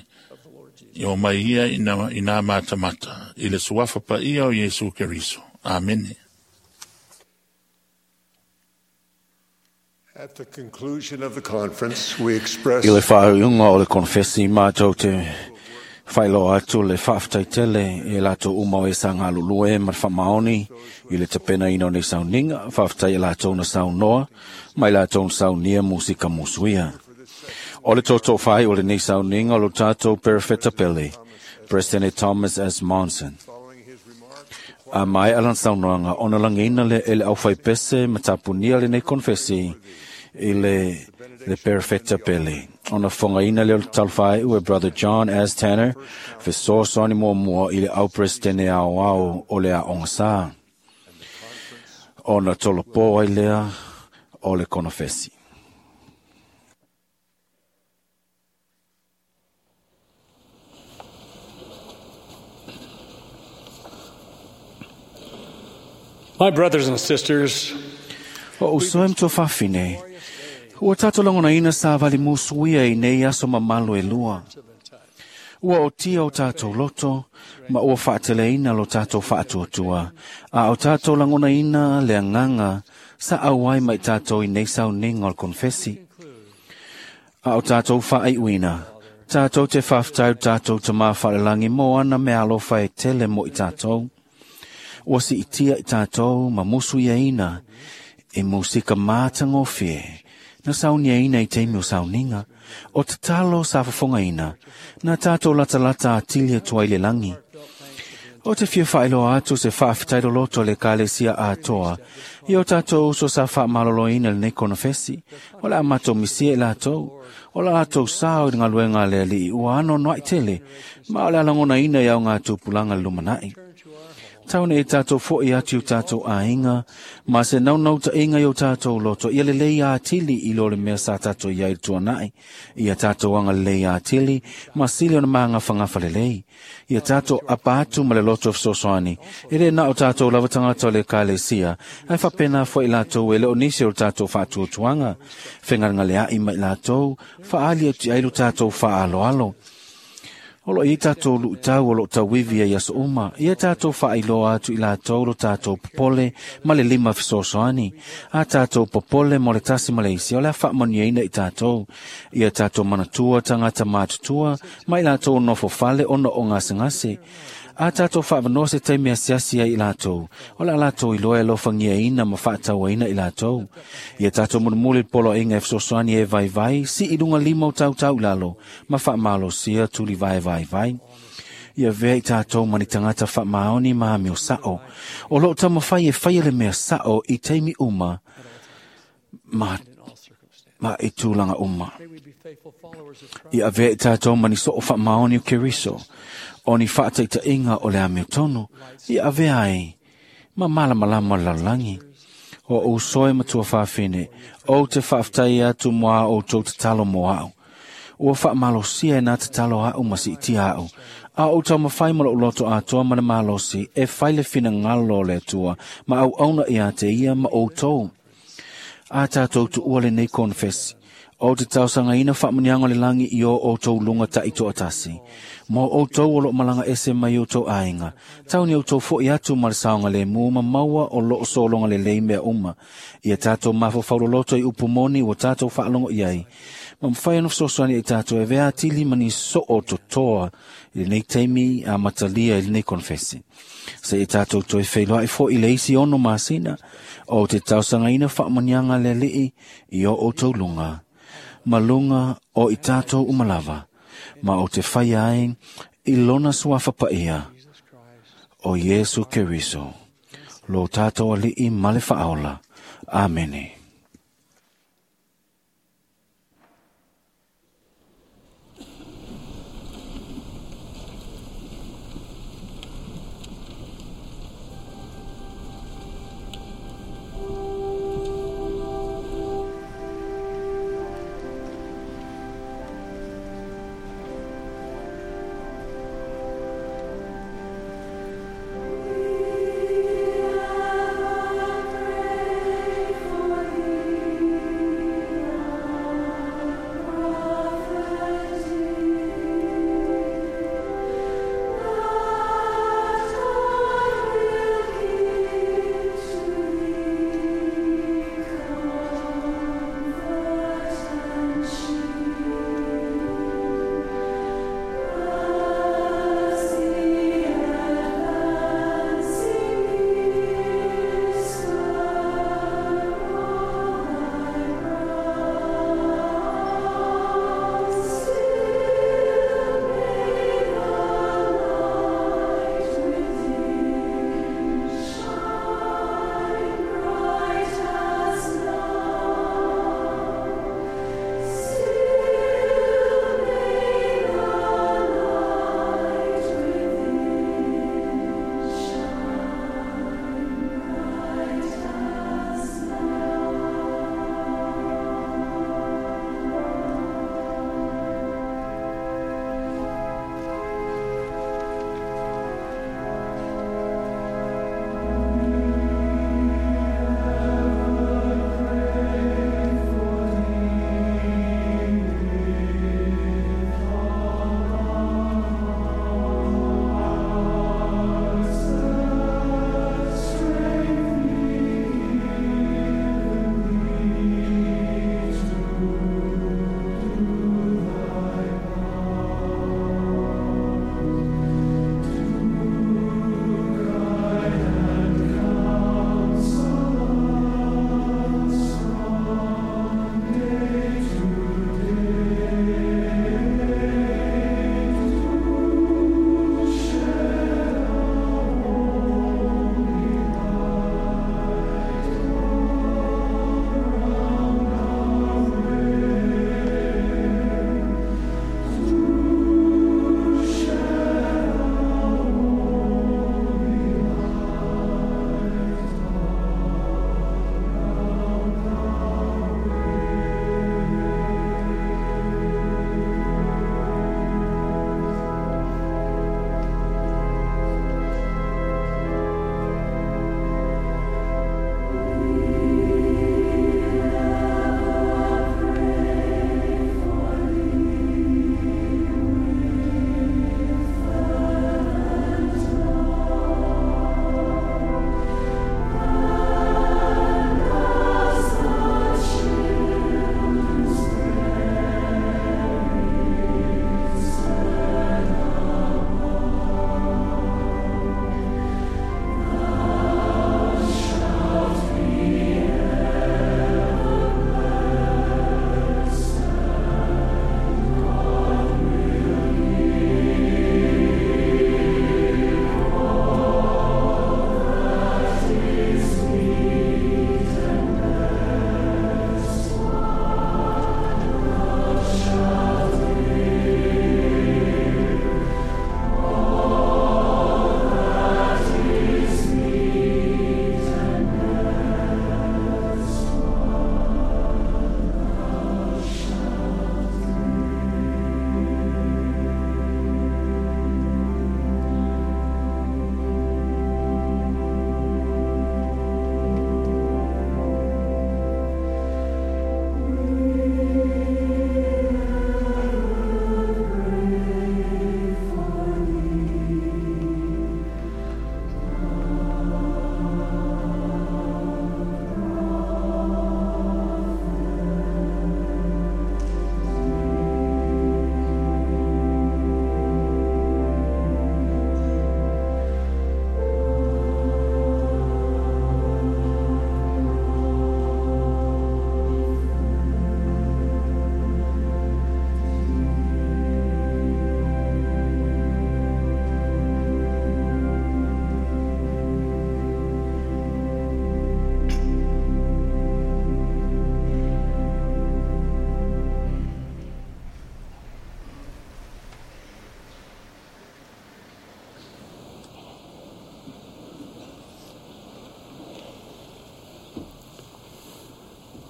ia o mai ia i nā matamata, i le suafa pa ia o Iesu Keriso. Amene. At the conclusion of the conference, we express I le whaaiunga o le konfesi mātou te whailoa atu le whaaftaitele e lātou uma o e sa ngā lulue ma le whamaoni i le tapena ina o nei sauninga, whaaftai e lātou na saunoa, mai lātou na saunia musika musuia. O le toto whai o le nei sauninga o lo tātou Perefeta Pele, President Thomas S. Monson. A mai alan saunoanga, ona langina le ele au whai pese matapunia le nei konfesi i le Perefeta Pele. Ona whangaina le o le talwhai ue Brother John S. Tanner, fesoasoani mua i le au presidente ao ao o le aonga sa. Ona tolopo ai lea o le konofesi. My brothers and sisters, O usoe mto whawhine, ua tātou langona ina sa vali musuia i nei aso mamalo e lua. Ua o tia o tātou loto, ma ua whaatele ina lo tātou whaatuatua, a o tātou langona ina le anganga sa auai mai tātou i nei sauninga o le konfesi. A o tātou whaaiuina, tātou te whawhtau tātou te mā wharelangi mō ana me alofa e tele mo i tātou. Ua si itia i tātou ma musu ia ina, e musika mātangofie, na saunia ina i teimi o sauninga, o te talo sa whafonga ina, na tātou lata lata atilia tua i le langi. O te fia whaeloa atu se whaafitairo loto le kalesia atoa, i o tātou uso sa whaamalolo ina le nei konofesi, o la amato misia i lātou, o la lātou sao i ngā luenga le ali i ua ano noa i tele, ma o le alangona ina i au ngā tupulanga le lumanai. Taune e tātou fo i atu tātou āinga, ma se naunau ta inga i o tātou loto, ia le lei ātili i lo le mea sa tātou ia i tuanai, ia tātou anga le lei ātili, ma sili ona maanga whangafa le lei, ia tātou apa atu ma le loto fesoasoani, e le na o tātou lava tangata o le kalesia, ai whapena fo i lātou e le o nisi o tātou whaatuatuanga, whengaranga le ai mai lātou, whaali atu ai lo tātou whaaloalo. O lo i tātou lu'utau o lo tauivi ai aso uma, ia tātou whaailoa atu i lātou lo tātou popole ma le lima fesoasoani, a tātou popole mo le tasi ma le isi, o le a whaamaniaina i tātou, ia tātou manatua tangata mātutua, ma i lātou nofo fale ona o ngasengase, a tātou whaavanoa se taimi asiasi ai i lātou, o la lātou i loa e lofangia ina ma whaatauaina i lātou. Ia tātou mulimuli polo inga e fesoasoani e vai vai, si i lunga lima o tautau lalo, ma whaamalosia tuli vai vai vai. Ia vea i tātou mani tangata whaamaoni ma meo sao. O lo tamawhai e whai le mea sao i teimi uma, ma i tūlanga uma. Ia vea i tātou mani so o whaamaoni o Keriso, o ni whaataita inga o le ameo tono, ia avea ai, ma malamalama lalangi. O usoe matua whawhine, o te whaaftai atu moa o tō te talo moa au. Ua whaamalosia e nā te talo au ma si tia au. A o tau mawhai ma loto atoa ma le malosi, e whaile whina ngalo le atua, ma au auna i a te ia ma o tō. A tātou tu ua le nei konfesi, O te tausagaina faamanuiaga o le lagi i o outou luga taitoatasi. Mo outou o loo malaga ese mai outou aiga. Tau ni outou fo'i atu ma le saogalemu ma maua o loo sologa lelei mea uma. Ia tatou mafaufau i upu moni ua tatou faalogo i ai. Ma mafai ona fesoasoani i tatou e avea atili ma ni soo totoa i lenei taimi amatalia i lenei konefesi. Se i tatou toe feiloai foi i le isi 6 masina o te tausagaina faamanuiaga a le Alii i o outou luga. Ma luga o i tatou uma lava, ma o te whaia ai i lona suafa paia o Iesu Keriso, lo tātou Alii ma le Faaola. Amene. Pray for you.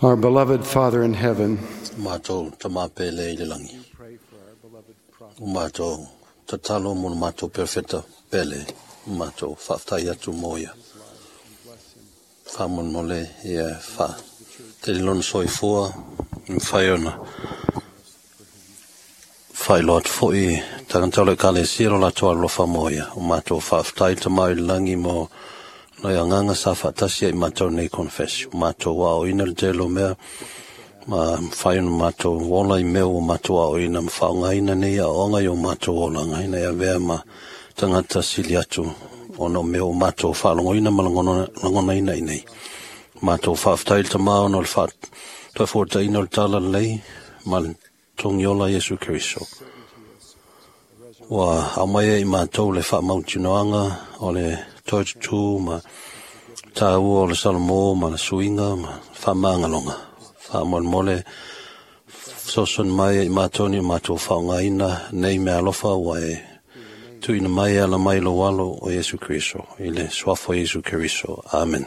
Our beloved Father in heaven, Matou tamapele i le lagi. O matou tatalo mo le matou perofeta pele, o matou faafetai atu mo ia. Faamolemole ia faatele lona soifua, mafai ona faailoa atu foi i tagata o le Ekalesia lo latou alolofa mo ia. O matou faafetai le Tama i le lagi mo le agaga sa faatasi ai i matou nei konefesi. O matou aoaoina le tele o mea, ma mafai ona matou ola i mea ua matou aoaoina ma faaaogaina nei aoaoga i o matou olaga ina ia avea ma tagata sili atu ona o mea ua matou faalogoina ma lagonaina i nei. Matou faafetai le Tama ona o le faatoefuataina o le talalelei ma le togiola Iesu Keriso. Ua aumai ai i matou le faamautinoaga o le toe tutū ma tāua o le Salomō ma le suiga ma faamagaloga. Faamolemole fesoasoani mai ai i matou ni o matou faaaogaina nei meaalofa ua e tuuina mai e ala mai i lou alo o Iesu Keriso, i le suafa o Iesu Keriso. Amene.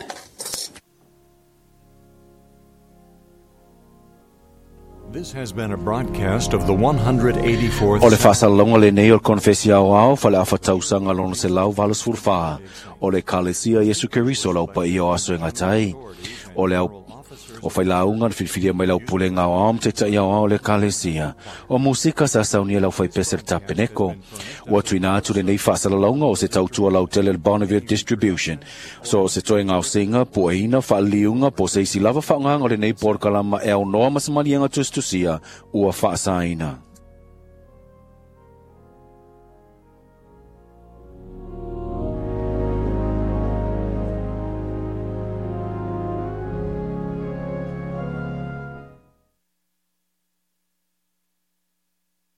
This has been a broadcast of the 184th O le faasalalauga lenei o le Konefesi Aoao Faleafa Tausaga lona 184 o le Ekalesia Iesu Keriso o le Au Paia o Aso e Gata ai. O le au o failauga na filifilia mai le aupulega aoao ma taitai aoao o le Ekalesia. O musika sa saunia le aufaipese le Tapeneko. Ua tuuina atu lenei faasalalauga o se tautua lautele le Bonneville Distribution. So o se toe gaosiga, pueina, faaliliuga po o se isi lava faaaogaga o lenei polokalama e aunoa ma se maliega tusitusia ua faasaina.